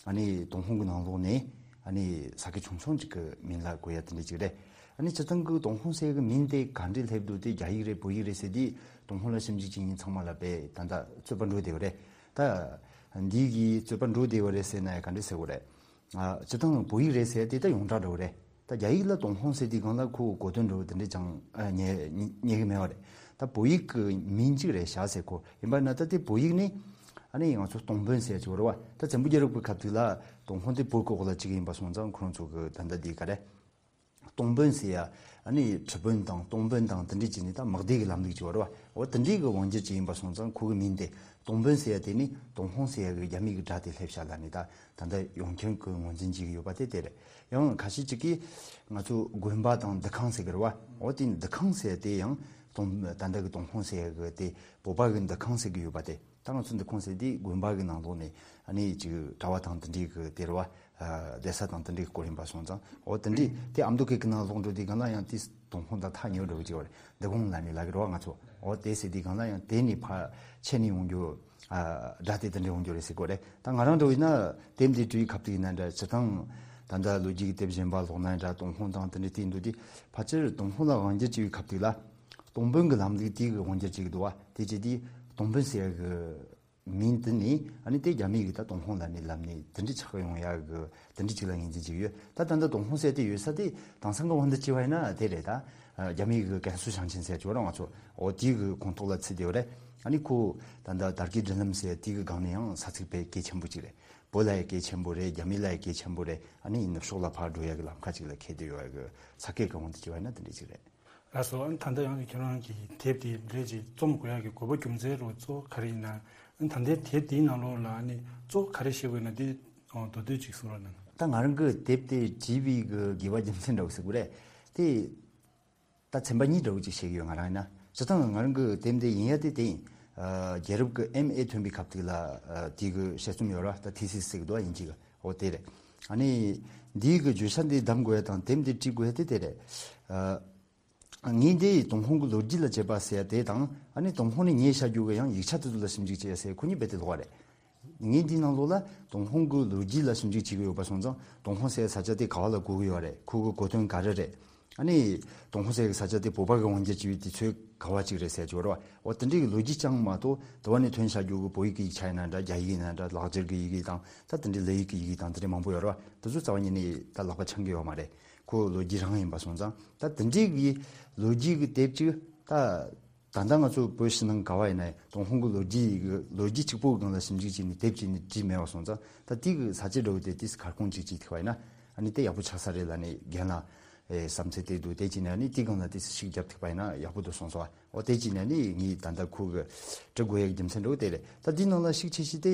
ཨ་ནི་ཏུན་ཧོང་གི་ནང་ལོགས་ནས་ཨ་ནི་ས་ཁུལ་ཆུང་ཆུང་ཅིག་གི་མིང་ལ་གོ་ཡ་དེ་འདྲ་ཅིག་རེད། ཨ་ནི་སྤྱིར་བཏང་གི་ཏུན་ཧོང་ཟེར་གི་མིང་དེ་ག་འདྲས་སླེབས་འདུག་དེ་རྒྱ་ཡིག་རེད། བོད་ཡིག་རེད་ཟེར་དུས་ཏུན་ཧོང་ལ་ཞིབ་འཇུག་བྱེད་མཁན་ཚང་མ་ལ་དཔེ་ད་ལྟ་རྩོད་པ་འགྲོ་བསྡད་ཡོད་རེད། ད་འདི་གི་རྩོད་པ་འགྲོ་བསྡད་ཡོད་རེད་ཟེར་ན་ཡང་ག་འདྲས་ཟེར་དགོས་རེད། ཨ་སྤྱིར་བཏང་བོད་ཡིག་རེད་ཟེར་དེ་ད་ཡོངས་གྲགས་འདྲ་བོ་རེད། ད་རྒྱ་ཡིག་ལ་ཏུན་ཧོང་ཟེར་དུས་སྒང་ལ་ཁོ་གོ་དོན་འདྲ་བོ་དེ་འདྲས་ཅང་ཨ་རྙེད་རྙེད་ཀྱི་མེད་པ་རེད། ད་བོད་ཡིག་གི་མིང་གཅིག་རེད་ཤག་ཟེར། ཁོ་ཡིན་པ་ན་ད་དེ་བོད་ཡིག་ནི་ཨ་ནི་ང་ཚོ་སྟོང་དཔོན་ཟེར་གྱི་ཡོད་རེད་བ། ད་བཙན་པོ་རྒྱལ་རབས་ཀྱི་སྐབས་དུས་ལ་ཏུན་ཧོང་དེ་བོད་ཀྱི་འོག་ལ་གཅིག་ཡིན་པ་སོང་ཙང་ཁོ་རང་ཚོ་གི་ད་ལྟ་དེ་ག་རེ། ཏུང་པོན་ཟེར་ཡ། ཨ་ནི་ཁྲི་པོན་དང་ཏུང་པོན་དང་དེ་འདྲས་བྱས་ནས་ད་དམག་སྡེ་གི་ལམ་ལུགས་ཅིག་ཡོད་རེད་བ། འོ་དེ་འདྲས་གི་དབང་སྒྱུར་ཅིག་ཡིན་པ་སོང་ཙང་ཁོ་གི་མིང་དེ་ཏུང་པོན་ཟེར་ཡ་དེ་ནི་ཏུང་ཧོང་ཟེར་ཡ་གི་རྒྱ་མི་གི་དགྲ་དེ་སླེབས་ཤག་ལབ་ནས་ད་ད་ལྟ་ཡོངས་ཁྱབ་ཀྱི་ངོས་འཛིན་བྱེད་ཀྱི་ཡོད་པ་དེ་དེ་རེད། ཡང་ཁ་ཤས་ཅིག་གིས་ང་ཚོ་དགོན་པ་དང་འདུ་ཁང་ཟེར་གི་རེད་བ། འོ་དེ་འདུ་ཁང་ཟེར་ཡ་དེ་ཡང་ཏུང་ད་ལྟ་གི་ཏུང་ཧོང་ཟེར་ཡ་གི་དེ་བོད་པ་གི་འདུ་ཁང་ཟེར་གི་ཡོད་པ་དེ། ད་ང་ཚོ་འདུ་ཁང་ཟེར་དེ་དགོན་པ་གི་ནང་ལོགས་ནས་ཨ་ནི་ཅིག་གྲྭ་བ་དང་དེ་འདྲའི་གི་དེ་རེད་བ། ཨ་བསྡད་ས་དང་དེ་འདྲའི་སྐོར་ཡིན་པ་སོང་ཙང་། འོ་དེ་འདྲའི་དེ་ཨ་མདོ་སྐད་ཀྱི་ནང་ལོགས་འགྲོ་དུས་སྒང་ལ་ཡང་དེ་ཏུང་ཧོང་དང་ཐག་ཉེ་བོ་འདྲ་བོ་ཅིག་ཡོད་རེད། འདུ་ཁང་ལབ་ནས་ལབ་གི་རེད་བ་ང་ཚོ། འོ་དེ་ཟེར་དུས་སྒང་ལ་ཡང་དེ་ནས་ཕར་ཆད་ནས་ཡོང་རྒྱུ། ཨ་སྒྲ་དེ་དེ་འདྲ་ཡོང་རྒྱུ་རེད་ཟེར་གོ་རེད། ད་ང་རང་འདྲ་བོ་ཡིན་ན་དེབ་འདི་བྲིས་པའི་སྐབས་དེ་ཡིན་ན་འདྲ། སྤྱིར་བཏང་ད་ལྟ་ལོ་རྒྱུས་ཀྱི་དེབ་གཞན་པ་ཀློག་ན་འདྲ། ཏུང་ཧོང་དང་དེ་འདྲ་དེ་འདུག་དུས་ཕལ་ཆེར་ཏུང་ཧོང་ལ་དབང་སྒྱུར་བྱས་པའི་སྐབས་དེ་ལ། ཏུང་པོན་གྱི་ལམ་ལུགས་དེ་གི་དབང་སྒྱུར་བྱེད་ཀྱི་འདུག་བ། དེ་བྱས་དུས་ཏུང་པོན་ཟེར་ཡ་གི་མིང་དེ་ནི་ཨ་ནི་དེ་རྒྱ་མི་གིས་ད་ཏུང་ཧོང་ལབ་ནས་ལབ་ནས་དེ་འདྲ་ཆགས་ཡོང་ཡ་གི་དེ་འདྲ་ཅིག་ལ་ངོས་འཛིན་བྱེད་ཀྱི་ཡོད། ད་ད་ལྟ་ཏུང་ཧོང་ཟེར་དེ་ཡོད་ས་དེ་དེང་སང་གི་དབང་དུ་བྱས་པ་ཡིན་ན་དེ་རེད། ད་རྒྱ་མི་གི་ཀན་སུའུ་ཞིང་ཆེན་ཟེར་ཅིག་ཡོད་རེད་བ། ང་ཚོ་འོ་དེ་གི་ཁོངས་གཏོགས་ལ་ཚུད་བསྡད་ཡོད་རེད། ཨ་ནི་ཁོ་ད་ལྟ་དར་གྱི་སྒྲིག་ལམ་ཟེར་དེ་གི་སྒང་ནས་ཡང་ས་ཚིགས་དཔེ་གལ་ཆེན་པོ་ཅིག་རེད། བོད་ལ་ཡང་གལ་ཆེན་པོ་རེད། རྒྱ་མི་ལ་ཡང་གལ་ཆེན་པོ་རེད། ཨ་ནི་ནུབ་ཕྱོགས་ལ་ཕར་འགྲོ་ཡ་གི་ལམ་ཁ་ཅིག་ལ་འཁེལ་བསྡད་ཡོད་ཡ་གི་ས་ཁུལ་གི་དབང་དུ་བྱས་པ་ཡིན་ན་དེ་འདྲ་ཅིག་རེད། ལགས་སོ། ཨ་ནི་ད་ལྟ་ཡང་ཁྱེད་རང་གི་དེབ་དེ་འདྲ་ཅིག་རྩོམ་དགོས་ཡག་གི་དགོས་པ་རྒྱུ་མཚན་རོ་གཙོ་བོ་ག་རེ་ཡིན་ན། ཨ་ནི་ད་ལྟའི་དེབ་དེའི་ནང་ལོགས་ལ་ཨ་ནི་གཙོ་བོ་ག་རེ་བཤད་དགོས་ན་དེ་མདོར་བསྡུས་ཅིག་གསུང་རོགས་གནང་། ད་ང་རང་གི་དེབ་དེ་བྲིས་པའི་གི་དགོས་པ་རྒྱུ་མཚན་འདྲ་བོ་ཟེར་དགོས་རེད། དེ་ད་ཚན་པ་གཉིས་འདྲ་བོ་ཅིག་བཤད་ཀྱི་ཡོད། ང་རང་ཡིན་ན་སྤྱིར་བཏང་ང་རང་གི་དེབ་འདི་ཡིན་ཡ་དེ་དེ་ཡིན། ཨ་རྒྱལ་རབས་ཀྱི་ཨེམ་ཨེ་ཐོན་པའི་སྐབས་དེ་ལ་ཨ་དེ་གི་དཔྱད་རྩོམ་ཡོད་ར། ད་ཐི་སི་སི་ཟེར་གི་འདུག་བ། དབྱིན་ཇི་གི། འོ་དེ་རེད། ཨ་ནི་འདིའི་གི་བརྗོད་བྱ་འདི་གདམ་དགོས་ཡ་དང་དེབ་འདི་བྲིས་དགོས་ཡ་དེ་དེ་རེད། ཨ་ངས་འདི་ཏུང་ཧོང་གི་ལོ་རྒྱུས་ལ་དཔྱད་པ་ཟེར་ཡ་དེ་དང་། ཨ་ནི་ཏུང་ཧོང་ནས་ཉོས་བཞག་རྒྱུ་གི་ཡང་ཡིག་ཆ་དེ་ཚོ་ལ་ཞིབ་འཇུག་བྱེད་ཡ་ཟེར་ཁོ་གཉིས་རྦད་དེ་ལོགས་པ་རེད། ངས་འདིའི་ནང་ལོགས་ལ་ཏུང་ཧོང་གི་ལོ་རྒྱུས་ལ་ཞིབ་འཇུག་བྱེད་ཀྱི་ཡོད་པ་སོང་ཙང་། ཏུང་ཧོང་ཟེར་ཡ་ས་ཆ་དེ་ག་བ་ལ་གོ་གི་ཡོད་རེད། ཁོ་གི་གོ་དོན་ག་རེ་རེད། ཨ་ནི་ཏུང་ཧོང་ཟེར་ཡ་གི་ས་ཆ་དེ་བོད་པ་གི་དབང་སྒྱུར་བྱས་པའི་དུས་ཚོད་ག་བ་ཅིག་རེད་ཟེར་ཡ་ཅིག་ཡོད་རེད་བ། འོ་དེ་འདྲའི་གི་ལོ་རྒྱུས་ཅང་མ་གཏོགས་དེ་བ་ནས་ཐོན་བཞག་རྒྱུ་གི་བོད་ཡིག་གི་ཡིག་ཆ་ཡིན་ན་འདྲ། རྒྱ་ཡིག་ཡིན་ན་འདྲ། ལག་འཁྱེར་གི་ཡི་གེ་དང་། ད་དེ་འདྲའི་ལི་ཡིག་གི་ཡི་གེ་དང་དེ་འདྲའི་མང་པོ་ཡོད་རེད་བ། དེ་ཚོ་རྩ་བ་ཉིད་ནས་ད་ལག་པ་འཆང་གི་ཡོད་མ་རེད། ཁོ་ལོ་རྒྱུས་རང་ཡིན་པ་སོང་ཙང་། ད་དེ་འདྲའི་གི་ལོ་རྒྱུས་གི་དེབ་ཅིག་ད། ད་ལྟ་ང་ཚོ་བོད་ཕྱི་ནང་ག་བ་ཡིན་ན་ཡང་ཏུང་ཧོང་གི་ལོ་རྒྱུས་ཀྱི་ལོ་རྒྱུས་གཅིག་པོའི་སྒང་ལ་ཞིབ་འཇུག་བྱས་ནས་དེབ་བྱས་ནས་བྲིས་མེད་པ་སོང་ཙང་། ད་དེ་གི་ས་བཅད་འདྲ་བོ་དེ་དེས་ཁ་སྐོང་གཅིག་བྱས་ཐུབ་པ་ཡིན་ན། ཨ་ནི་དེ་ཡག་པོ་ཆགས་ས་རེད་ལབ་ནས་རྒན་ལགས་ཨེ་བསམ་ཚུལ་དེ་འདུག་དེ་བྱས་ནས་ཨ་ནི་དེའི་སྒང་ལ་དེ་ཞིག་རྒྱབ་ཐུབ་པ་ཡིན་ན་ཡག་པོ་འདུག་གསུངས་སོང་བ། འོ་དེ་བྱས་ནས་ཨ་ནི་ངས་ད་ལྟ་ཁོ་གི་འབྲི་དགོས་ཡག་རྒྱུ་མཚན་འདྲ་བོ་དེ་རེད། ད་དེའི་ནང་ལ་ཞིབ་ཆ་ཞིག་དེ་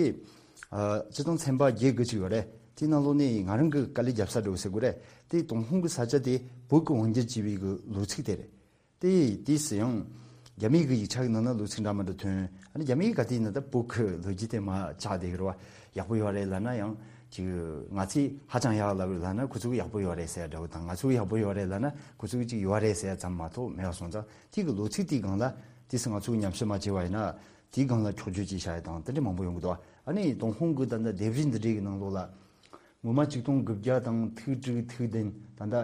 ཨ་སྤྱིར་བཏང་ཚན་པ་བརྒྱད་དགུ་ཅིག་ཡོད་རེད། དེའི་ནང་ལོགས་ནས་ང་རང་གི་དཀའ་ལས་རྒྱབ་ས་འདྲ་བོ་ཟེར་དགོས་རེད། དེ་ཏུང་ཧོང་གི་ས་ཆ་དེ་བོད་ཀྱི་དབང་སྒྱུར་བྱས་པའི་གི་ལོ་ཚིགས་དེ་རེད། དེ་དུས་སུ་ཡང་རྒྱ་མིའི་གི་ཡིག་ཆ་གི་ནང་ན་ལོ་ཚིགས་འདྲ་མི་འདྲ་ཐོན། ཨ་ནི་རྒྱ་མིའི་ག་དུས་ཡིན་ན་ད་བོད་ཀྱི་ལོ་རྒྱུས་དེ་མར་ཆགས་བསྡད་ཀྱི་རེད་བ། ཡག་པོ་ཡོད་རེད་ལབ་ན་ཡང་ཅིག་ང་ཚོས་ཧ་ཅང་ཡག་ལབ་ལབ་ན་ཁོ་ཚོ་གིས་ཡག་པོ་ཡོད་རེད་ཟེར་ཡ་འདྲ་བོ་དང་། ང་ཚོ་གིས་ཡག་པོ་ཡོད་རེད་ལབ་ན་ཁོ་ཚོ་གིས་ཅིག་ཡོད་རེད་ཟེར་ཡ་ཙམ་མ་གཏོགས་མེད་པ་སོང་ཙང་། དེ་གི་ལོ་ཚིགས་དེའི་སྒང་ལ་དུས་སུ་ང་ཚོ་གིས་ཉམས་ཞིབ་མ་བྱས་པ་ཡིན་ན་དེའི་སྒང་ལ་འཁྱོག་བརྗོད་ཅིག་བྱ་ཡ་དང་དེ་འདྲ་མང་པོ་ཡོང་གི་འདུག་ཨ་ནི་ཏུང་ཧོང་གི་ད་ལྟ་ལྡེབས་རིས་འདི་འདྲའི་གི་ནང་ལོགས་ལ་ངོ་མ་ཆིག་སྟོང་དགུ་བརྒྱ་དང་ཐིག་དྲུག་ཐིག་བདུན་ད་ལྟ།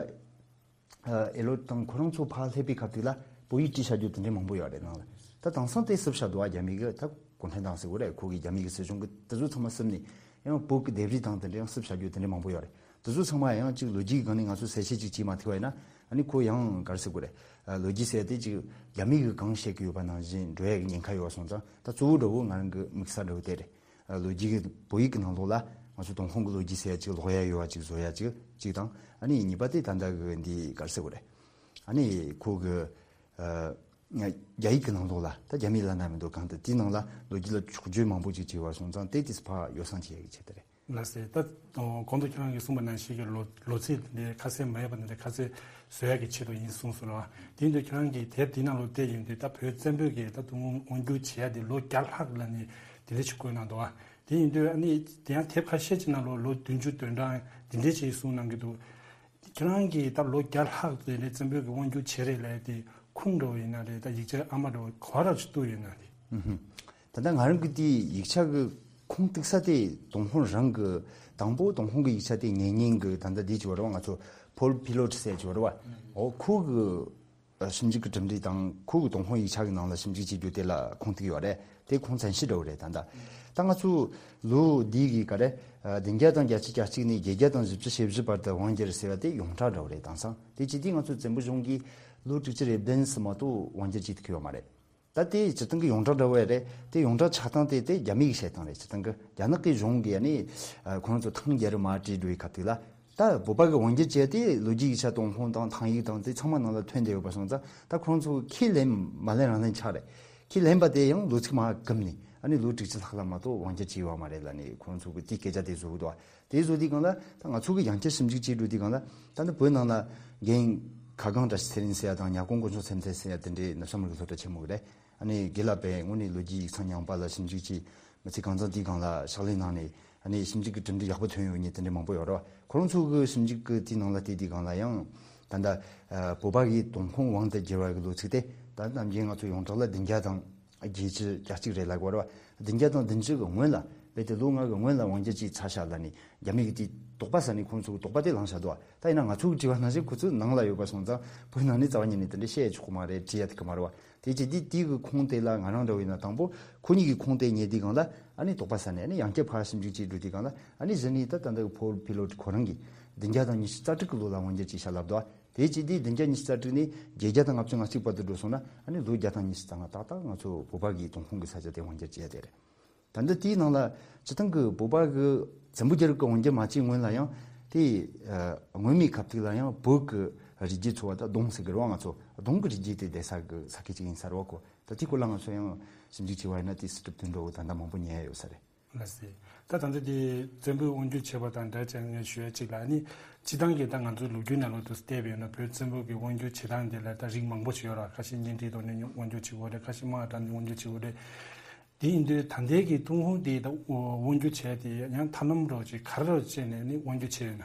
ཨེ་ལོ་དང་ཁོ་རང་ཚོ་ཕར་སླེབས་པའི་སྐབས་དེ་ལ་བོད་ཡིག་བྲིས་བཞག་རྒྱུ་དེ་འདྲའི་མང་པོ་ཡོད་རེད་ནང་ལ། ད་དེང་སང་དེ་བསུབས་བཞག་འདུག་ཨ། རྒྱ་མི་གི་ད་གུང་ཁྲན་ཏང་ཟེར་དགོས་རེད། ཁོ་གི་རྒྱ་མི་གི་སྲིད་གཞུང་གི་དེ་ཚོ་ཚང་མ་བསུབས་ནས་ཡང་བོད་ཀྱི་ལྡེབས་རིས་དང་དེ་འདྲ་ཡང་བསུབས་བཞག་རྒྱུ་དེ་འདྲའི་མང་པོ་ཡོད་རེད། དེ་ཚོ་ཚང་མ་ཡང་ཅིག་ལོ་རྒྱུས་ཀྱི་སྒང་ནས་ང་ཚོ་གསལ་བཤད་ཅིག་བྱས་མ་ཐུབ་པ་ཡིན་ན། ཨ་ནི་ཁོ་ཡང་ག་རེ་ཟེར་དགོས་རེད། ཨ་ལོ་རྒྱུས་ཟེར་དེ་ཅིག་རྒྱ་མི་གི་གང་བཤད་ཀྱི་ཡོད་པ་ནང་བཞིན་འགྲོ་ཡ་གི་ཉེན་ཁ་ཡོད་པ་སོང་ཙང་། ད་གཙོ་བོ་འདྲ་བོ་ང་རང་གི་དམིགས་ས་འདྲ་བོ་དེ་རེད། ལོ་རྒྱུས་ཀྱི་བོད་ཡིག་གི་ནང་ལོགས་ལ་ང་ཚོ་ཏུང་ཧོང་གི་ལོ་རྒྱུས་ཟེར་ཡ་ཅིག་ཀློག་ཡ་ཡོད་པ་ཅིག་བཟོ་ཡ་ཅིག་ཅིག་དང་། ཨ་ནི་གཉིས་པ་དེ་ད་ལྟ་གི་འདི་ག་རེ་ཟེར་དགོས་རེད། ཨ་ནི་ཁོ་གི་ཨ་རྒྱ་ཡིག་གི་ནང་ལོགས་ལ་ད་རྒྱ་མིའི་བླ་ན་མེད་པའི་གང་དུ་དེའི་ནང་ལ་ལོ་རྒྱུས་ལ་འཁྱོག་བརྗོད་མང་པོ་ཅིག་བྱས་པ་སོང་ཙང་། དེ་དུས་ཕར་ཡོ་བསྲང་བྱེད་ཡ་གི་ཆེད་དུ་རེད། ལགས་སེ། ད་གོང་དུ་ཁྱེད་རང་གིས་གསུངས་པ་ནང་བཞིན་གྱི་ལོ་ལོ་ཚིགས་དེ་འདྲའི་ཁ་གསལ་མ་ཡོད་པ་དེ་འདྲའི་ཁ་གསལ་བཟོ་ཡ་གི་ཆེད་དུ་ཡིན་གསུངས་སོང་ར། དེ་ཡིན་དུས་ཁྱེད་རང་གིས་དེབ་དེའི་ནང་ལོགས་བལྟས་ཡོང་དུས་ད་བོད་བཙན་པོས་ཀྱི་ད་དུང་དབང་སྒྱུར་བྱེད་ཡ་དེ་ལོ་བརྒྱ་ལྷག་ལ་ནི་དེ་འདྲ་ཞིག་བཀོད་གནང་འདུག་བ། དེ་ཡིན་དུས་ཨ་ནི་དེ་ཡང་དེབ་ཁ་ཤས་ཅིག་ནང་ལོགས་ལོ་བདུན་ཅུ་དོན་གྲངས་དེ་འདྲའི་ཅིག་གསུངས་གནང་གི་འདུག་ཁྱེད་རང་གིས་ད་ལོ་བརྒྱ་ལྷག་དེ་འདྲའི་བཙན་པོས་ཀྱི་དབང་སྒྱུར་བྱས་རེད་ལབ་ཡ་དེ་ཁུངས་འདྲ་བོ་ཡིན་ན་རེད། ད་ཡིག་ཆ་ཨ་མ་འདྲ་བོ་ག་བ་ར་ཅིག་གཏུགས་ཡོད་ན་རེད། ཨུ་ཧུམ། ད་ལྟ་ང་རང་གི་དེའི་ཡིག་ཆ་གི་ཁུངས་གཏུགས་ས་དེ་ཏུང་ཧོང་རང་གི་དང་པོ་ཏུང་ཧོང་གི་ཡིག་ཆ་དེ་ཉན་མཁན་གི་ད་ལྟ་དེ་ཅིག་ཡོད་རེད་བ། ང་ཚོ་ཕོལ་པི་ལོ་ཊི་ཟེར་ཅིག་ཡོད་རེད་བ། འོ་ཁོ་གི་ཨ་ཞིབ་འཇུག་གི་གྲུབ་འབྲས་དང་ཁོ་གི་ཏུང་ཧོང་ཡིག་ཆ་གི་ནང་ལ་ཞིབ་འཇུག་བྱེད་རྒྱུ་དེ་ལ་ཁུངས་གཏུགས་ཡོད་རེད། དེ་ཁུངས་བཙན་ཤོས་འདྲ་བོ་རེད། ད་ལྟ་ད་ང་ཚོ་ལོ་འདི་གི་ག་རེ་ཨ་བདུན་བརྒྱ་དང་བརྒྱད་ཅུ་གྱ་གཅིག་ནས་བརྒྱད་བརྒྱ་དང་བཞི་བཅུ་ཞེ་བཞི་བར་དུ་དབང་བསྒྱུར་ཟེར་བ་དེ་ཡོངས་གྲགས་འདྲ་བོ་རེད། དེང་སང་དེ་བྱེད་དུས་ང་ཚོ་བཙན་པོ་གཞུང་གིས་ལོ་དྲུག་ཅུ་རེ་བདུན་ཙམ་མ་གཏོགས་དབང་བསྒྱུར་བྱེད་ཐུབ་ཀྱི་ཡོད་མ་རེད། ད་དེ་སྤྱིར་བཏང་གི་ཡོངས་གྲགས་འདྲ་བོ་རེད། དེ་ཡོངས་གྲགས་ཆགས་སྟངས་དེ་དེ་རྒྱ་མི་གི་བཤད་སྟངས་རེད། སྤྱིར་བཏང་གི་རྒྱ་ནག་གི་གཞུང་གིས་ཨ་ནི་ཨ་ཁོ་རང་ཚོ་ཐང་རྒྱལ་རབས་མར་བྲིས་འགྲོ་བའི་སྐབས་དེ་ལ་ ད་བོད་པ་གི་དབང་སྒྱུར་བྱས་ཏེ་ལོ་རྒྱུས་ཡིག་ཆ་ཏུན་ཧོང་དང་ཐང་ཡིག་དང་དེ་ཚང་མ་ནང་ལ་ཐོན་བསྡད་ཡོད་པ་སོང་ཙང་། ད་ཁོང་ཚོ་ཁས་ལེན་མ་ལེན་རང་ལེན་ཆགས་རེད། ཁས་ལེན་པ་དེ་ཡང་ལོ་ཚིགས་མར་བསྒུམས་ནས་ཨ་ནི་ལོ་དྲུག་ཅུ་ལྷག་ལ་མ་གཏོགས་དབང་སྒྱུར་བྱས་ཡོད་མ་རེད་ལབ་ནས་ཁོང་ཚོ་གི་དེ་སྐད་ཆ་དེ་བཟོ་གི་འདུག་དེ་བཟོ་དུས་སྒང་ལ་ད་ང་ཚོ་གི་ཡང་བསྐྱར་ཞིབ་འཇུག་བྱེད་འགྲོ་དུས་སྒང་ལ། ད་ནི་བོད་ནང་ལ་རྒན་ཁ་སྒང་བཀྲ་ཤིས་ཚེ་རིང་ཟེར་ཡ་དང་། ཉ་སྒང་དཀོན་མཆོག་ཚེ་མཐའི་ཟེར་ཡ་དེ་འདྲའི་ནུབ་བྱང་མི་རིགས་སློབ་གྲྭ་ཆེན་མོ་གི་རེད། ཨ་ནི་དགེ་ལགས་པས་དངོས་གནས་ལོ་རྒྱུས་ཡིག་ཚང་ཉམས་པ་ལ་ཞིབ་འཇུག་བྱས། མི་ཚེ་གང་ཚང་དེའི་སྒང་ལ་ཕྱག་ལས་གནང་ནས་ཨ་ནི་ཞིབ་འཇུག་གི་གྲུབ་འབྲས་ཡག་པོ་ཐོན་ཡོད་མཁན་དེ་འདྲ་མང་པོ་ཡོད་རེད་བ། ཁོ་རང་ཚོ་གི་ཞིབ་འཇུག་གི་དེའི་ནང་ལ་བལྟས་དུས་སྒང་ལ་ཡང་། ད་ལྟ་ཨ་བོད་པ་གི་ཏུན་ཧོང་དབང་དུ་བསྒྱུར་བ་གི་ལོ་ཚིགས་དེ་ད་ནམ་རྒྱུན་ང་ཚོ་ཡོངས་གྲགས་ལ་བདུན་བརྒྱ་དང་བརྒྱད་ཅུ་གྱ་གཅིག་རེད་ལབ་ཀྱི་ཡོད་རེད་བ། བདུན་བརྒྱ་དང་བདུན་ཅུ་གི་སྔོན་ལ། རྦད་དེ་ལོ་ལྔ་གི་སྔོན་ལ་དབང་སྒྱུར་བྱས་ཚར་ཤག་ལབ་ནས་རྒྱ་མི་གི་དེ་དོགས་པ་ཟ་ནས་ཁོང་ཚོ་གི་དོགས་པ་དེ་ལངས་བཞག་འདུག་བ། ད་ཡིན་ན་ང་ཚོ་གི་དྲི་བ་ནང་བཞིན་ཁོ་ཚོ་ནང་ལ་ཡོད་པ་སོང་ཙང་བོད་ནང་ནས་རྩ་བ་ཉིད་ནས་དེ་འདྲ་བཤད་ཆོག་གི་མ་རེད། དྲི་ཡ་དེ་གི་མ་རེད་བ། དེ་བྱས་དུས་དེའི་གི་ཁུངས་དེ་ལ་ང་རང་འདྲ་བོ་ཡིན་ན་དང་པོ་ཁོ་གཉིས་ཀྱི་ཁུངས་དེ་རྙེད་དུས་སྒང་ལ་ཨ་ནི་དོགས་པ་ཟ་ནས། ཨ་ནི་ཡང་བསྐྱར་ཕར་ཞིབ་འཇུག་བྱེད་འགྲོ་དུས་སྒང་ལ་ཨ་ནི་གཞི་ནས་ད་ད་ལྟ་གི་ཕོལ་ཕི་ལོ་ཁོ་རང་གིས་བདུན་བརྒྱ་དང་ཉི་ཤུ་རྩ་དྲུག་གི་ལོ་ལ་དབང་སྒྱུར་བྱས་ཤག་ལབ་འདུག་བ། དེ་བྱས་དུས་བདུན་བརྒྱ་ཉི་ཤུ་རྩ་དྲུག་ནས་བརྒྱད་བརྒྱ་དང་ལྔ་བཅུ་ང་གཅིག་བར་དུ་འགྲོ་སོང་ན། ཨ་ནི་ལོ་བརྒྱ་དང་ཉི་ཤུ་རྩ་ལྔ་ཏག་ཏག་ང་ཚོ་བོད་པ་གི་ཏུན་ཧོང་གི་ས་ཆ་དེ་དབང་སྒྱུར་བྱས་ཡ་དེ་རེད། ད་ལྟ་དེའི་ནང་ལ་སྤྱིར་བཏང་གི་བོད་པ་གི་བཙན་པོ་རྒྱལ་རབས་ཀྱི་དབང་སྒྱུར་མ་བྱས་སྔོན་ལ་ཡང་དེ། ཨ་སྔོན་མའི་སྐབས་དེ་ལ་ཡང་བོད་ཀྱི་རིགས་རྒྱུད་ཚོ་བ་ད་གདོང་ཟེར་གི་རེད་བ། ང་ཚོ་གདོང་གི་རིགས་རྒྱུད་དེ་བསྡད་ས་གི་ས་ཁུལ་ཅིག་ཡིན་ས་རེད་བ་ཁོ། ད་དེའི་སྐོར་ལ་ང་ཚོ་ཡང་ཞིབ་འཇུག་བྱས་པ་ཡིན་ན་དེ་སྲིད་གྲུབ་དོན་གྲུབ་ད་ལྟ་མང་པོ་ཉན་ཡ་ཡོད་ས་རེད། ལགས་སེ། ད་ད་ལྟ་དེ་བཙན་པོའི་དབང་སྒྱུར་བྱས་པ་དང་འདྲ་བྱས་ངས་ཞུ་ཡ་གཅིག་ལ། ཨ་ནི་སྤྱིར་བཏང་གི་ད་ང་ཚོའི་ལོ་རྒྱུས་ནང་ལོགས་སུ་བལྟས་པ་ཡིན་ན་བོད་བཙན་པོ་གི་དབང་སྒྱུར་བྱེད་སྟངས་དེ་ལ་ད་རིགས་མང་པོ་ཞིག་ཡོད་ར། ཁ་ཤས་གཉེན་སྒྲིག་ཐོག་ནས་དབང་སྒྱུར་བྱེད་དགོས་རེད། ཁ་ཤས་དམག་དྲངས་ནས་དབང་སྒྱུར་བྱེད་དགོས་རེད། དེ་ཡིན་དུས་ད་ལྟའི་གི་ཏུན་ཧོང་དེ་ད་དབང་སྒྱུར་བྱས་དེ་ཡང་ཐབས་ལམ་འདྲ་བོ་ཅིག་ག་རེ་འདྲ་བོ་བྱས་ནས་ནི་དབང་སྒྱུར་བྱས་ཡོད་ན།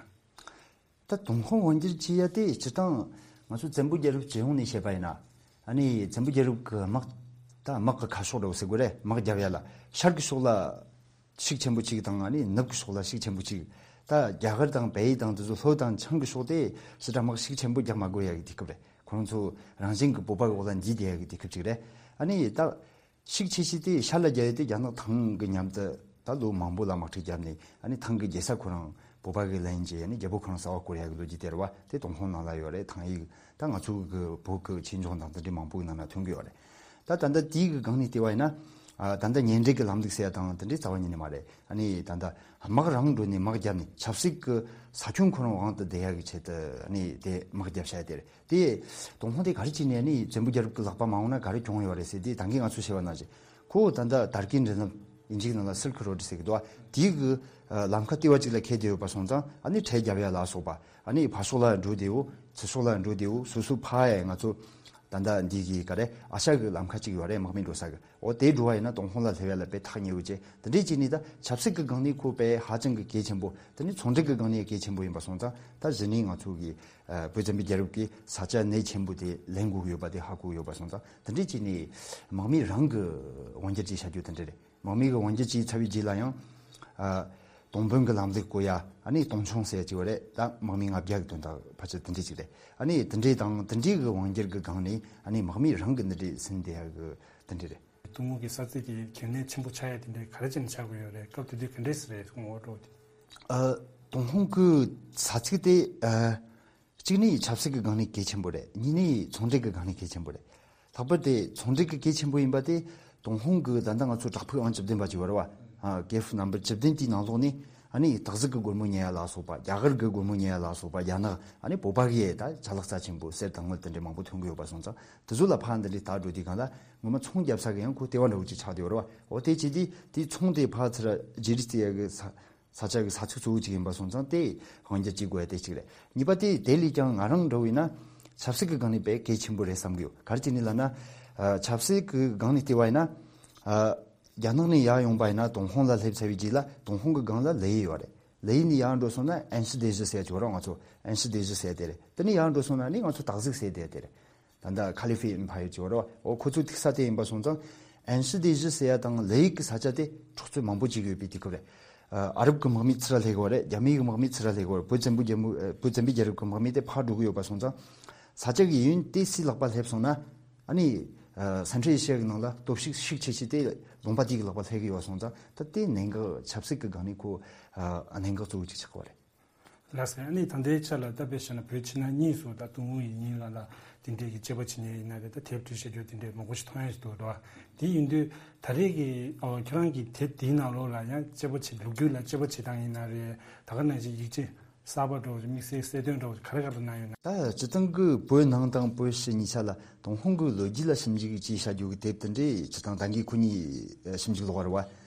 ད་ཏུན་ཧོང་དབང་སྒྱུར་བྱེད་ཡ་དེ་སྤྱིར་བཏང་ང་ཚོ་བཙན་པོ་རྒྱལ་རབས་སྤྱི་ཡོངས་ནས་བཤད་པ་ཡིན་ན། ཨ་ནི་བཙན་པོ་རྒྱལ་རབས་ཀྱི་དམག་ད་དམག་གི་ཁ་ཕྱོགས་འདྲ་བོ་ཟེར་དགོས་རེད། དམག་རྒྱབ་ཡ་ལ་ཤར་གྱི་ཕྱོགས་ལ་ཤུགས་ཆེན་པོ་གཅིག་དང་། ཨ་ནི་ནུབ་ཀྱི་ཕྱོགས་ལ་ཤུགས་ཆེན་པོ་གཅིག་ད་རྒྱ་གར་དང་བལ་ཡུལ་དང་དེ་ཚོ་ལྷོ་དང་བྱང་གི་ཕྱོགས་དེ་ཞེ་དྲག་དམག་ཤུགས་ཆེན་པོ་རྒྱག་མ་དགོས་ཡ་གི་དུས་སྐབས་རེད། ཁོ་རང་ཚོ་རང་བཞིན་གྱི་བོད་པ་གི་འོག་ལ་འདུས་བསྡད་ཡ་གི་དུས་སྐབས་གཅིག་རེད། ཨ་ནི་ད་ཤུགས་ཆེ་ཤོས་དེ་ཤར་ལ་རྒྱབ་ཡ་དེ་རྒྱ་ནག་ཐང་གི་མཉམ་དུ་ད་ལོ་མང་པོ་ལ་དམག་འཁྲུག་བརྒྱབ་ནས། ཨ་ནི་ཐང་གི་རྒྱལ་ས་ཁོ་རང་བོད་པ་གིས་ལེན་བྱས། ཨ་ནི་རྒྱལ་པོ་ཁོ་རང་གསར་པ་བསྐོ་ཡ་གི་ལོ་རྒྱུས་དེ་རེད་བ། དེ་ཏུན་ཧོང་ནང་ལ་ཡོད་རེད། ཐང་ཡིག་ད་ང་ཚོ་གི་བོད་ཀྱི་ཆོས་འབྱུང་དང་དེ་འདྲའི་མང་པོའི་ནང་ན་ཐོན་གི་ཡོད་རེད། ད་ད་ལྟ་དེའི་གི་སྒང་ནས་བལྟས་པ་ཡིན་ན། ཨ་ད་ལྟ་གཉེན་སྒྲིག་གི་ལམ་ལུགས་ཟེར་ཡ་དང་དེ་འདྲའི་རྩ་བ་ཉིད་ནས་མ་རེད། ཨ་ནི་ད་ལྟ་དམག་རང་འགྲོ་ནས་དམག་རྒྱབ་ནས་ཆབ་སྲིད་ཀྱི་ས་ཁྱོན་ཁོ་རང་དབང་དུ་བསྡུ་ཡ་གི་ཆེད་དུ་ཨ་ནི་དེ་དམག་རྒྱབ་བྱ་ཡ་དེ་རེད། དེ་ཏུན་ཧོང་དེ་ག་རེ་བྱས་ནས་ཨ་ནི་བཙན་པོ་རྒྱལ་རབས་ཀྱི་ལག་པ་མ་འོངས་ན་ག་རེ་གྱོང་ཡོད་རེད་ཟེར་དུས། ད་གིན་ང་ཚོས་བཤད་པ་ནང་བཞིན་ཁོ་ད་ལྟ་དར་གྱི་མགྲིན་ལམ་དབྱིན་ཇིའི་ནང་ལ་སིལ་ཁི་རོ་ཌི་ཟེར་གི་འདུག་བ། དེའི་གི་ལམ་ཁ་ལྟེ་བ་གཅིག་ལ་འཁེལ་བསྡད་ཡོད་པ་སོང་ཙང་། ཨ་ནི་ཁྲལ་རྒྱབ་ཡ་ལ་སོགས་པ། ཨ་ནི་ཕར་ཕྱོགས་ལ་འགྲོ་བདེ་བོ་ཚུར་ཕྱོགས་ལ་འགྲོ་བདེ་བོ་སོ་སོ་ཕར་ཡ་ང་ཚོ་ད་ལྟ་འདི་གི་ག་རེ་ཨ་ཤ་གི་ལམ་ཁ་གཅིག་ཡོད་རེད། དམག་མི་འགྲོ་ས་གི། འོ་དེ་འགྲོ་བ་ཡིན་ན་ཏུན་ཧོང་ལ་སླེབས་ཡ་ལ་དཔེ་ཐག་ཉེ་བོ་བྱས། དེ་འདྲས་བྱས་ནས་ད་ཆབ་སྲིད་ཀྱི་སྒང་ནས་ཁོ་དཔེ་ཧ་ཅང་གི་གལ་ཆེན་པོ། དེ་ནས་ཚོང་འབྲེལ་གྱི་སྒང་ནས་གལ་ཆེན་པོ་ཡིན་པ་སོང་ཙང་། ད་གཞི་ནས་ང་ཚོ་གི་ཨ་བོད་བཙན་པོའི་རྒྱལ་རབས་ཀྱི་ས་ཆ་གནད་ཆེན་པོ་དེ་ལེན་དགོས་ཀྱི་ཡོད་པ་དེ་ཧ་གོ་ཡོད་པ་སོང་ཙང་། དེ་འདྲས་བྱས་ནས་དམག་མི་རང་གི་དབང་སྒྱུར་བྱས་བྱ་རྒྱུ་དེ་འདྲས་རེད། དམག་མི་གི་དབང་སྒྱུར་བྱས་ཚར་བའི་རྗེས་ལ་ཡང་ཨ་ཏུང་ཕུན་གྱི་ལམ་ལུགས་བཀོད་ཡ། ཨ་ནི་ཏུང་ཆུང་ཟེར་ཡ་ཅིག་ཡོད་རེད། ད་དམག་མི་ལྔ་བརྒྱ་གི་དོན་དག་ཕལ་ཆེར་དེ་འདྲས་ཅིག་རེད། ཨ་ནི་དེ་འདྲས་དང་དེ་འདྲས་གི་དབང་སྒྱུར་གི་སྒང་ནས་ཨ་ནི་དམག་མི་རང་གི་འདི་འདྲས་ཟིན་བསྡད་ཡ་གི་དེ་འདྲས་རེད། ཏུང་ཧོང་གི་ས་ཚིགས་དེ་གལ་གནད་ཆེན་པོ་ཆགས་ཡ་དེ་འདྲས་ག་རེ་བྱས་ནས་ཆགས་དགོས་ཡོད་རེད། སྐབས་དེ་དུས་ག་འདྲས་སེ་རེད། ཏུང་ཧོང་འོག་འགྲོ་དེ། ཨ་ཏུང་ཧོང་གི་ས་ཚིགས་དེ་ཨ་གཅིག་ནི་ཆབ་སྲིད་ཀྱི་སྒང་ནས་གལ་ཆེན་པོ་རེད། གཉིས་ནི་ཚོང་འབྲེལ་གྱི་སྒང་ནས་གལ་ཆེན་པོ་རེད། ལྷག་པར་དུ་ཚོང་འབྲེལ་གྱི་གལ་ཆེན་པོ་ཡིན་པ་དེ། ཏུང་ཧོང་གི་ད་ལྟ་ང་ཚོ་བྲག་ཕུག་ཨང་བཅུ་བདུན་པ་ཅིག་ཡོད་རེད་བ། ཨ་ཀེབ་ནམ་བར་བཅུ་བདུན་དེའི་ནང་ལོགས་ནས་ཨ་ནི་སྟག་གཟིག་གི་སྒོར་མོ་ཉོ་ཡ་ལ་སོགས་པ། རྒྱ་གར་གྱི་སྒོར་མོ་ཉོ་ཡ་ལ་སོགས་པ། རྒྱ་ནག་ཨ་ནི་བོད་པ་གི་ད་ཅ་ལག་རྩ་ཆེན་པོ་གསེར་དང་དངུལ་དེ་འདྲས་མང་པོ་ཐོན་གི་ཡོད་པ་སོང་ཙང་། དེ་ཚོ་ལ་ཕར་འདི་འདྲས་ལྟ་འགྲོ་དུས་སྒང་ལ་ངོ་མ་ཚོང་རྒྱབ་ས་གི་ཡང་ཁོ་ལྟེ་བ་འདྲ་བོ་ཅིག་ཆགས་བསྡད་ཡོད་རེད་བ། འོ་དེ་བྱས་དུས་དེའི་ཚོང་དེ་ཕར་ཚུར་བརྗེ་རེས་བྱེད་ཡ་གི་ས་ས་ཆ་གི་ས་ཚིགས་གཙོ་བོ་གཅིག་ཡིན་པ་སོང་ཙང་། དེ་དབང་སྒྱུར་བྱེད་དགོས་ཡ་དེ་གཅིག་རེད། གཉིས་པ་དེ་དེ་ལས་ཀྱང་ང་རང་འདྲ་བོ་ཡིན་ན་ཆབ་སྲིད་ཀྱི་སྒང་ནས་དཔེ་གལ་ཆེན་པོ་རེད་བསམ་གི་ཡོད། ག་རེ་བྱས་ནས་ལབ་ན། ཨ་ཆབ་སྲིད་ཀྱི་སྒང་ནས་བལྟས་པ་ཡིན་ན། ཨ་རྒྱ་ནག་ནས་ཡར་ཡོང་པ་ཡིན་ན། ཏུང་ཧོང་ལ་སླེབས་ཚར་བའི་རྗེས་ལ་ཏུང་ཧོང་གི་སྒང་ལ་ལེ་ཡི་ཡོད་རེད། ལེ་ཡི་ནས་ཡར་འགྲོ་སོང་ན་ཨན་ཧྲི་སྡེ་བཞི་ཟེར་ཡ་ཅིག་ཡོད་རེད། ང་ཚོ་ཨན་ཧྲི་སྡེ་བཞི་ཟེར་ཡ་དེ་རེད། དེ་ནས་ཡར་འགྲོ་སོང་ན་ནི་ང་ཚོ་སྟག་གཟིག་ཟེར་དེ་དེ་རེད། ད་ལྟ་ཁ་ལི་ཧྥེ་ཨེམ་ཕ་ཡར་ཅིག་ཡོད་རེད་བ། འོ་ཁོ་ཚོའི་ཐུག་ས་དེ་ཡིན་པ་སོང་ཙང་། ཨན་ཧྲི་སྡེ་བཞི་ཟེར་ཡ་དང་ལེ་ཡི་གི་ས་ཆ་དེ་འཕྲོག་རྩོད་མང་པོ་བྱེད་ཀྱི་ཡོད་པའི་དུས་སྐབས་རེད། ཨ་ཨ་རབ་ཀྱི་དམག་མི་ཚུར་ར་སླེབས་ཀྱི་ཡོད་རེད། རྒྱ་མིའི་གི་དམག་མི་ཚུར་ར་སླེབས་ཀྱི་ཡོད་རེད། བོད་བཙན་པོའི་རྒྱལ་མོ་ཨ་བོད་བཙན་པོའི་རྒྱལ་རབས་ཀྱི་དམག་མི་དེ་ཕར་འགྲོ་གི་ཡོད་པ་སོང་ཙང་། ས་ཆ་གི་ཡུན་དེ་སུའི་ལག་པ་སླེབས་སོང་ན། ཨ་ནི་ཨ་སེན་ཊྲལ་ཨེ་ཤི་ཡ་གི་ནང་ལ་སྟོབས་ཤུགས་ཤུགས་ཆེ་ཤོས་དེ་ལུང་པ་དེ་གི་ལག་པ་སླེབས་ཀྱི་ཡོད་པ་སོང་ཙང་། ད་དེ་གནད་འགག་ཆབ་སྲིད་ཀྱི་སྒང་ནས་ཁོ་ཨ་གནད་འགག་གཙོ་བོ་གཅིག་ཆགས་ཀྱི་ཡོད་རེད། ལགས་སོ། ཨ་ནི་ད་ལྟའི་ཆ་ལ་ད་དཔེ་བཞག་ན་བོད་ཕྱི་ནང་གཉིས་སུ་ད་ཏུང་ཧོང་ཡིན་ཡིན་ལ་ལ་དེ་འདྲའི་གི་དཔྱད་པ་བྱེད་མཁན་ཡིན་ན་རེད། ད་དེབ་བྲིས་བཤད་རྒྱུ་དེ་འདྲའི་མང་པོ་ཞིག་མཐོང་ཡ་ཞིག་འདུག་རེད་བ། དེ་ཡིན་དུས་ད་རེས་ཀྱི་ཨོ་ཁྱེད་རང་གི་དེབ་དེའི་ནང་ལོགས་ལ་ཡང་དཔྱད་པ་བྱེད། ལོ་རྒྱུས་ལ་དཔྱད་པ་བྱེད་སྟངས་ཡིན་ན་རེད། ད་ག་ནང་བཞིན་ཡིག་ཆ་ གསར་པ་འདྲ་བོ་ཅིག་དམིགས་བསལ་གསལ་སྟོན་འདྲ་བོ་ཅིག་ག་རེ་ག་རེ་གནང་ཡོད་ན། ད་སྤྱིར་བཏང་གི་བོད་ནང་དང་བོད་ཕྱི་གཉིས་ཆ་ལ་ཏུན་ཧོང་གི་ལོ་རྒྱུས་ལ་ཞིབ་འཇུག་ཅིག་བྱ་རྒྱུ་གི་དེབ་དེ་འདྲའི་སྤྱིར་བཏང་ད་གིན་ཁོ་གཉིས་ཞིབ་འཇུག་ལོག་པ་རེད་བ།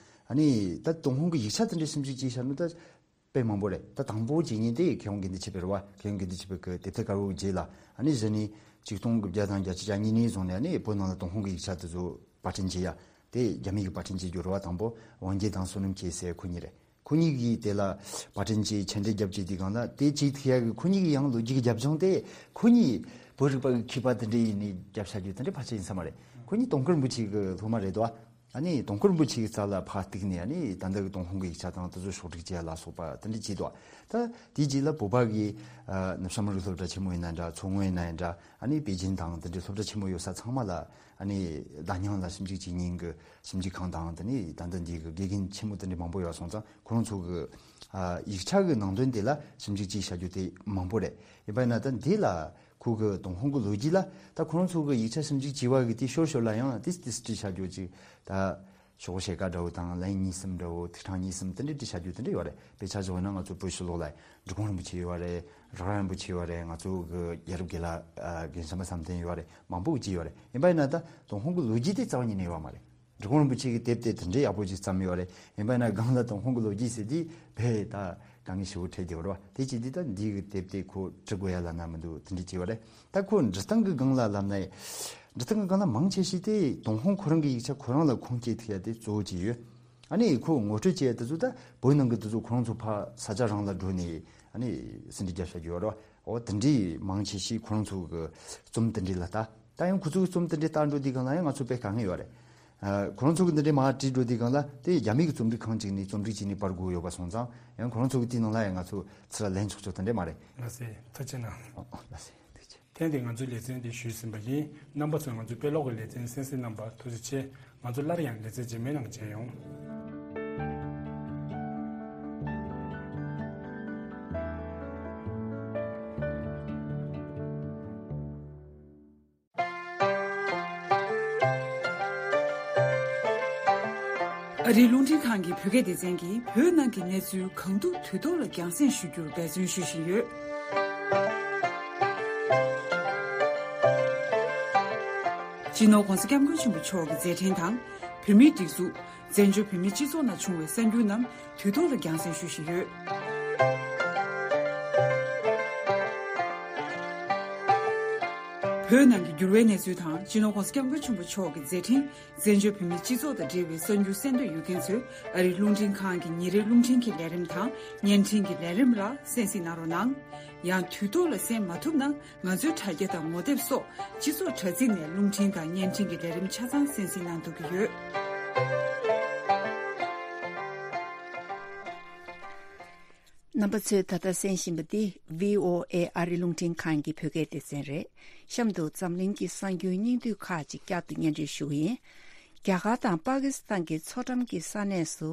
ཨ་ནི་ད་ཏུན་ཧོང་གི་ཡིག་ཆ་དེ་འདྲའི་ཞིབ་འཇུག་ཅིག་བྱ་ནི་ད་དཔེ་མང་པོ་རེད། ད་དང་པོ་རྗེས་ཉིན་དེ་མཁས་དབང་དགེ་འདུན་ཆོས་འཕེལ་རེད་བ། མཁས་དབང་དགེ་འདུན་ཆོས་འཕེལ་གི་དེབ་ཐེར་དཀར་པོ་རྗེས་ལ། ཨ་ནི་གཞི་ནས་ཆིག་སྟོང་དགུ་བརྒྱ་དང་བརྒྱད་ཅུ་གྱ་གཉིས་ནས་བཟུང་ནས་ཨ་ནི་བོད་ནང་ལ་ཏུན་ཧོང་གི་ཡིག་ཆ་དེ་ཚོ་པར་སྐྲུན་བྱས་ཡ། དེ་རྒྱ་མི་གིས་པར་སྐྲུན་བྱེད་རྒྱུ་རེད་བ། དང་པོ་ཝང་རྒྱལ་དང་བསོད་ནམས་ཁེ་སེ་ཁོ་གཉིས་རེད། ཁོ་གཉིས་ཀྱིས་དེ་ལ་པར་སྐྲུན་བྱས་ཆེད་འགྲེལ་རྒྱབ་བྱས་དུས་སྒང་ལ་དེ་བྱེད་ཐུབ་ཡ་གི་ཁོ་གཉིས་ཀྱི་ཡང་ལོ་རྒྱུས་ཀྱི་རྒྱབ་ལྗོངས་དེ་ཁོ་གཉིས་བོད་རིག་པ་གི་མཁས་པ་དེ་འདྲ་ཡིན་ནས་རྒྱབ་བཞག་རྒྱུ་དེ་འདྲ་ཕལ་ཆེར་ཡིན་ས་མ་རེད། ཁོ་གཉིས་དུང་དཀར་རིན་པོ་ཆེ་གི་སློབ་མ་རེད་དོ། ཨ་ནི་དུང་དཀར་རིན་པོ་ཆེ་གི་རྩ་ལ་ཕར་གཏུགས་ནས་ཨ་ནི་ད་ལྟ་གི་ཏུན་ཧོང་གི་ཡིག་ཆ་དང་དེ་ཚོ་ཕྱོགས་སྒྲིག་བྱས་ལ་སོགས་པ་དེ་འདྲ་བྱས་འདུག་ད་དེའི་རྗེས་ལ་བོད་པ་གི་ཨ་ནུབ་བྱང་མི་རིགས་སློབ་གྲྭ་ཆེན་མོ་ཡིན་ན་འདྲ། མཚོ་སྔོན་ཡིན་ན་ཡིན་འདྲ། ཨ་ནི་པེ་ཅིན་དང་དེ་འདྲའི་སློབ་གྲྭ་ཆེན་མོ་ཡོད་ས་ཚང་མ་ལ་ཨ་ནི་བརྡ་རྙིང་ལ་ཞིབ་འཇུག་བྱེད་མཁན་གྱི་ཞིབ་འཇུག་ཁང་དང་། དེ་ནས་ད་ལྟ་འདི་གི་དགེ་རྒན་ཆེན་མོ་དེ་འདྲ་མང་པོ་ཡོད་སོང་ཙང་ཁོ་རང་ཚོ་གི་ཨ་ཡིག་ཆ་གི་ནང་དོན་དེ་ལ་ཞིབ་འཇུག་ཅིག་བྱ་རྒྱུ་དེ་མང་པོ་རེད། ཡིན་པ་ཡིན་ན་ད་འདི་ལ་ཁོ་གི་ཏུན་ཧོང་གི་ལོ་རྒྱུས་ལ་ད་ཁོ་རང་ཚོ་གི་ཡིག་ཆ་ཞིབ་འཇུག་བྱས་པ་གི་དེ་ཤོར་ཤོར་ལ་ཡང་དེ་དེ་སྤྲད་བྱ་རྒྱུ་ཅིག་ད་ཤོག་བྱེད་ཀ་འདྲ་བོ་དང་ལན་གཉིས་གསུམ་འདྲ་བོ། ཐིག་ཕྲེང་གཉིས་གསུམ་དེ་འདྲ་སྤྲད་བྱ་རྒྱུ་དེ་འདྲ་ཡོད་རེད། དཔེ་ཆ་བཞག་ན་ང་ཚོ་བོད་ཕྱི་ལོགས་ལ་འབྲི་གུང་རིན་པོ་ཆེ་ཡོད་རེད། རག་ར་རིན་པོ་ཆེ་ཡོད་རེད། ང་ཚོ་གི་རྒྱལ་རབས་དགེ་ལགས་ཨ་རྒན་བྱམས་པ་བསམ་གཏན་ཡོད་རེད། མང་པོ་ཅིག་ཡོད་རེད། ཡིན་པ་ཡིན་ན་ད་ཏུན་ཧོང་གི་ལོ་རྒྱུས་དེ་རྩ་བ་ཉིད་ནས་ཡོད་མ་རེད། འབྲི་གུང་རིན་པོ་ཆེ་གི་དེབ་དེ་དེ་འདྲའི་ཡག་པོ་ཅིག་བརྩམས་ཡོད་རེད། ཡིན་པ་ཡིན་ན་སྒང་ལ་ཏུན་ཧོང་གི་ལོ་རྒྱུས་ཟེར་དུས་དཔེ་ད་དཀའ་ངལ་ཞེ་པོ་འཕྲད་བསྡད་ཡོད་རེད་བ། དེ་བྱས་དུས་ད་འདི་གི་དེབ་དེ་ཁོ་འབྲི་དགོས་ཡ་ལབ་ན་མི་འདུག་དེ་འདྲ་བྱས་ཡོད་རེད། ད་ཁོ་འབྲི་སྟངས་ཀྱི་སྒང་ལ་ལབ་ན། འབྲི་སྟངས་ཀྱི་སྒང་ལ་མང་ཆེ་ཤོས་དེ་ཏུན་ཧོང་ཁོ་རང་གི་ཡིག་ཆ་ཁོ་རང་ལ་ཁུངས་སྐྱེལ་ཐུབ་ཡ་དེ་གཙོ་བོ་ཅིག་ཡོད། ཨ་ནི་ཁོ་ངོ་སྤྲོད་བྱས་དེ་ཚོ་ད་བོད་ནང་གི་དེ་ཚོ་ཁོ་རང་ཚོ་ཕར་ས་ཆ་རང་ལ་འགྲོ་ནས་ཨ་ནི་ཟིན་བྲིས་རྒྱབ་བཞག་རྒྱུ་ཡོད་རེད་བ། འོ་དེ་འདྲའི་མང་ཆེ་ཤོས་ཁོ་རང་ཚོ་གི་རྩོམ་དེ་འདྲའི་ལ་ལྟ། ད་ཡང་ཁོ་ཚོ་གི་རྩོམ་དེ་འདྲའི་ལྟ་འགྲོ་དུས་སྒང་ལ་ཡང་ང་ཚོ་དཔེ་དཀའ་ངལ་ཡོད་རེད། ཨ་ཁོ་རང་ཚོ་གི་འདི་འདྲའི་མར་བྲིས་འགྲོ་དུས་སྒང་ལ་དེ་རྒྱ་མི་གི་རྩོམ་སྒྲིག་ཁང་ཅིག་ནས་རྩོམ་སྒྲིག་བྱས་ནས་པར་དགོས་ཡོད་པ་སོང་ཙང་ཡང་ཁོ་རང་ཚོ་གི་དེའི་ནང་ལ་ཡང་ང་ཚོ་ཚུར་ལན་ཆོག་ཆོག་དེ་འདྲས་མ་རེད། ལགས་སེ། ཐུགས་རྗེ་གནང་། ཨོ་ཨོ་ལགས་སེ། ཐུགས་རྗེ་ཆེ། ཐེངས་འདིའི་ང་ཚོའི་ལེ་ཚན་འདི་ཞུས་ཟིན་པ་ཡིན། རྣམ་པ་ཚོས་ང་ཚོའི་དཔེ་ཀློག་གི་ལེ་ཚན་གསན་གཟིགས་གནང་བར་ཐུགས་རྗེ་ཆེ། ང་ཚོ་སླར་ཡང་ལེ་ཚན་རྗེས་མའི་ནང་མཇལ་ཡོང་། ཨ་རིའི་རླུང་འཕྲིན་ཁང་གི་བོད་སྐད་སྡེ་ཚན་གྱིས་བོད་ནང་གི་གནས་ཚུལ་གང་ཐུབ་དུས་ཐོག་ལ་རྒྱང་སྲིང་ཞུ་རྒྱུར་འབད་བརྩོན་ཞུ་བཞིན་ཡོད། སྤྱི་ནོར་༧གོང་ས་༧སྐྱབས་མགོན་ཆེན་པོ་མཆོག་གི་མཛད་འཕྲིན་དང་། བོད་མིའི་སྒྲིག་འཛུགས། བཙན་བྱོལ་བོད་མིའི་སྤྱི་ཚོགས་ནང་བྱུང་བའི་གསར་འགྱུར་རྣམས་དུས་ཐོག་ལ་རྒྱང་སྲིང་ཞུ་བཞིན་ཡོད། བོད་ནང་གི་འགྱུར་བའི་གནས་ཚུལ་དང་སྤྱི་ནོར་༧གོང་ས་༧སྐྱབས་མགོན་ཆེན་པོ་མཆོག་གི་མཛད་འཕྲིན། བཙན་བྱོལ་བོད་མིའི་སྤྱི་ཚོགས་དང་འབྲེལ་བའི་གསར་འགྱུར་གསན་འདོད་ཡོད་མཁན་ཚོས་ཨ་རིའི་རླུང་འཕྲིན་ཁང་གི་ཉིན་རེའི་རླུང་འཕྲིན་གྱི་ལས་རིམ་དང་བརྙན་འཕྲིན་གྱི་ལས་རིམ་ལ་གསན་གཟིགས་གནང་རོགས་གནང་། ཡང་དུས་ཐོག་ལ་གསན་མ་ཐུབ་ན། ང་ཚོའི་དྲ་རྒྱ་དང་ངོ་དེབ་སོགས་སྤྱི་ཚོགས་དྲ་ཚིགས་ནས་རླུང་འཕྲིན་དང་བརྙན་འཕྲིན་གྱི་ལས་རིམ་ཆ་ཚང་གསན་གཟིགས་གནང་ཐུབ་ཀྱི་ཡོད། རྣམ་པ་ཚོས་ད་ལྟ་གསན་བཞིན་པ་འདི་བྷི་ཨོ་ཨེ་ཨ་རི་རླུང་འཕྲིན་ཁང་གི་བོད་སྐད་སྡེ་ཚན་རེད། གཤམ་དུ་འཛམ་གླིང་གི་གསར་འགྱུར་སྙིང་བསྡུས་ཁག་ཅིག་བསྐྱར་དུ་སྙན་སྒྲོན་ཞུ་གི་ཡིན། རྒྱ་གར་དང་པ་ཀི་སི་ཐན་གྱི་མཚོ་འགྲམ་གྱི་ས་གནས་སུ་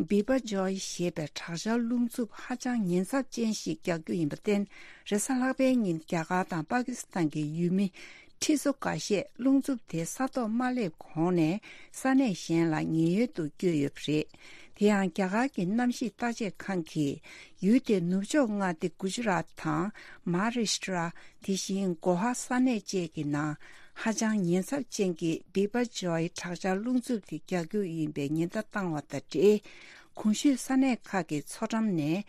བི་པ་ཇོ་ཡི་ཞེས་པའི་དྲག་ཆར་རླུང་འཚུབ་ཧ་ཅང་ཉེན་ཚབས་ཅན་ཞིག་རྒྱག་རྒྱུ་ཡིན་པར་བརྟེན། རེས་གཟའ་ལྷག་པའི་ཉིན་རྒྱ་གར་དང་པ་ཀི་སི་ཐན་གྱི་ཡུལ་མི་ཁྲི་ཚོ་འགའ་ཤས་རླུང་འཚུབ་དེ་ས་ཐོག་མ་སླེབས་གོང་ནས་ས་གནས་གཞན་ལ་ཉེན་གཡོལ་དུ་བསྐྱོད་ཡོད་པ་རེད། དེ་ཡང་རྒྱ་གར་གྱི་གནམ་གཤིས་བརྟག་དཔྱད་ཁང་གིས་ཡུལ་དེའི་ནུབ་ཕྱོགས་མངའ་སྡེ་གུ་ཇི་རཱཏ་དང་མ་ཧཱ་རཱ་ཤི་ཏྲ། དེ་བཞིན་གོ་ཧ་ས་གནས་བཅས་ཀྱི་ནང་ཧ་ཅང་ཉེན་ཚབས་ཅན་གྱི་བི་པ་ཇོ་ཡི་དྲག་ཆར་རླུང་འཚུབ་དེ་རྒྱག་རྒྱུ་ཡིན་པའི་ཉེན་བརྡ་བཏང་བ་དང་འབྲེལ། གོང་ཞུས་ས་གནས་ཁག་གི་མཚོ་འགྲམ་ནས་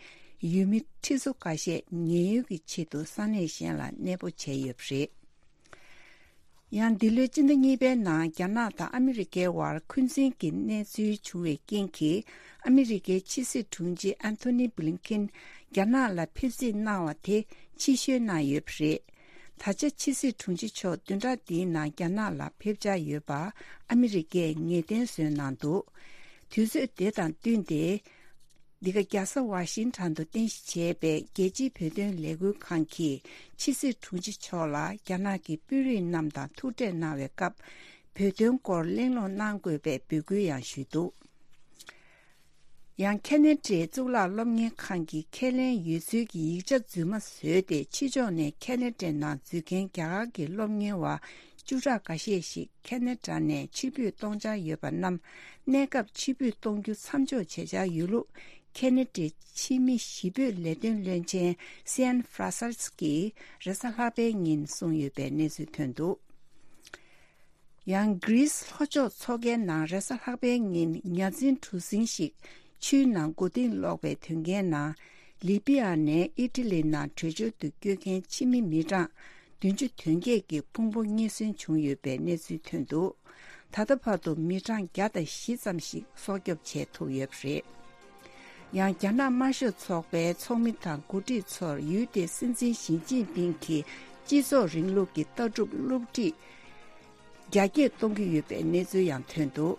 ཡུལ་མི་ཁྲི་ཚོ་འགའ་ཤས་ཉེན་གཡོལ་གྱི་ཆེད་དུ་ས་གནས་གཞན་ལ་གནས་སྤོ་བྱས་ཡོད་པ་རེད། ཡང་འདི་ལོའི་སྤྱི་ཟླ་གཉིས་པའི་ནང་རྒྱ་ནག་དང་ཨ་མི་རི་ཀའི་དབར་འཁོན་འཛིན་གྱི་གནས་ཚུལ་བྱུང་བའི་རྐྱེན་གྱིས། ཨ་མི་རི་ཀའི་ཕྱི་སྲིད་དྲུང་ཆེ་ཨན་ཐོ་ནི་བྷི་ལིན་ཀིན་རྒྱ་ནག་ལ་ཕེབས་བསུ་གནང་བ་དེ་ཕྱིར་བཤོལ་གནང་ཡོད་པ་རེད། ད་ཆ་ཕྱི་སྲིད་དྲུང་ཆེ་མཆོག་བདུན་ཕྲག་འདིའི་ནང་རྒྱ་ནག་ལ་ཕེབས་འཆར་ཡོད་པ་ཨ་མི་རི་ཀས་ངེས་གཏན་བཟོས་གནང་འདུག་དུས་ཚོད་དེ་དང་བསྟུན་ཏེ། འདི་ག་རྒྱལ་ས་ཝ་ཤིང་ཊོན་དུ་རྟེན་གཞི་བྱས་པའི་རྒྱལ་སྤྱིའི་བོད་དོན་ལས་འགུལ་ཁང་གིས་ཕྱི་སྲིད་དྲུང་ཆེ་མཆོག་ལ་རྒྱ་ནག་གི་དཔོན་རིགས་རྣམས་དང་ཐུག་འཕྲད་གནང་བའི་སྐབས། བོད་དོན་སྐོར་གླེང་སློང་གནང་དགོས་པའི་འབོད་སྐུལ་ཡང་ཞུས་འདུག་ཡང་ཁེ་ན་ཌའི་གཙུག་ལག་སློབ་གཉེར་ཁང་གིས་ཁས་ལེན་ཡོད་ཚུལ་གྱི་ཡིག་ཆ་རྫུན་མ་བཟོས་ཏེ། ཕྱི་ཕྱོགས་ནས་ཁེ་ན་ཌའི་ནང་འཛུལ་མཁན་རྒྱ་གར་གྱི་སློབ་གཉེར་བ་བཅུ་ཕྲག་འགའ་ཤས་ཤིག་ཁེ་ན་ཌ་ནས་ཕྱིར་འབུད་གཏོང་འཆར་ཡོད་པ་རྣམས། གནས་སྐབས་ཕྱིར་འབུད་གཏོང་རྒྱུ་མཚམས་འཇོག་བྱེད་འཆར་ཡོད་ལུགས། ཁེ་ན་ཌའི་ཕྱི་མི་གཞིས་སྤོས་ལས་དོན་བློན་ཆེན་སི་ཨན་ཧྥ་ར་སལ་སི་ཀྱིས་རེས་གཟའ་ལྷག་པའི་ཉིན་གསུངས་ཡོད་པའི་གནས་ཚུལ་ཐོན་འདུག། ཡང་གྷི་རིས་ལྷོ་ཕྱོགས་མཚོ་ཁའི་ནང་རེས་གཟའ་ལྷག་པའི་ཉིན་ཉ་འཛིན་གྲུ་གཟིངས་ཤིག་ཆུའི་ནང་མགོ་རྟིང་སློག་པའི་དོན་རྐྱེན་ནང་། ལི་པི་ཡ་ནས་ཨི་ཊ་ལི་ནང་བྲོས་བྱོལ་དུ་བསྐྱོད་མཁན་ཕྱི་མི་མི་གྲངས་བདུན་ཅུ་དོན་བརྒྱད་ཀྱི་ཕུང་པོ་རྙེད་སོན་བྱུང་ཡོད་པའི་གནས་ཚུལ་ཐོན་འདུག། ད་ལྟ་བར་དུ་མི་གྲངས་བརྒྱ་དང་བཞི་ཙམ་ཞིག་སྲོག་སྐྱོབ་བྱས་ཐུབ་ཡོད་པ་རེད། ཡང་རྒྱ་ནག་དམར་ཤོག་ཚོགས་པའི་ཚོགས་མི་དང་འགོ་ཁྲིད་ཚོར་ཡུལ་དེའི་སྲིད་འཛིན་ཞི་ཅིན་ཕིང་གིས་སྤྱི་ཚོགས་རིང་ལུགས་ཀྱི་ལྟ་གྲུབ་བསླུ་བྲིད་རྒྱ་སྐྱེད་གཏོང་གི་ཡོད་པའི་གནས་ཚུལ་ཡང་ཐོན་འདུག།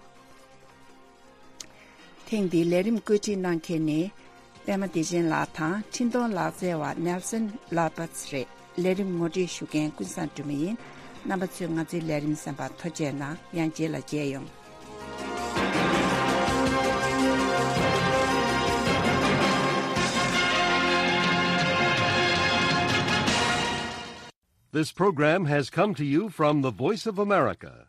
ཐེངས་འདིའི་ལས་རིམ་བཀོད་སྒྲིག་གནང་མཁན་ནི་པད་མ་བདེ་ཆེན་ལགས་དང་འཕྲིན་གཏོང་ལག་རྩལ་བ་ནེལ་སན་ལ་པཱས་རེད། ལས་རིམ་ངོ་སྤྲོད་ཞུ་མཁན་ཀུན་བཟང་སྒྲོལ་མ་ཡིན། རྣམ་པ་ཚོས་ང་ཚོའི་ལས་རིམ་གསན་པར་ཐུགས་རྗེ་གནང་། ཡང་རྗེས་ལ་མཇལ་ཡོང་། This program has come to you from the Voice of America,